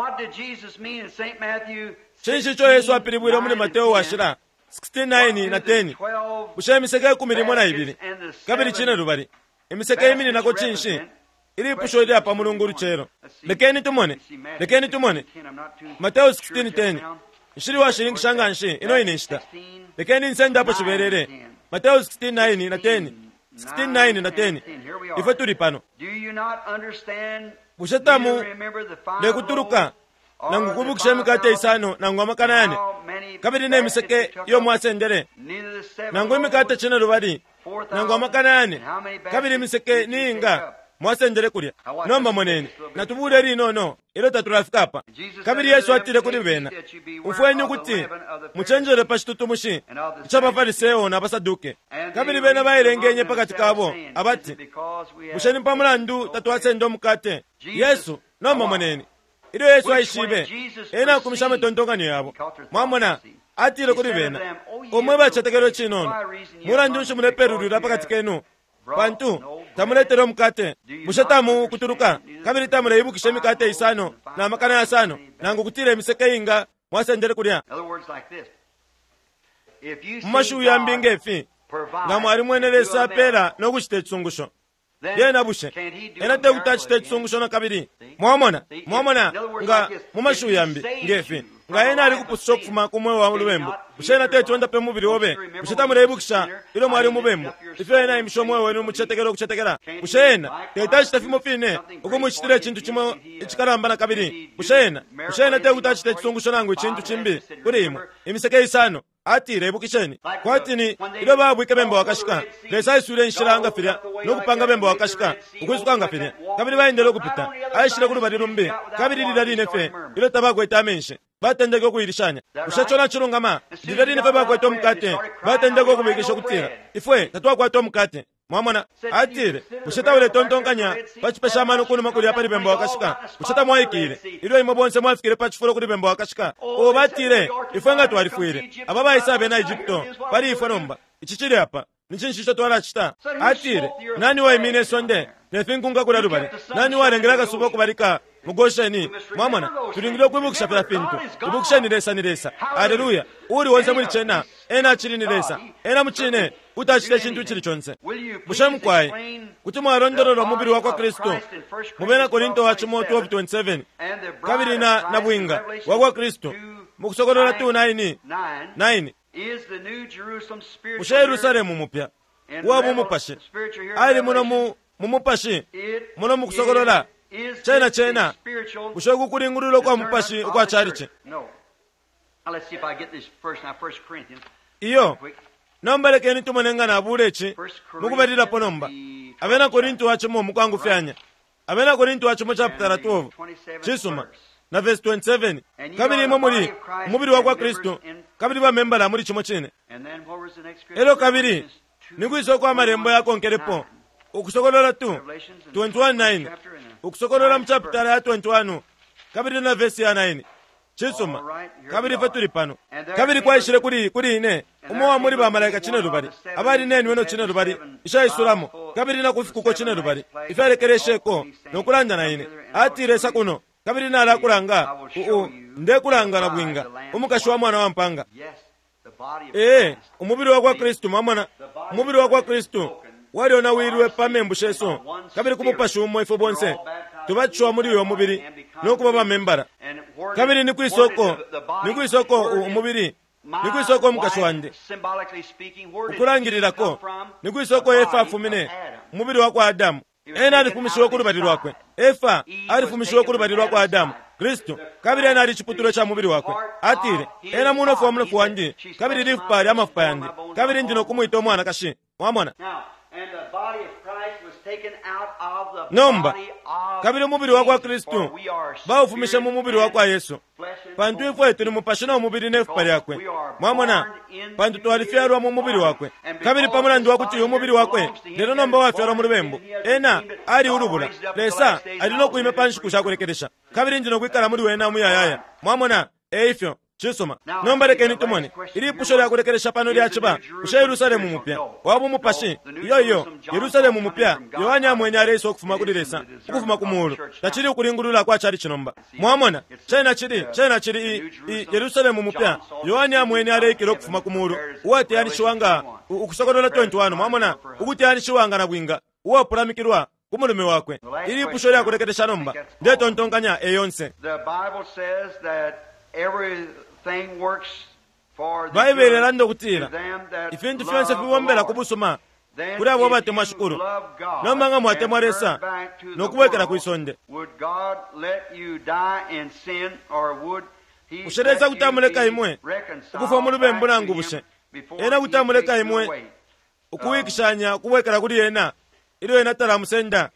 Speaker 1: Cinshi ico Yesu apilibwile muli Mateo Washila 16:9 na 10? Bushe imiseke ikumi limo na ibili kabili cinelubali imiseke imininako cinshi? Ilipusho ilya pa Mulungu ulucelo. Lekeni tumone. Lekeni tumone. Mateo 16:10. Nshili uwashininkisha nganshi ino ine nshita. Lekeni nsende apo cibelele. Mateo 16:9 na 10. 16:9 na 10. Ifwe tuli pano. Bushe tamu lekutuluka nangu kwibukisha imikate isano nangu amakana yane, kabili ne miseke iyo mwasendele, nangu imikate cinelubali nangu amakana yane, kabili imiseke ni inga mwasendele kulya? Nomba moneni, natubule ilinono ilyo tatulafika apa. Kabili Yesu atile kuli bena, Umfweni ukuti mucenjele pa citutumushi ica baFariseo na baSaduke. Kabili bena bailengenye pa kati kabo abati, Bushe ni pa mulandu tatwasenda umukate? Yesu, nomba moneni, Ilyo Yesu aishibe, ena akumishe amatontonkanyo yabo. Mwamona, atile kuli bena, O mwe bacetekelo icinono, mulandu nshi mulepelulwila pa kati kenu, pantu tamuletele umukate? Bushe tamu kutuluka, kabili tamuleibukisha imikate isano na makana yasano, nangu kutila imiseke inga mwasendele kulya? Mu mashiwi yambi nge fi, nga mwalimwene Lesa apela no kucita icisungusho, Lyena bushe ena te kuti acite icisungusho na kabili? Mwamona? Mwamona, nga, mu mashiwi yambi, nge fi, nga ena alikupususha ukufuma ku mweo wa lubembu, bushe ena teti ondape umubili obe? Bushe tamuleibukisha ilyo mwali umubembu, ifyo ena aimishe umweo wenu mu cicetekelo ukucetekela? Bushe ena teti acite fimo fine ukumucitila icintu cimo icikalamba na kabili? Bushe ena, bushe ena te kuti acite icisungusho nangu icintu cimbi kuli imwe? Imiseke isano. Atile, Ibukisheni, kwati ni ilyo baabwike Bemba Wakashika, Lesa aiswile inshila nga filya no kupanga Bemba Wakashika ukwisuka nga filya, kabili baendele ukupita. Aishile ku lubali lumbi, kabili lilya line fye ilyo tabakwete amenshi, batendeke ukuilishanya. Bushe ico nacilungama? Lilya line fye bakwete umukate, batendeke ukubilikisha ukutila, Ifwe tatwakwata umukate. Mwamona? Atile, Bushe tauletontonkanya pa cipesha amano kunuma kulya pali Bemba Wakashika? Bushe tamwaikile ilyo imwe bonse mwafikile pa cifulo kuli Bemba Wakashika? Oh, batile, ifwe nga twalifwile. Aba baisa abena Egypto pali ifwe nomba. Ici cili apa. Ni cinshi ico twalacita? Atile, Nani waimine isonde? ne finkunka kulya lubali? Nani uwalengele akasuba ukubalika mu Gosheni? Mwamona, tulingile ukwibukisha filya fintu. Ibukisheni, Lesa ni Lesa. Aleluya! Uuli onse muli cena, Ena acili ni Lesa. Ena mucine kuti acita icintu icili conse. Bushe mukwai kuti mwalondolola umubili wa kwa Kristu mu Bena Korinto wa cimo 12:27 kabili na nabwinga wa kwa Kristu mu Kusokolola 2:9 9? Bushe Yerusalemu mupya uwa mu mupashi ali muno mu mu mupashi muno mu Kusokolola? Cena cena bushe uku kulingulula ukwa mupashi ukwa calici? Iyo. Nomba lekeni tumone nga nabuula ici mukubalilapo nomba. Abena Korinto wa cimo mukwangufyanya. Abena Korinto wa cimo chapitala 12. Cisuma. Na verse 27. Kabili imwe muli umubili wa kwa Kristu, kabili ba membala muli cimo cine. Elyo kabili ni kwisa uko amalembo yakonkelepo? Ukusokolola 2, 21 9. Ukusokolola mu chapitala ya 21 kabili na verse ya 9. Cisuma. Kabili ifwe tuli pano. Kabili kwaishile kuli, kuli ine umo wa muli bamalaika cinelubali abali ne nweno cinelubali ishaisulamo kabili na kufikuko cinelubali ifyalekelesheko, no kulanda na ine, atile, Isa kuno, kabili nalakulanga u, u, ndekulanga na bwinga, umukashi wa Mwana wa mpanga. Ee, umubili wa kwa Kristu, mwamona, umubili wa kwa Kristu walyonawilwe pa membu shesu, kabili ku Mupashi umo ifwe bonse tubatishiwa muli uyo mubili no kuba bamembala. Kabili ni kwisa uko, ni kwisa uko umubili, ni kwisa uko umukashi wandi, ukulangililako, ni kwisa uko Efa afumine? Umubili wa kwa Adamu. Ena alifumishiwe ku lubali lwakwe. Efa alifumishiwe ku lubali lwa kwa Adamu, Kristu, kabili ena ali ciputulwa ca mubili wakwe. Atile, Ena munofu wa munofu wandi, kabili lifupa lya mafupa yandi, kabili ndi no kumwita umwanakashi. Mwamona? Nomba, kabili umubili wa kwa Kristu baufumishe mu mubili wa kwa Yesu, pantu ifwe tuli mupashi no mubili ne fupa lyakwe. Mwamona? Pantu twalifyalwa mu mubili wakwe. Kabili pa mulandu wa kuti uyu mubili wakwe lelo nomba wafyalwa mu lubembu, ena ali ulubula. Lesa ali no kwima pa nshiku sha kulekelesha, kabili ndi no kwikala muli wena umuyayaya. Mwamona? E ifyo. Cisuma. Nomba lekeni tumone. Ilipusho lya kulekelesha pano lyaciba, Bushe Yerusalemu mupya wa bumupashi? Iyo, iyo. Yerusalemu mupya Yohane amwene aleisa ukufuma kuli Lesa, ukufuma ku Muulu. Tacili ukulingulula kwa chalichi nomba. Mwamona? Cena cili, cena cili i, i Yerusalemu mupya Yohane amwene aleikila ukufuma ku Muulu, uwateyanishiwa nga, Ukusokolola 21, mwamona, ukuteyanishiwa nga nabwinga uwapulamikilwa ku mulume wakwe. Ilipusho lya kulekelesha nomba, ndetontonkanya, e yonse. Baibele ilanda ukutila ifintu fyonse fibombela ku busuma kuli abo abatemwa Shikulu. Nomba nga mwatemwa Lesa no kubwekela kwi sonde, bushe Lesa kuti amuleka imwe ukufwa mu lubembu nangu bushe Ena kuti amuleka imwe ukuwikishanya ukubwekela kuli Ena ilyo Ena talamusenda?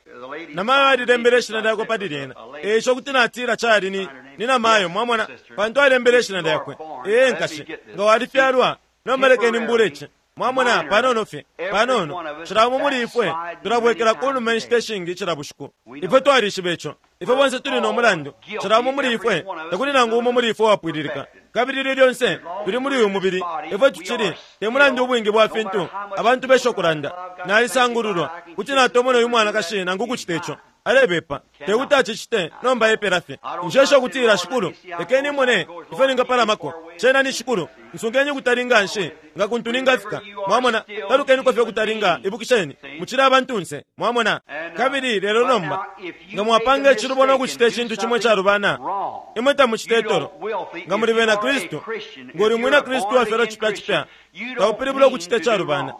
Speaker 1: Namayo alilembele ishina lyakwe pali lyena. E ico kuti natila cali ni, ni namayo, mwamona, pantu alembele ishina lyakwe. Ee, nkashi, nga walifyalwa, nomba lekeni mbule ici. Mwamona, panono fye, panono. Cila umo muli ifwe tulabwekela ku numa inshita ishingi cila bushiku. Ifwe twalishiba ico. Ifwe bonse tuli no mulandu. Cila umo muli ifwe, takuli nangu umo muli ifwe uwapwililika. Kabili ilyo lyonse tuli muli uyu mubili, ifwe tucili, te mulandu ubwingi bwa fintu abantu besha ukulanda, Nalisangululwa, kuti natomona uyu mwanakashi nangu ukucita ico. Alebepa. Te kuti acicite, nomba epela fye. Nshesha ukutila, Shikulu, lekeni mone ifyo ningapalamako. Cena ni Shikulu. Nsungeni ukutali nganshi nga kuntu ningafika. Mwamona? Talukeniko fye ukutali nga, ibukisheni, mucili abantunse. Mwamona? Kabili, lelo nomba, nga mwapanga icilubo no kucita icintu cimo icalubana, imwe tamucita itolo. Nga muli bena Kristu, nga uli mwina Kristu uwafyalwa cipya cipya, taupilibula ukucita icalubana.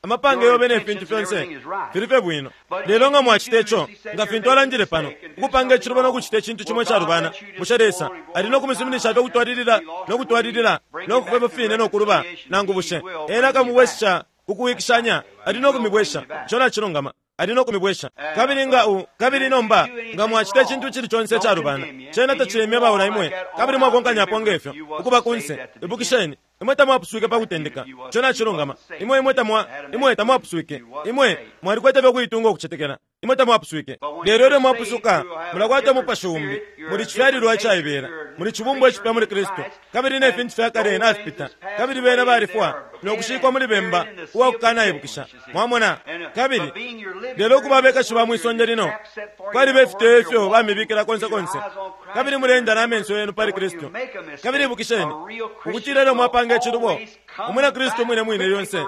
Speaker 1: Amapange yobe ne fintu fyonse fili fye bwino. Lelo nga mwacita ico, nga fintu alandile pano, ukupanga icilubo no kucita icintu cimo icalubana, bushe Lesa ali no kumisuminisha fye ukutwalilila no kutwalilila no kufwa ifyo fine no kuluba? Nangu bushe Ena akamubwesha ku kuwikishanya? Ali no kumibwesha. Ico nacilungama. Ali no kumibwesha. Kabili nga u, kabili nomba, nga mwacita icintu icili conse icalubana, cena tacilemyebaula imwe, kabili mwakonkanyapo nge fyo, ukuba kunse. Ibukisheni, imwe tamwapuswike pa kutendeka. Ico nacilungama. Imwe, imwe tamwa, imwe tamwapuswike. Imwe mwalikwete fye ukuitunga ukucetekela. Imwe tamwapuswike. Lelo ilyo mwapusuka, mulakwata umupashi umbi. Muli cifyalilwa icaibela. Muli cibumbwa icipya muli Kristu. Kabili ne fintu fya kale nafipita. Kabili bena balifwa no kushikwa muli bemba uwa kukanaibukisha. Mwamona? Kabili lelo kuba abekashi ba mwi sonde lino, kwaliba ifiteyo ifyo bamibikila konse konse. Kabili muleenda na menso yenu pali Kristu. Kabili ibukisheni ukutila ilyo mwapanga icilubo, umwina Kristu umwine mwine lyonse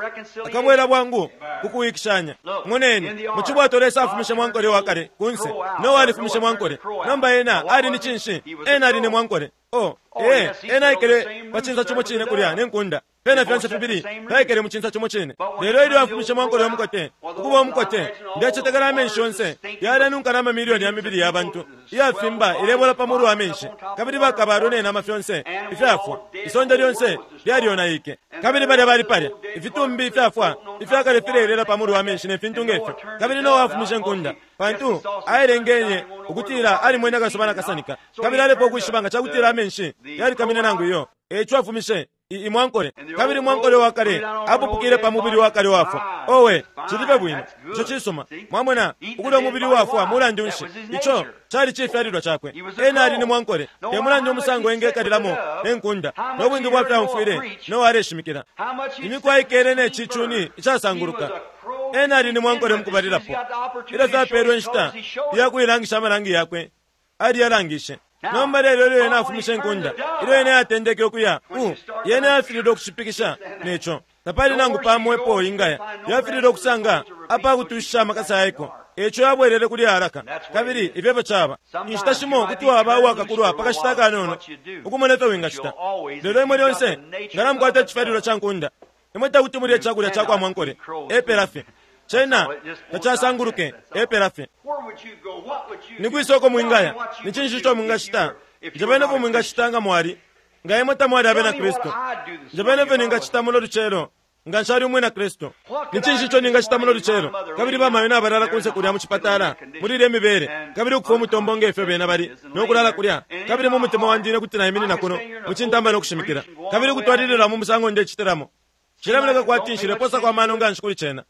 Speaker 1: akabwela bwangu ku kuwikishanya. Moneni, mu cibwato Lesa afumishe mwankole wa kale kunse. Noa alifumishe mwankole. Nomba ena ali ni cinshi? Ena ali ni mwankole. Oh, ee, ena aikele pa cinsa cimo cine kulya ne nkunda. Fyena fyonse fibili fyaikele mu cinsa cimo cine. Lelo ilyo afumishe mwankole wa mukote, ukuba umukote, ndecetekela amenshi yonse yalenunka na mamilioni ya mibili ya bantu iyafimba ilebola pa mulu wa menshi, kabili bakabalwe ne nama fyonse ifyafwa. Isonde lyonse lyalyonaike. Kabili balya bali palya, ifitumbi ifyafwa ifyakale fileelela pa mulu wa menshi ne fintu nge fyo. Kabili Noa afumishe nkunda, pantu aelengenye ukutila alimwene akasuba nakasanika, kabili alefwaya ukwishiba nga ca kutila amenshi yalikamine nangu iyo. E ico afumishe imwankole, kabili mwankole wa kale apupukile pa mubili wa kale wafwa. Owe, cili fye bwino. Ico cisuma. Mwamona, ukulya umubili wafwa mulandu nshi? Ico cali cifyalilwa cakwe. Ena ali ni mwankole. Te mulandu umusango engekalilamo ne nkunda, no bwingi bwa fyo aumfwile Noa aleshimikila. Imiku aikele ne ci cuni icasanguluka. Ena ali ni mwankole mukubalilapo. Ilyo fye apeelwe inshita ya kuilangisha amalangi yakwe, aliyalangishe. Nomba lelo ilyo ena afumishe inkunda, ilyo ena yatendeke ukuya, u, yena yafililwe ukushipikisha ne co. Tapali nangu pamo epo ingaya. Yafililwe ukusanga apa kutushisha amakasa yaiko. E ico yabwelele kuli alaka. Kabili ifyo efyo caba. Inshita shimo kuti waba uwakakulwa pa kashita akanono, ukumona ifyo wingacita. Lelo imwe lyonse nga namukwata icifyalilwa ca nkunda, imwe tekuti mulye icakulya ca kwa mwankole. Epela fye. Cena tacasanguluke, epela fye. Ni kwisa uko mwingaya? Ni cinshi ico mwingacita? Njebeni ifyo mwingacita nga mwali, nga imwe tamwali abena Kristu. Njebeni ifyo ningacita muno lucelo nga nshali umwina Kristu. Ni cinshi ico ningacita muno lucelo? Kabili bamayo nabalala kunse kulya mu cipatala, muli ilye mibele, kabili ukufwa umutombo nge fyo bena bali, no kulala kulya. Kabili mu mutima wandi ine kuti naiminina kuno mu cintamba no kushimikila, kabili ukutwalilila mu musango ndecitilamo. Cilemoneka kwati nshileposako amano nganshi kuli cena,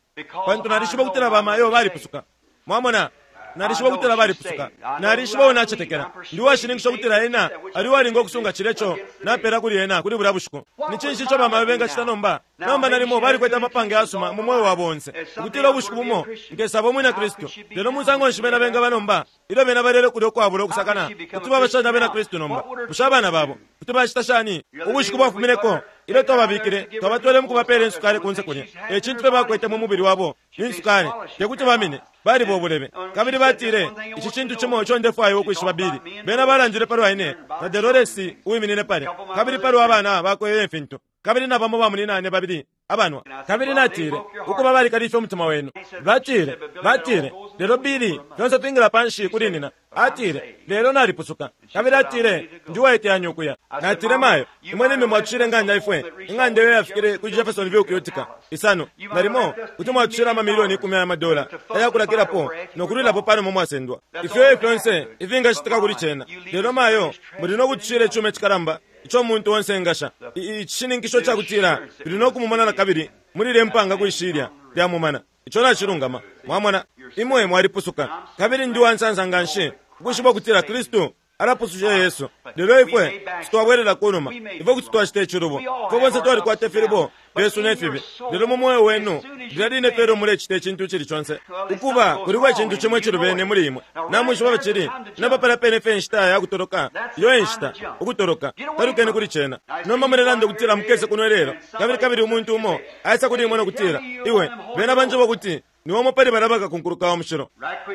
Speaker 1: pantu nalishiba ukutila bamayo balipusuka. Mwamona? Nalishiba ukutila balipusuka. Nalishiba uo nacetekela. Ndi uwashininkisha ukutila Ena ali uwalinga ukusunga cilya ico napela kuli Ena kuli bulya bushiku. Ni cinshi ico bamayo bengacita nomba? Nomba nalimo balikwete amapange ayasuma mu mweo wabo onse, ukutila ubushiku bumo nkesaba Umwina Kristu. Lelo musango nshi bena bengaba nomba, ilyo bena balele kulya ukwabula ukusakana? Kuti baba shani Abena Kristu nomba? Bushe abana babo kuti bacita shani? Ubushiku bwafumineko, ilyo twababikile, twabatwele mu kubapeela insukali kunse kulya. E cintu fye bakwete mu mubili wabo ni nsukali. Te kuti bamine. Baliba ubulebe. Kabili batile, Ici cintu cimo ico ndefwaya ukwishiba, Billy. Bena balandile palwa ine na Delores uwiminine palya, kabili palwa bana bakwe ne fintu, kabili na bamo bamunyinane babili abanwa. Kabili natile, Ukuba, balikalifye umutima wenu. Batile, batile, Lelo, Billy, fyonse fingila panshi kuli nina. Atile, Lelo nalipusuka. Kabili atile, Ndi uwaiteyanya ukuya. Natile, Mayo, imwe limbi mwatushile ing'anda ifwe, ing'anda iyo iyafikile ku Jeffersonville ku Utica, isano. Nalimo kuti mwatushila amamilioni ikumi aya madola aya kulakilapo no kulwilapo panuma mwasendwa. Ifyo e fyonse ifingacitika kuli cena. Lelo, mayo, muli no kutushila icuma icikalamba ico umuntu onse engasha, i, icishininkisho cakutila tuli no kumumona nakabili muli ilye mpanga kwi shilya lya mumana. Ico nacilungama. Mwamona? Imwe mwalipusuka. Kabili ndi uwansansa nganshi ukwishiba ukutila Kristu alapususha Yesu. Lelo ifwe kuti twabwelela ku numa. Ifwe kuti twacita icilubo. Ifwe bonse twalikwata ifilubo fyesu ne fibi. Lelo mu mweo wenu, lilya line fye ilyo mulecita icintu icili conse, ukuba, kuliko icintu cimo icilubene muli imwe. Namwishiba ifyo cili? Nomba palya pene fye enshita ya kutoloka. Iyo e nshita, ukutoloka. Talukeni kuli cena. Nomba mulelanda ukutila mukese kuno ilelo, kabili, kabili umuntu umo aisa kuli imwe no kutila, Iwe, bena banjeba ukuti niwe umo pali balya bakakunkuluka wa mushilo.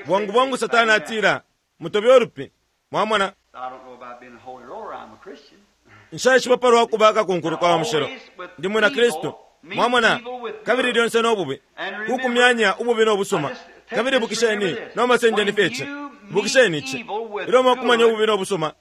Speaker 1: Bwangu bwangu Satana atila, Mutobe ulupi. Mwamona? Nshaishiba palwa kuba kakunkuluka wa mushilo. Ndi mwina Kristu. Mwamona? Kabili lyonse no bubi, ku kumyanya ububi no busuma. Kabili ibukisheni, nomba sendeni fye ici. Ibukisheni ici. Ilyo mwakumanya ububi no busuma,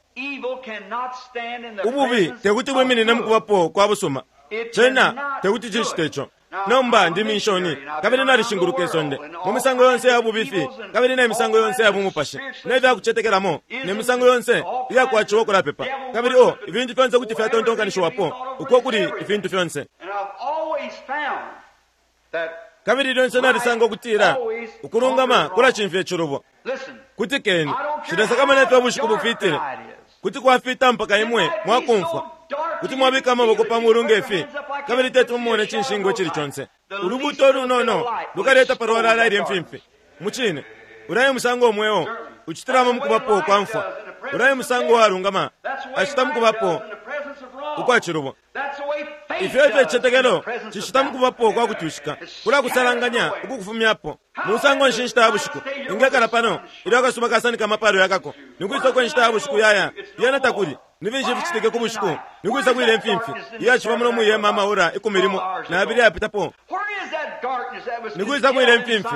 Speaker 1: ububi tekuti bwiminine mukubapo kwa busuma. Cena tekuti cicite ico. Nomba ndi minshoni, kabili nalishinguluka isonde, mu misango yonse iya bubifi kabili ne misango yonse iya bumupashi, ne fya kucetekelamo, ne misango yonse iya kwaciwa ukulapepa. Kabili, oh, ifintu fyonse kuti fyatontonkanishiwapo, uko kuli ifintu fyonse. Kabili lyonse nalisanga ukutila ukulungama kulacimfya icilubo. Kutikeni, nshilesakamana ifyo ubushiku bufitile. Kuti kwafita mpaka imwe mwakumfwa. Kuti mwabika amaboko pa mulu nge fi, kabili teti mumone icinshingwa icili conse. Ulubuuto ulunono lukaleta palwalala ilye mfimfi. Mucine, ulya e musango umweo ucitilamo mukubapo kwa mfwa. Ulya e musango uwalungama acita mukubapo ukwa cilubo. Ifyo efyo icicetekelo cicita mukubapo kwa kutwishika, kulakusalanganya ukukufumyapo. Musango nshi inshita ya bushiku ingekala pano ilyo akasuba kasanika amapalo yakako? Nikwisa uko inshita ya bushiku yaya? Lyena takuli. Ni finshi ificitike ku bushiku? Nikwisa kwile imfimfi iyaciba muno mwihema amaora 12 na yabili ayapitapo? Nikwisa kwile imfimfi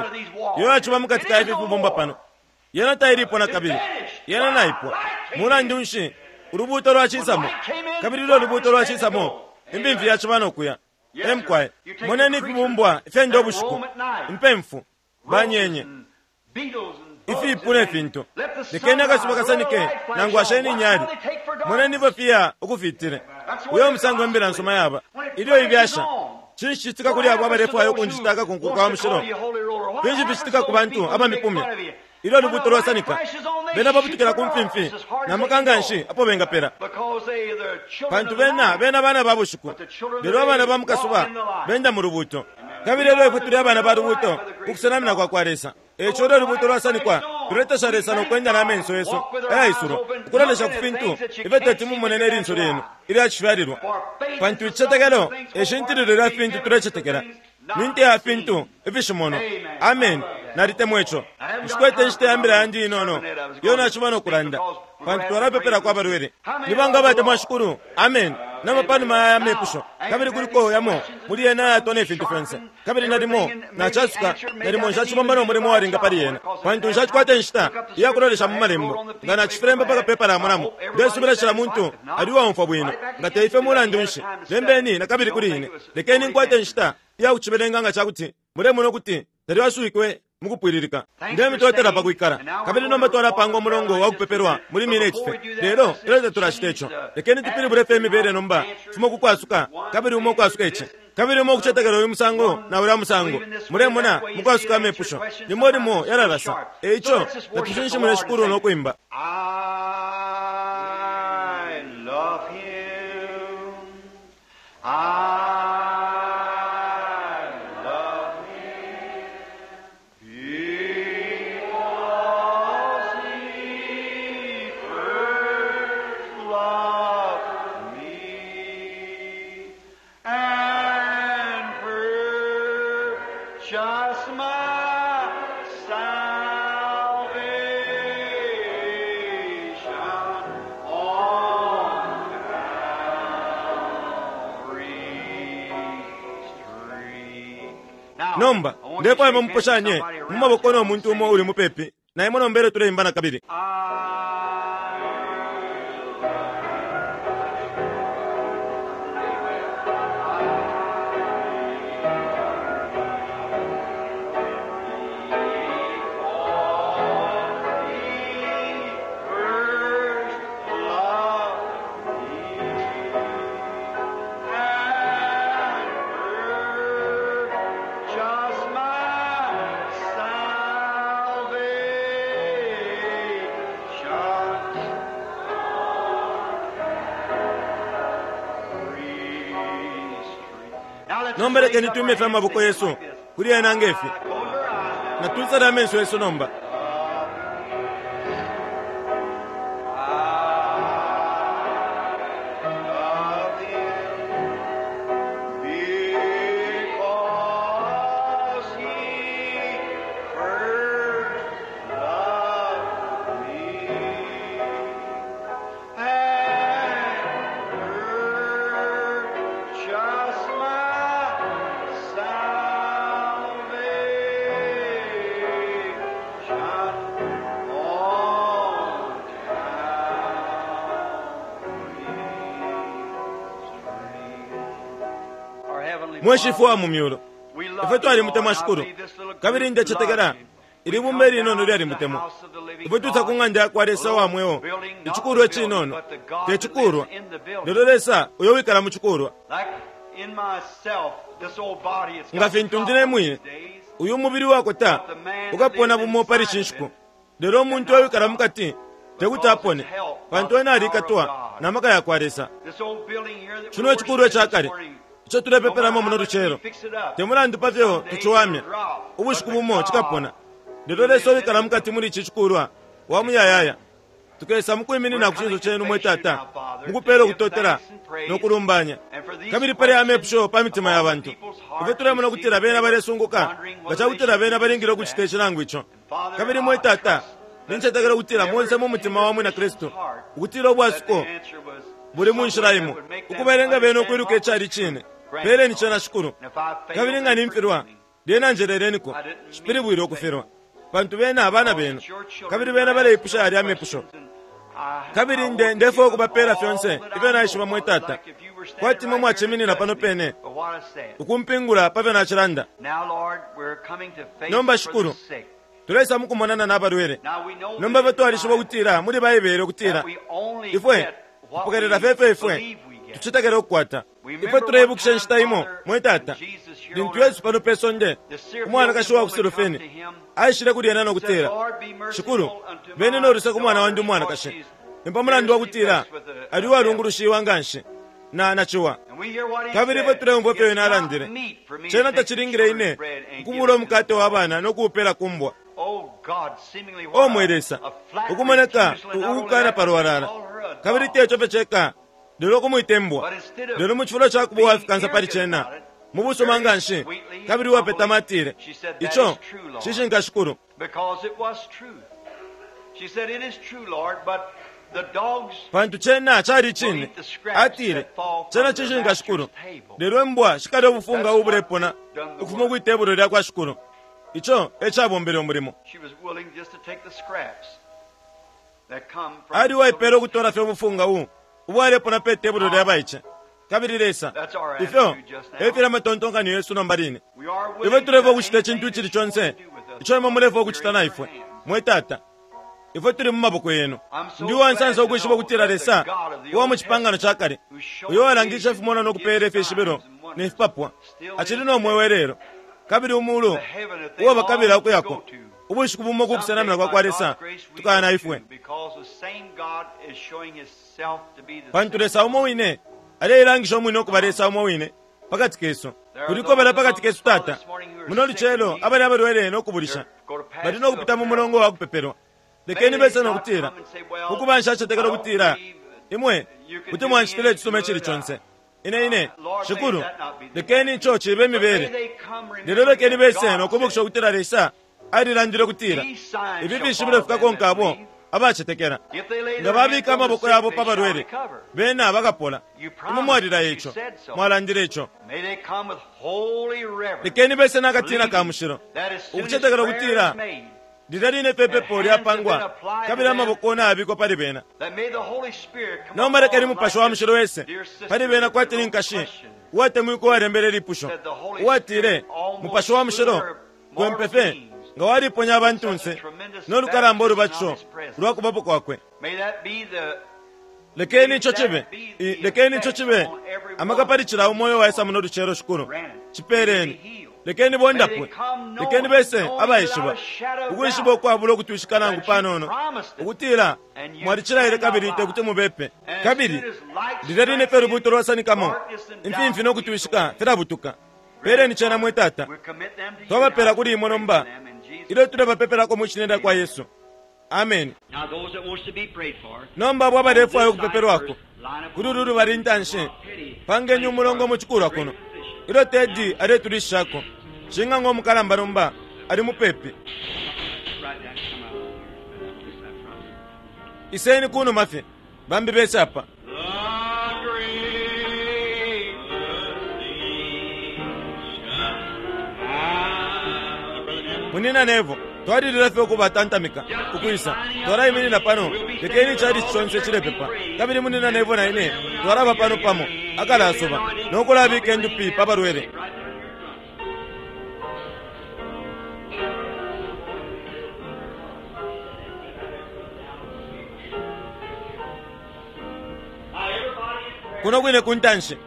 Speaker 1: iyo yaciba mukati ka ifi fibumba pano? Yena tailipo nakabili. Yena naipwa. Mulandu nshi? Ulubuuto lwacisamo. Kabili ilyo ulubuuto lwacisamo, imfimfi yaciba no kuya. E mukwai. Moneni ifibumbwa ifyenda ubushiku, impemfu, banyenye, ifipu ne fintu. Lekeni akasuba kasanike nangu asheni inyali. Moneni ifyo fiya ukufitile. Uyo musango imbila nsuma yaba. Ilyo ibyasha, cinshi cicitika kuli abo abalefwaya ukunjita akakunku ka mushilo? Finshi ficitika ku bantu abamipumya? Ilyo ulubuuto lwasanika, bena babutukila ku mfimfi na maka nganshi apo bengapela. Pantu bena, bena bana ba bushiku, lelo abana ba mukasuba benda mu lubuuto. Kabili elyo ifwe tuli abana ba lubuuto ku kusenamina kwa kwa Lesa. E ico ilyo ulubuuto lwasanikwa, tuletasha Lesa no kwenda na menso yesu ayaisulwa, ukulolesha ku fintu ifyo teti mumone ne linso lyenu ilya cifyalilwa. Pantu icicetekelo e shintililo lya fintu tulecetekela, ni nte ya fintu ifishimonwa. Ameni. Nalitemwa ico. Nshikwete inshita ya mbila yandi inono iyo naciba no kulanda, pantu twalapepelako abalwele. Ni banga abatemwa Shikulu? Ameni. Nomba panuma ya aya mepusho, kabili kuliko yamo muli yena ayatwa ne fintu fyonse, kabili nalimo nacasuka, nalimo nshacibomba no mulimo uwalinga pali yena, pantu nshacikwata inshita iya kulolesha mu Malembo. Nga nacifilemba pa kapepala monamo, ndesubila cila muntu ali uwaumfwa bwino. Nga te ifyo, mulandu nshi, lembeni na kabili kuli ine. Lekeni nkwate inshita iya kucibelenga nga ca kuti mulemona ukuti talyaswikwe mukupwililika. Ndemitotela pa kwikala. Kabili nomba twalapanga umulongo wa kupepelwa muli mineti fye. Lelo ilyo tatulacita ico, lekeni tupilibule fye imibele nomba, fimo ku kwasuka, kabili umo ukwasuka ici, kabili umo ukucetekela uyu musango na ulya musango. Mulemona, mukwasuka amepusho, limo limo yalalasa. E ico, natushinshimune Shikulu no kwimba.
Speaker 2: I love him. I love him. Because he first loved me and purchased my salvation on Calvary's tree. Now,
Speaker 1: Nomba,
Speaker 2: I want you to
Speaker 1: ndefwaya
Speaker 2: shake hands with
Speaker 1: muposhanye
Speaker 2: somebody
Speaker 1: mu
Speaker 2: around
Speaker 1: maboko
Speaker 2: you
Speaker 1: no
Speaker 2: and
Speaker 1: muntu
Speaker 2: say,
Speaker 1: umo uli mupepi. Na imwe nomba ilyo tuleimba na kabili.
Speaker 2: I first loved me and purchased my salvation on Calvary's tree. Now let's
Speaker 1: Nomba
Speaker 2: raise
Speaker 1: lekeni
Speaker 2: up
Speaker 1: tuime
Speaker 2: our
Speaker 1: fye
Speaker 2: hands
Speaker 1: amaboko
Speaker 2: and
Speaker 1: yesu
Speaker 2: like this.
Speaker 1: kuli ena nge fi.
Speaker 2: Close your eyes now.
Speaker 1: Natwisale amenso yesu nomba.
Speaker 2: Love him because he first loved me and purchased my salvation on
Speaker 1: Mwe Shifwe wa mu myulu, ifwe twalimutemwa Shikulu, kabili ndecetekela ili bumba ilinono lyalimutemwa. Ifwe twisa ku ng'anda ya kwa Lesa wa mweo, icikulwa icinono, te cikulwa, lelo Lesa uyo wikala mu cikulwa. Nga fintu ndi ne mwine, uyu mubili wakota ukapona bumo pali ishi nshiku, lelo umuntu uwikala mu kati te kuti apone, pantu ena alikatwa na maka ya kwa Lesa. Cino icikulwa ica kale ico tulepepelamo muno lucelo, te mulandu pa fyo tuciwamya, ubushiku bumo cikapona. Lelo Lesa uwikala mu kati muli ici cikulwa wa muyayaya. Tukesa mukwiminina ku cinso cenu, mwe Tata, mukupela ukutotela no kulumbanya. Kabili pali amepusho pa mitima ya bantu, ifyo tulemona ukutila bena balesunguka nga cakutila bena balingile ukucita ici nangu ico. Kabili, mwe Tata, nincetekela ukutila monse mu mutima wa mwina Kristu ukutila ubwasuko buli mu nshila imo, ukubalenga bena ukwiluka icali icine. Peleni cena, Shikulu. Kabili nga nimfilwa, lyena njeleleniko. Nshipilibwile ukufilwa, pantu bena abana benu, kabili bena baleipusha yalya amepusho. Kabili nde ndefwaya ukubapela fyonse ifyo naishiba, mwe Tata, kwati imwe mwaciminina pano pene ukumpingula pa fyo nacilanda. Nomba, Shikulu, tuleisa mukumonana na balwele. Nomba ifwe twalishiba ukutila muli Baibele ukutila ifwe tupokelela fye ifyo ifwe tucetekela ukukwata. Ifwe tuleibukisha inshita imo, mwe Tata, lintu Yesu pano pe sonde, umwanakashi wa ku Silofeni aishile kuli ena no kutila, Shikulu, beni no luse ku mwana wandi umwanakashi, ni pa mulandu wa kutila ali uwalungulushiwa nganshi na, na ciwa. Kabili ifwe tuleumfwa ifyo ena alandile, Cena tacilingile ine ukubula umukate wa bana no kuupela ku mbwa. O mwe Lesa, ukumoneka ukukana palwalala, kabili teco fye ceka, lelo ukumwita imbwa. Lelo mu cifulo ca kuba uwafikansa pali cena, mu busuma nganshi kabili uwapetama atile, Ico cishinka, Shikulu. Pantu cena cali icine. Atile, Cena cishinka, Shikulu, lelo imbwa shikalya ubufunga ubulepona ukufuma kwi tebulo lya kwa Shikulu. Ico e cabombele umulimo. Ali uwaipeela ukutola fye ubufunga u ubwalepona pe tebulo lya baice. Kabili Lesa, ifyo e fili amatontonkanyo yesu nomba line. Ifwe tulefwaya ukucita icintu icili conse ico Imwe mulefwaya ukucita na ifwe, mwe Tata. Ifwe tuli mu maboko Yenu. Ndi uwansansa ukwishiba ukutila Lesa uwa mu Cipangano ca Kale, uyo uwalangishe ifimonwa no kupeela ifishibilo ne fipapwa, acili no mweo ilelo. Kabili Umulu uo bakabila ukuyako, ubushiku bumo ku kusenamina kwa kwa Lesa, tukaya na ifwe. Pantu Lesa umo wine aleilangisha umwine ukuba Lesa umo wine pakati kesu. Kuliko balya pakati kesu, Tata, muno lucelo abali abalwele no kubulisha, bali no kupita mu mulongo wa kupepelwa. Lekeni bese no kutila, Ukuba, nshacetekela ukutila Imwe kuti mwancitila icisuma icili conse. Ine, ine, Shikulu, lekeni ico cibe imibele. Lelo lekeni bese no kwibukisha ukutila Lesa alilandile ukutila ifi fishibilo fikakonka abo abacetekela. Nga babika amaboko yabo pa balwele, bena bakapola. Imwe mwalilaya ico. Mwalandile ico. Lekeni bese na katina ka mushilo, ukucetekela ukutila lilya line fye ipepo lyapangwa kabili amaboko nayabikwa pali bena. Nomba lekeni Mupashi wa Mushilo ese pali bena kwati ni nkashi uwatemwikwa uwalembele ilipusho, uwatile, Mupashi wa Mushilo kwempe fye nga waliponya abantunse no lukalamba ulubatisho lwa kubapo kwakwe. Lekeni ico cibe, lekeni ico cibe amaka pali cila umo uyo waisa muno lucelo, Shikulu. Cipeleni. Lekeni bondapwe. Lekeni bese abaishiba, ukwishiba ukwabula ukutwishika nangu panono, ukutila Mwalicilaile kabili tekuti mubepe. Kabili lilya line fye lubuuto lwasanikamo, imfimfi no kutwishika filabutuka. Peleni cena, mwe Tata. Twabapela kuli Imwe nomba ilyo tulebapepelako mwi Shina lyakwa Yesu. Ameni. Nomba abo abalefwaya ukupepelwako kuli ulu lubali intanshi, pangeni umulongo mu cikulwa kuno ilyo Teddy aletulishishako. Shing'anga umukalamba nomba ali mupepi. Iseni kunuma fye, bambi bese apa. Munyina Neville, twalilila fye ukubatantamika ukwisa. Twalaiminina pano, lekeni ichalichi conse cilepepa. Kabili Munyina Neville na ine twalaba pano pamo akalasuba, no kulabika indupi pa balwele. Kuno kwine ku ntanshi.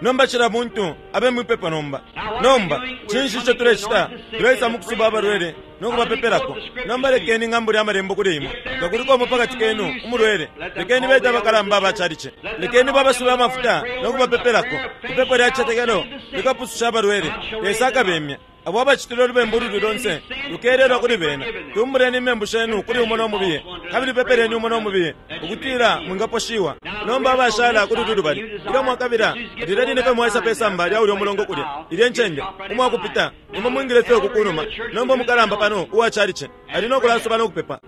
Speaker 1: Nomba cila muntu abe mwipepo nomba. Nomba, cinshi ico tulecita? Tuleisa mukusuba abalwele no kubapepelako. Nomba lekeni ng'ambule Amalembo kuli imwe. Nga kuliko umo pakati kenu umulwele, lekeni bete abakalamba aba calici. Lekeni babasube amafuta no kubapepelako. Ipepo lya cicetekelo likapususha abalwele. Lesa akabemya. Abo abacitile ulubembu ululi lonse lukelelwa kuli bena. Tumbuleni imembu shenu kuli umo no mubiye, kabili pepeleni umo no mubiye, ukutila mwingaposhiwa. Nomba abashala kuli ulu lubali, ilyo mwakabila, lilya line fye mwaisa pe samba lya ulyo mulongo kulya, ilye ncende, umwakupita, imwe mwingile fye uku kunuma. Nomba umukalamba pano uwa chalichi ali no kulasuba no kupepa.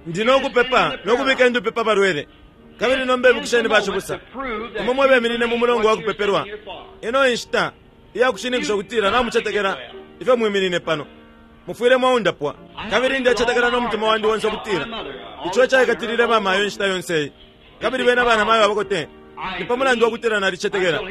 Speaker 1: Ndi no kupepa no kubika indupi pa balwele. Kabili nomba ibukisheni bacibusa, imwe mwe beminine mu mulongo wa kupepelwa, ino e nshita iya kushininkisha ukutila namucetekela ifyo mwiminine pano. Mufwile mwaundapwa. Kabili ndecetekela no mutima wandi onse ukutila ico ecaikatilile bamayo inshita yonse iyi, kabili bena banamayo abakote, ni pa mulandu wa kutila nalicetekela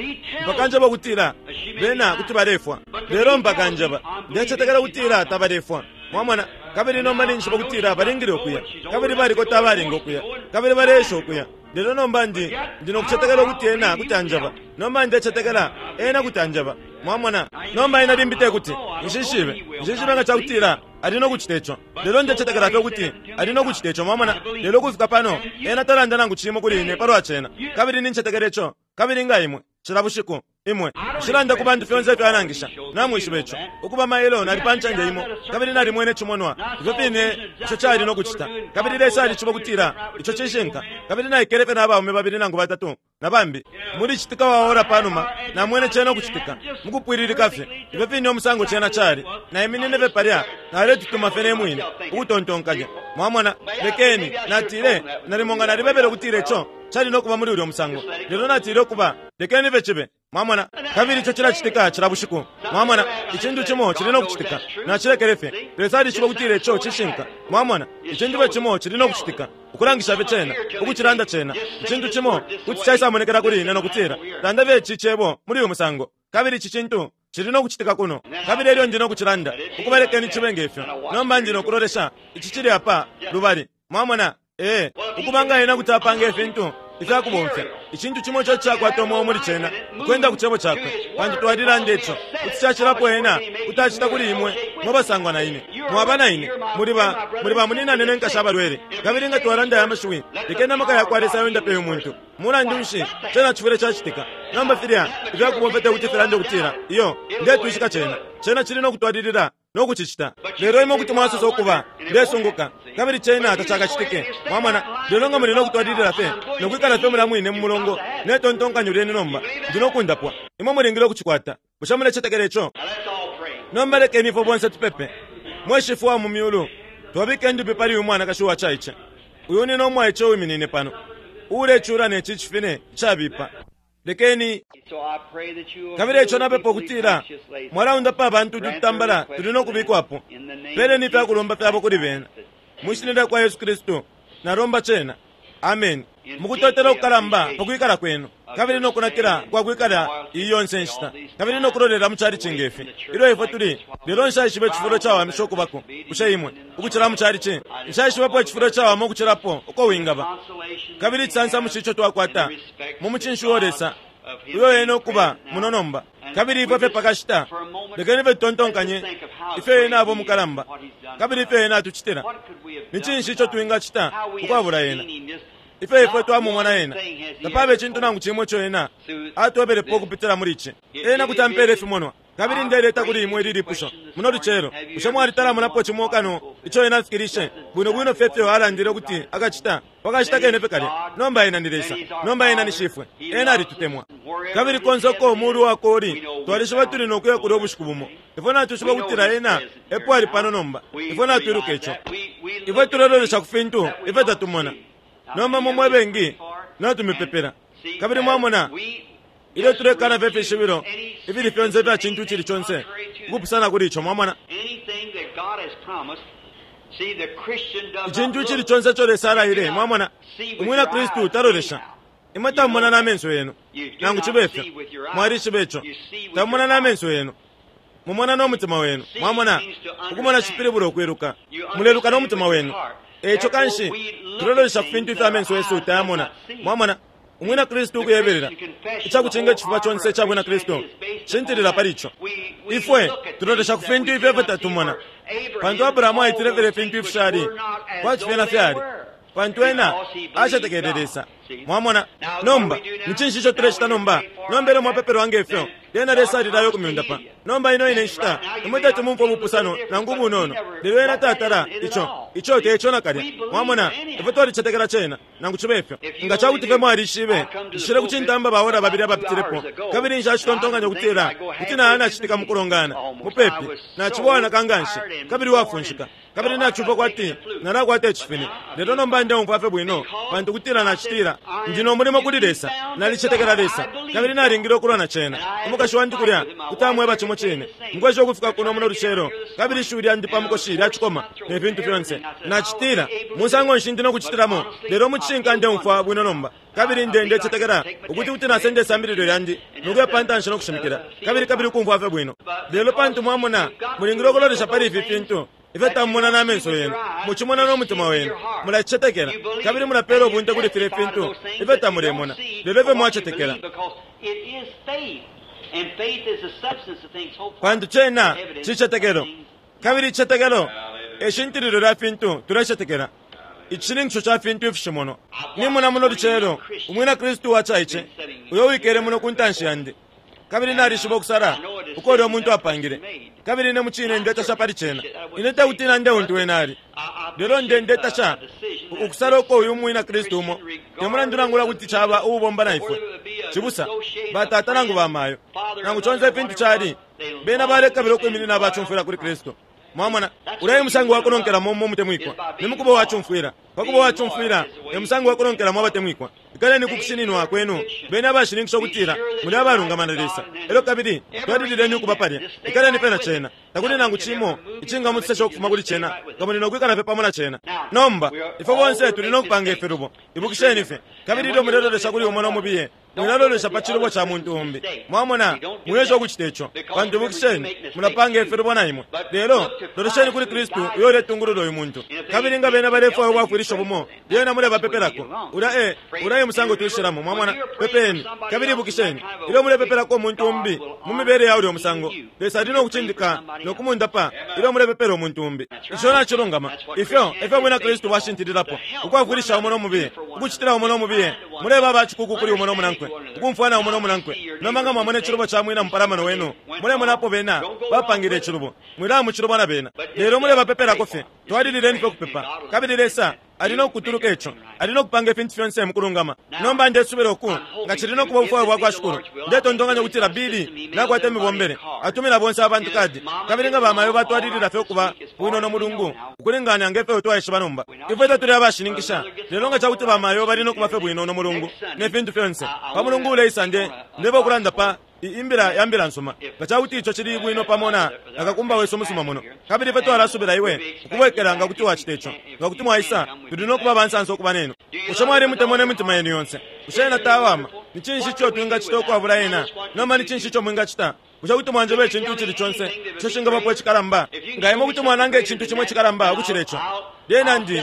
Speaker 1: mpaka njeba ukutila bena kuti balefwa. Lelo mpaka njeba, ndecetekela ukutila tabalefwa. Mwamona? Kabili nomba ninjishiba ukutila balingile ukuya, kabili balikota abalinga ukuya, kabili baleesha ukuya. Lelo nomba ndi, ndi no kucetekela ukuti Ena kuti anjeba. Nomba ndecetekela Ena kuti anjeba. Mwamona? Nomba ena limbi tekuti. Nshishibe. Nshishibe nga cakutila Ali no kucita ico. Lelo ndecetekela fye ukuti Ali no kucita ico, mwamona. Lelo ukufika pano, Ena talanda nangu cimo kuli ine palwa cena. Kabili nincetekela ico. Kabili nga imwe, cila bushiku, imwe. Nshilanda ku bantu fyonse ifyo Anangisha. Namwishiba ico. Ukuba mailo nali pa ncende imo, kabili nalimwene icimonwa, ifyo fine ico cali no kucita. Kabili Lesa alishiba ukutila ico cishinka. Kabili naikele fye na baume babili nangu batatu, na bambi, muli citika wa ora panuma, namwene cena ukucitika, mukupwililika fye, ifyo fine umusango cena cali. Naiminine fye palya, naletutuma fye ne mwine, ukutontonkanya. Mwamona? Lekeni, natile, nalimo nga nalibebele ukutila ico cali no kuba muli ulyo musango. Lelo natile ukuba, lekeni fye cibe. Mwamona? Kabili ico cilacitika cila bushiku. Mwamona? Icintu cimo cili no kucitika. Nacilekele fye. Lesa alishiba ukutila ico cishinka. Mwamona? Icintu fye cimo cili no kucitika, ukulangisha fye cena, ukucilanda cena. Icintu cimo kuti caisamonekela kuli ine no kutila, Landa fye ici cebo muli uyu musango, kabili ici cintu cili no kucitika kuno. Kabili elyo ndi no kucilanda, ukuba lekeni cibe nge fyo. Nomba ndi no kulolesha, ici cili apa lubali. Mwamona? Ee, ukuba nga ena kuti apanga ifintu ifya kubomfya, icintu cimo ico icakwata umweo muli cena, ukwenda ku Cebo Cakwe, pantu twalilanda ico, kuti cacilapo ena kuti acita kuli imwe mwe basangwa na ine. Mwaba na ine, muli ba, muli ba munyinane ne nkashi abalwele. Kabili nga twalanda aya mashiwi, lekeni amaka yakwa Lesa yondape uyu muntu. Mulandu nshi, cena cifwile cacitika. Nomba filya ifya kubomfya tekuti filande ukutila, Iyo, ndetwishika cena. Cena cili no kutwalilila. no kucicita. Lelo imwe kuti mwasosa ukuba, Ndesunguka, kabili cena tacakacitike. Mwamona? Lelo nga muli no kutwalilila fye no kwikala fye mulya mwine mu mulongo ne tontonkanyo lyenu nomba, Ndi no kundapwa. Imwe mulingile ukucikwata. Bushe mulecetekela ico? Nomba lekeni ifwe bonse tupepe. Mwe Shifwe wa mu Myulu, twabika indupi pali uyu mwanakashi uwacaice, uyu nyina umwaice uwiminine pano, uulecula ne ci cifine icabipa. Lekeni. Kabili eico napepa ukutila Mwalaundapa abantu utu tutambala tuli no kubikwapo. Peleni ifya kulomba fyabo kuli bena. Mwi Shina lyakwa Yesu Kristu, nalomba cena. Ameni. Mukutotela ukukalamba pa kwikala kwenu, kabili no kunakila kwa kwikala iyi yonse nshita, kabili no kulolela mu chalichi nge fi, ilyo ifwe tuli, lelo nshaishiba icifulo icawamisha ukubako. Bushe imwe, ukucila mu chalichi? Nshaishibapo icifulo icawama ukucilapo uko wingaba. Kabili icisansamushi ico twakwata mu mucinshi uo Lesa, uyo Ena ukuba muno nomba. Kabili ifwe fye pakashita, lekeni fye tutontonkanye ifyo Ena aba umukalamba, kabili ifyo Ena atucitila. Ni cinshi ico twingacita ukwabula Ena? Ifyo ifwe twamumona Ena! Tapaba icintu nangu cimo ico Ena atwebelepo ukupitila muli ici. Ena kuti ampela ifimonwa. Kabili ndeleta kuli imwe ili lipusho muno lucelo, Bushe mwalitalamonapo cimo kano ico Ena afikilishe bwino bwino fye ifyo Alandile ukuti Akacita pa kashita kene fye kalya? Nomba Ena ni Lesa. Nomba Ena ni Shifwe. Ena alitutemwa. Kabili konse uko umulu Wakwe uli, twalishiba tuli no kuya kulya ubushiku bumo. Ifwe natwishiba ukutila Ena epo ali pano nomba. Ifwe natwiluka ico. Ifwe tulelolesha ku fintu ifyo tatumona. Nomba imwe mwe bengi natumipepela. Kabili mwamona, Ilyo tulekana fye ifishibilo ifili fyonse ifya cintu icili conse ukupusana kuli ico, mwamona. Icintu icili conse ico Lesa alaile, mwamona, umwina Kristu talolesha. Imwe tamumona na menso yenu, nangu cibe fyo. Mwalishiba ico. Tamumona na menso yenu. Mumona no mutima wenu. Mwamona? Ukumona cipilibula ukwiluka. Muleluka no mutima wenu. E ico kanshi tulelolesha ku fintu ifyo amenso yesu tayamona. Mwamona? Umwina Kristu ukuyebelela, icakucinga icifuba conse ica bwina Kristu cishintilila pali ico. Ifwe tulolesha ku fintu ifyo ifyo tatumona, pantu Abrahamu aitile filya ifintu ifishali kwati fyena fyali, pantu ena acetekele Lesa. Mwamona? Nomba, ni cinshi ico tulecita nomba? Nomba ilyo mwapepelwa nge fyo, lyena Lesa alilaya ukumyundapa. Nomba ino ine nshita, imwe teti mumfwe ubupusano nangu ubunono, lelo Ena tatala ico. Ico te ico nakalya. Mwamona? Ifwe twalicetekela cena. Nangu cibe fyo, nga ca kuti fye mwalishibe, nshile ku cintamba baora babili abapitilepo, kabili nshacitontonkanya ukutila kuti naya nacitika mu kulongana. Mupepi, naciba uwanaka nga nshi kabili uwafunshika, kabili nacumfwa kwati nalakwata icifine. Lelo nomba ndeumfwa fye bwino, pantu kutila nacitila, Ndi no mulimo kuli Lesa. Nalicetekela Lesa, kabili nalingile ukulwa na cena. Umukashi wandi kulya kuti amweba cimo cine. Nkwesha ukufika kuno muno lucelo, kabili ishiwi lyandi pa mukoshi lyacikoma, ne fintu fyonse. Nacitila, Musango nshi ndi no kucitilamo? Lelo mu cishinka ndeumfwa bwino nomba, kabili nde, ndecetekela ukuti kuti nasenda isambililo lyandi no kuya pa ntanshi no kushimikila, kabili, kabili ukumfwa fye bwino. Lelo pantu mwamona, mulingile ukulolesha pali ifi fintu ifyo tamumona na menso yenu, mucimona no mutima wenu, mulacicetekela, kabili mulapela ubunte kuli filya fintu ifyo tamulemona, lelo ifyo mwacetekela. Pantu cena cicetekelo, kabili icicetekelo e shintililo lya fintu tulecetekela, icishininkisho ca fintu ifishimonwa. Nimona muno lucelo Umwina Kristu uwacaice uyo uwikele muno ku ntanshi yandi, kabili nalishiba ukusala uko ulyo muntu apangile, kabili ine mucine ndetasha pali cena. Ine tekuti nande untu wene ali, lelo nde, ndetasha ukusala uko uyu mwina Kristu umo, te mulandu nangula kuti caba uubomba na ifwe, cibusa, batata nangu bamayo, nangu conse ifintu cali, bena balekabila ukwiminina abacumfwila kuli Kristu. Mwamona, ulya e musango wa kunonkelamo mu mutemwikwa, ni mukuba uwacumfwila. Pa kuba uwacumfwila e musango wa kunonkelamo abatemwikwa. Ikaleni ku kushininwa kwenu, beni abashininkisha ukutila muli abalungama na Lesa, elyo kabili twalilileni ukuba palya. Ikaleni fye na cena. Takuli nangu cimo icingamutusesha ukufuma kuli cena, nga muli no kwikala fye pamo na cena. Nomba, ifwe bonse tuli no kupanga ifilubo. Ibukisheni fye. Kabili ilyo mulelolesha kuli umo no mubiye, Mwilalolesha pa cilubo ca muntu umbi. Mwamona? Mwiesha ukucita ico, pantu ibukisheni, mulapanga ifilubo na imwe. Lelo, lolesheni kuli Kristu uyo uletungulula uyu muntu. Kabili nga bena balefwaya ubwafwilisho bumo, lyena mulebapepelako. Ulya e, ulya e musango twishilamo, mwamona. Pepeni. Kabili ibukisheni, ilyo mulepepelako umuntu umbi mu mibele ya ulyo musango, Lesa ali no kucindika no kumundapa ilyo mulepepela umuntu umbi. Ico nacilungama. Ifyo e fyo Ubwina Kristu bwashintililapo, ukwafwilisha umo no mubiye, ukucitila umo no mubiye. Muleba aba cikuuku kuli umo no munankwe, ukumfwana umo no munankwe. Nomba nga mwamona icilubo ca mwina mupalamano wenu, mulemona apo bena bapangile icilubo. Mwilaya mu cilubo na bena, lelo mulebapepelako fye. Twalilileni fye ukupepa, kabili Lesa ali no kukutuluka ico. Ali no kupanga ifintu fyonse mu kulungama. Nomba ndesubila uku, nga cili no kuba ubufwayo bwa kwa Shikulu, ndetontonkanya ukutila Billy nakwata imibombele, atumina bonse abantu kadi. Kabili nga bamayo batwalilila fye ukuba bwino no mulungu, ukulingana nge fyo twaishiba nomba. Ifwe tatuli abashininkisha, lelo nga ca kuti bamayo bali no kuba fye bwino no mulungu ne fintu fyonse, pa mulungu uleisa nde, ndeba ukulanda pa i, imbila ya Mbila nsuma, nga ca kuti ico cili bwino pamo na, na kakumba wesu umusuma muno. Kabili ifwe twalasubila iwe ukubwekela nga kuti wacita ico. Nga kuti mwaisa, tuli no kuba abansansa ukuba nenu. Bushe mwalimutemwa ne mitima yenu yonse? Bushe ena tawama? Ni cinshi ico twingacita ukwabula ena? Nomba ni cinshi ico mwingacita? Bushe kuti mwanjeba icintu icili conse ico cingabapo icikalamba? Nga imwe kuti mwananga icintu cimo icikalamba ukucila ico, lyena ndi,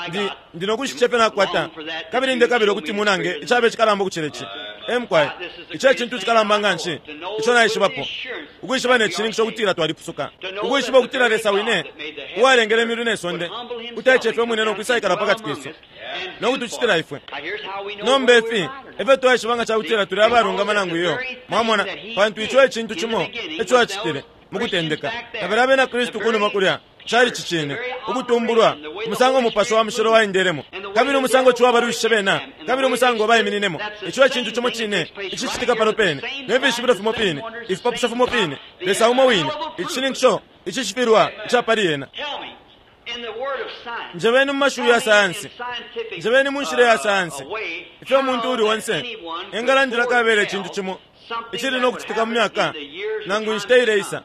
Speaker 1: ndi, ndi no kushitisha ifyo nakwata, kabili ndekabila ukuti munange icaba icikalamba ukucila ici. Ee, mukwai. Ici e cintu icikalamba nganshi ico naishibapo, ukwishiba ne cishininkisho ukutila twalipusuka, ukwishiba ukutila Lesa wine uwalengele imyulu ne sonde kuti aicefya umwine no kwisaikala pakati kesu no kutucitila ifwe. Nomba ifi efyo twaishiba nga cakutila tuli abalungama nangu iyo, mwamona, pantu ico e cintu cimo ico Acitile mukutendeka. Kabili abena Kristu kunuma kulya, cali cicine, ukutumbulwa, umusango Mupashi wa Mushilo waendelemo, kabili umusango ciwa balwishishe bena, kabili umusango baimininemo. Ico e cintu cimo cine icicitika pano pene, ne fishibilo fimo fine, ifipapusho fimo fine, Lesa umo wine, icishininkisho icishifilwa ica pali Ena. Njebeni mu mashiwi ya sayansi, njebeni mu nshila ya sayansi, ifyo umuntu uuli onse engalandila kabela icintu cimo icili no kucitika mu myaka nangu inshita ileisa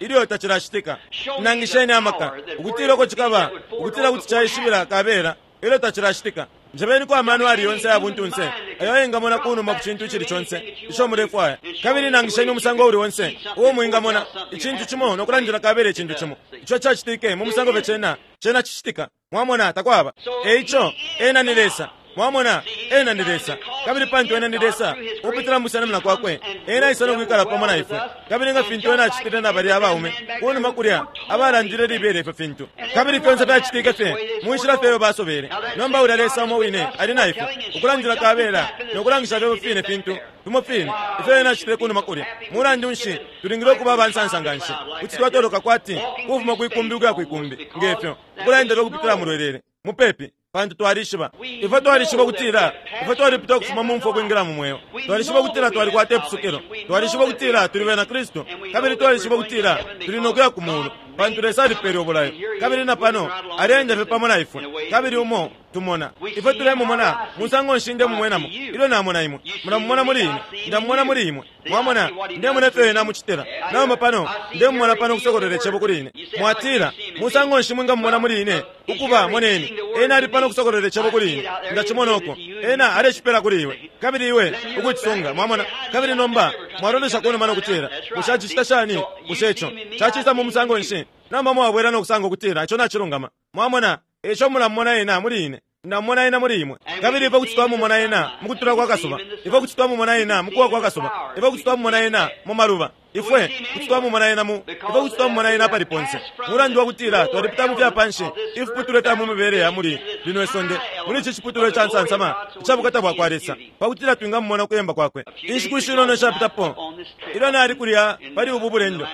Speaker 1: ilyo tacilacitika. Nangisheni amaka ukutila uko cikaba, ukutila kuti caishibila kabela ilyo tacilacitika. Njebeniko amano ayali yonse aya buntunse ayo ayengamona ku numa ku cintu icili conse ico mulefwaya, kabili nangisheni umusango uuli onse uo mwingamona icintu cimo no kulandila kabela icintu cimo ico cacitike mu musango fye cena, cena cicitika. Mwamona, takwaba. E ico, Ena ni Lesa. Mwamona, Ena ni Lesa. Kabili pantu Ena ni Lesa, ukupitila mukusenamina Kwakwe, Ena aisa no kwikala pamo na ifwe. Kabili nga fintu Ena acitile na balya abaume kunuma kulya abalandile libela ifyo fintu, kabili fyonse fyacitike fye mu nshila fye iyo basobele. Nomba ulya Lesa umo wine ali na ifwe, ukulandila kabela no kulangisha fye fine fintu fimo fine ifyo Ena acitile kunuma kulya. Mulandu nshi, tulingile ukuba abansansa nganshi. Kuti twatoloka kwati kufuma kwi kumbi ukuya kwi kumbi, nge fyo, ukulaendela ukupitila mulwelele, mupepi. Pantu twalishiba, ifwe twalishiba ukutila ifwe twalipita ukufuma mu mfwa ukwingila mu Mweo. Twalishiba ukutila twalikwata ipusukilo. Twalishiba ukutila tuli bena Kristu. Kabili twalishiba ukutila tuli no kuya ku Mulu, pantu Lesa alipele ubulayo. Kabili na pano Aleenda fye pamo na ifwe. Kabili umo tumona, ifwe tulemumona, musango nshi ndemumwenamo ilyo namona imwe? Mulamumona muli ine, ndamumona muli imwe. Mwamona, ndemona ifyo Ena amucitila. Nomba pano, ndemumona pano ukusokolola Icebo kuli ine. Mwatila, Musango nshi mwingamumona muli ine? Ukuba, moneni, Ena ali pano ukusokolola Icebo kuli ine. Ndacimona uko. Ena alecipela kuli iwe, kabili iwe ukucisunga. Mwamona? Kabili nomba mwalolesha kunuma no kutila, Bushe acicita shani? Bushe ico cacisa mu musango nshi? Nomba mwabwela no kusanga ukutila ico nacilungama. Mwamona? Eico mulamumona Ena muli ine. Ndamumona Ena muli imwe. Kabili ifwe kuti twamumona Ena mukutula kwa kasuba. Ifwe kuti twamumona Ena mukuwa kwa kasuba. Ifwe kuti twamumona Ena mu maluba. Ifwe kuti twamumona Ena mu, ifwe kuti twamumona Ena apali ponse. Mulandu wakutila twalipita mu fya panshi, ifiputulwa ifya mu mibele ya muli lino isonde, muli ici ciputulwa ica nsansama ica bukata bwakwa Lesa, pakutila twingamumona ukuyemba Kwakwe. Inshiku ishinono ishapitapo, ilyo nali kulya pali ubu bulendo,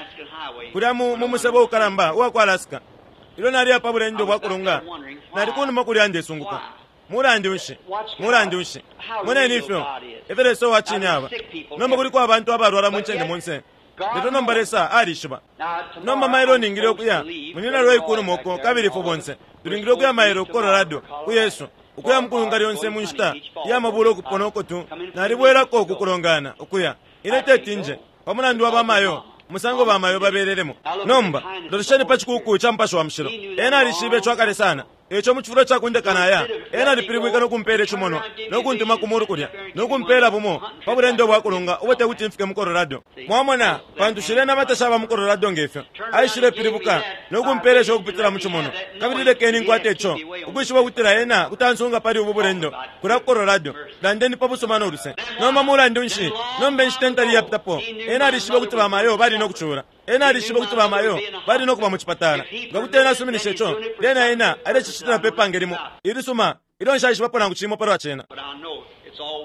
Speaker 1: kulya mu, mu musebo ukalamba uwa ku Alaska, Ilyo naliya pa bulendo bwa kulunga, nali kunuma kulya ndesunguka, Mulandu nshi? Mulandu nshi? Moneni ifyo, ifyo Lesa uwa cine aba. Nomba kuliko abantu abalwala mu ncende monse, lelo nomba Lesa alishiba. Nomba mailo ningile ukuya, Munyina Roy kunuma uko kabili ifwe bonse tulingile ukuya mailo ku Colorado, ku Yesu, ukuya mukulunga lyonse mu nshita iya mabula ukupona uko tu, nalibwelako ku kulongana, ukuya. Ine teti nje, pa mulandu wa bamayo, umusango bamayo babelelemo. Nomba, lolesheni pa cikuuku ca Mupashi wa Mushilo. Ena alishibe ico akale sana. Eico mu cifulo ca kundeka naya, Ena alipilibwike no kumpela icimonwa, no kuntuma ku mulu kulya, no kumpela bumo pa bulendo bwa kulunga ubo tekuti mfike mu Colorado. Mwamona, pantu shilya inama tashaba mu Colorado nge fyo. Aishile pilibuka no kumpela ico ukupitila mu cimonwa. Kabili lekeni nkwate ico, ukwishiba ukutila Ena kuti ansunga pali ubu bulendo kulya ku Colorado. Landeni pa busuma no luse. Nomba mulandu nshi? Nomba inshita intali iyapitapo, ena alishibe ukuti bamayo bali no kucula. Ena alishibe ukuti bamayo bali no kuba mu cipatala. Nga kuti ena asuminisha ico, lyena ena alecicitila pe pange limo ilisuma ilyo nshaishibapo nangu cimo palwa cena.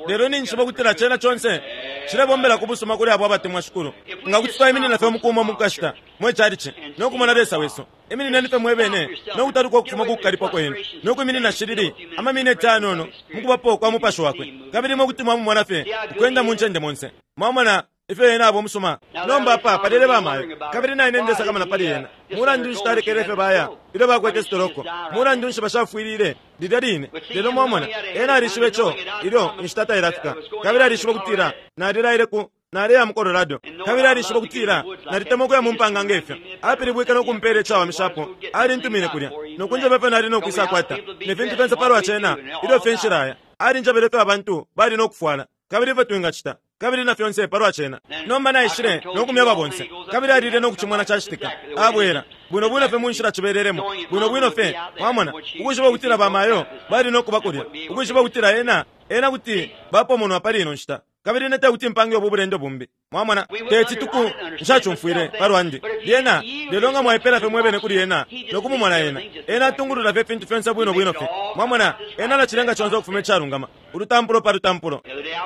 Speaker 1: Lelo ninjishiba ukutila cena conse cilebombela ku busuma kuli abo abatemwa Shikulu. Nga kuti twaiminina fye umuku umo mu kashita, mwe chalichi, no kumona Lesa wesu. Iminineni fye mwebene no kutaluka ukufuma ku kukalipwa kwenu, no kwiminina shilili ama mineti ayanono mu kubapo kwa Mupashi Wakwe, kabili imwe kuti mwamumona fye ukwenda mu ncende monse. Mwamona ifyo Ena aba umusuma? Nomba apa palele ba mayo, kabili naine ndesakamana pali ena. Mulandu nshi talekele fye baya ilyo bakwete sitoloko? Mulandu nshi bashafwilile lilya line? Lelo mwamona, ena alishibe co ilyo inshita tailafika, kabili alishibe ukutila nalilaile ku Naleya mu Colorado, kabili alishiba ukutila nalitemwa ukuya mu mpanga nge fyo. Apilibwike no kumpela icawamishapo. Alintumine kulya, no kunjeba ifyo nali no kwisakwata, ne fintu fyonse palwa cena, ilyo fye nshilaya. Alinjebele ifyo abantu bali no kufwala, kabili ifyo twingacita, kabili na fyonse palwa cena. Nomba naishile no kumyeba bonse, kabili alile no kucimona cacitika. Abwela, bwino bwino fye mu nshila cibelelemo, bwino bwino fye, mwamona, ukwishiba ukutila bamayo bali no kuba kulya, ukwishiba ukutila ena, ena kuti bapomonwa pali ino nshita. Kabili ine tekuti mpange ubu bulendo bumbi. Mwamona? Teti tuku, nshacumfwile, palwandi. Lyena, lelo nga mwaipela fye mwebene kuli Ena no kumumona Ena, Ena atungulula fye ifintu fyonse bwino bwino fye. Mwamona? Ena alacilenga conse ukufuma icalungama, ulutampulo pa lutampulo.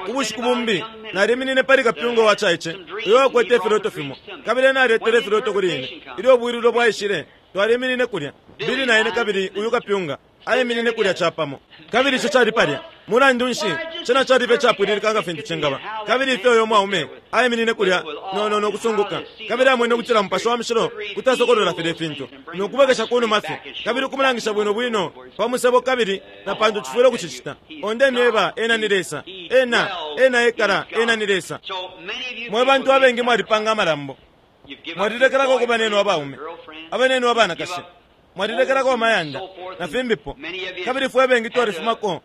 Speaker 1: Ubushiku bumbi, naliminine pali kapyunga uwacaice uyo wakwete ifiloto fimo, kabili ena aletele ifiloto kuli ine. Ilyo ubwilulo bwaishile, twaliminine kulya, Billy na ine kabili uyu kapyunga. Aiminine kulya capamo. Kabili ico cali palya. Mulandu nshi, cena cali fye icapwililika nga fintu cingaba. Kabili ifyo uyo mwaume aiminine kulya no, no, no kusunguka, kabili amwene ukutila Mupashi wa Mushilo kuti asokolola filye fintu, no kubwekesha kunuma fye, kabili ukumulangisha bwino bwino pa musebo kabili na pantu cifwile ukucicita. Oh, ndemyeba, Ena ni Lesa. Ena, Ena ekala. Ena ni Lesa. Mwe bantu abengi mwalipanga amalambo. Mwalilekelako ku banenu abaume, abanenu abanakashi. Mwalilekelako amayanda na fimbipo, kabili fwe bengi twalifumako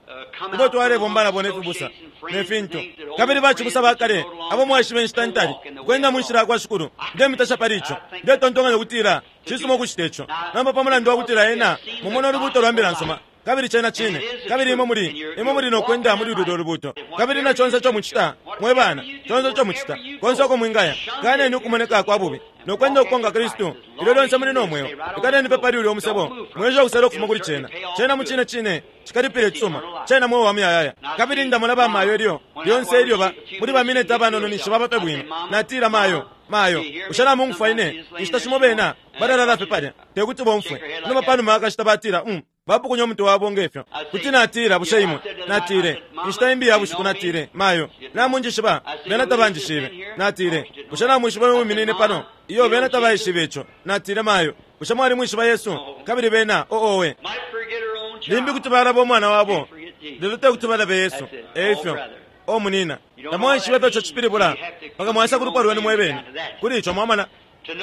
Speaker 1: kubo twalebomba nabo ne fibusa ne fintu, kabili bacibusa ba kale abo mwaishiba inshita ntali, ukwenda mu nshila yakwa Shikulu. Ndemitasha pali ico. Ndetontonkanya ukutila cisuma ukucita ico. Nomba pa mulandu wa kutila ena mumona ulubuuto lwa Mbila nsuma, kabili cena Cine, kabili imwe muli, imwe muli no kwenda muli lulyo Lubuuto. Kabili na conse ico mucita, mwe bana, conse ico mucita, konse uko mwingaya, kaneni ukumoneka kwa bubi, no kwenda ukukonka Kristu, ilyo lyonse muli no mweo. Ikaleni pe pali ulyo musebo, mwiesha ukusela ukufuma kuli cena. Cena mucine cine cikalipila icisuma. Cena mweo wa muyayaya. Kabili ndamona ba mayo ilyo, lyonse ilyo ba, muli ba mineti abanono ninshi baba fye bwino. Natila, Mayo, mayo, bushe namungufwa ine? Inshita shimo bena balalala fye palya, te kuti bomfwe. Nomba panuma yakashita batila, Um, bapukunya umutwe wabo nge fyo. Kuti natila, bushe imwe? Natile, inshita imbi ya bushiku natile, Mayo, namunjishiba? Bena tabanjishibe. Natile, Bushe namwishiba uyo wiminine pano? Iyo, bena tabaishibe ico. Natile, Mayo, bushe mwalimwishiba Yesu? Kabili bena, oh, owe. Limbi kuti balaba umwana wabo, lelo te kuti balabe Yesu. E ifyo. O munina, tamwaishiba ifyo ico cipilibula mpaka mwaisa ku lupwa lwenu mwe bene. Kuli ico, mwamona,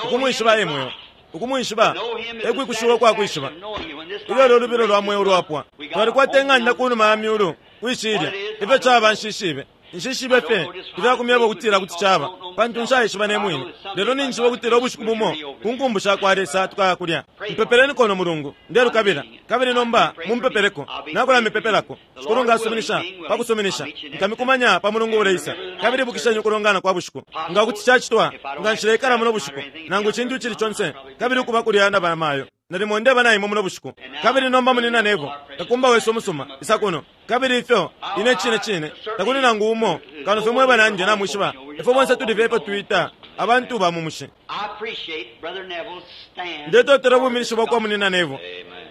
Speaker 1: ukumwishiba e mweo. Ukumwishiba e kwikushiwa ukwa kwishiba. Ilyo lyo lubilo lwa mweo lwapwa. Twalikwata ing'anda ku numa ya myulu, kwi shilya. Ifyo caba nshishibe. Nshishibe fye ifya kumyeba ukutila kuti caba, pantu nshaishiba ne mwine. Lelo ninjishiba ukutila ubushiku bumo, ku nkumbu sha kwa Lesa, tukaya kulya. Mpepeleniko uno mulungu. Ndelukabila. Kabili nomba mumpepeleko. Nakulamipepelako. Shikulu nga asuminisha, pa kusuminisha, nkamikumanya pa mulungu uleisa. Kabili ibukisheni ukulongana kwa bushiku. Nga kuti cacitwa, nga nshileikala muno bushiku, nangu icintu icili conse, kabili ukuba kulya na banamayo. Nalimo ndeba na imwe muno bushiku. Kabili nomba Munyina Neville, kakumba wesu umusuma, isa kuno. Kabili ifyo, ine cine cine, takuli nangu umo kano fye mwe banandi namwishiba, ifwe bonse tuli fye ifyo twita abantu ba mu mushi. Ndetotela ubwiminishi bwakwa Munyina Neville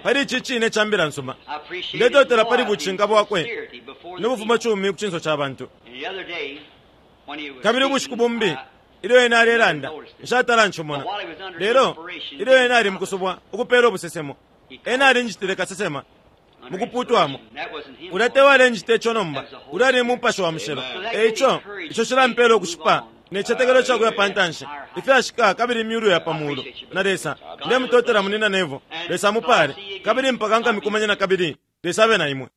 Speaker 1: pali ici cine ca Mbila nsuma. Ndetotela pali bucinka bwakwe no bufumacumi ku cinso ca bantu. Kabili ubushiku bumbi ilyo ena alelanda, nshatala ncimona, lelo ilyo ena ali mukusubwa ukupela ubusesemo, ena alinjitile kasesema mukuputwamo. Ulya te walenjita ico nomba, ulya ali Mupashi wa Mushilo. E ico, ico cilampela ukushipa ne citetekelo ca kuya pantanshi, ifyashika kabili imyulu ya pa mulu, na Lesa. Ndemutotela Munyina Neville. Lesa amupale. Kabili mpaka nkamikumanye nakabili, Lesa abe na imwe.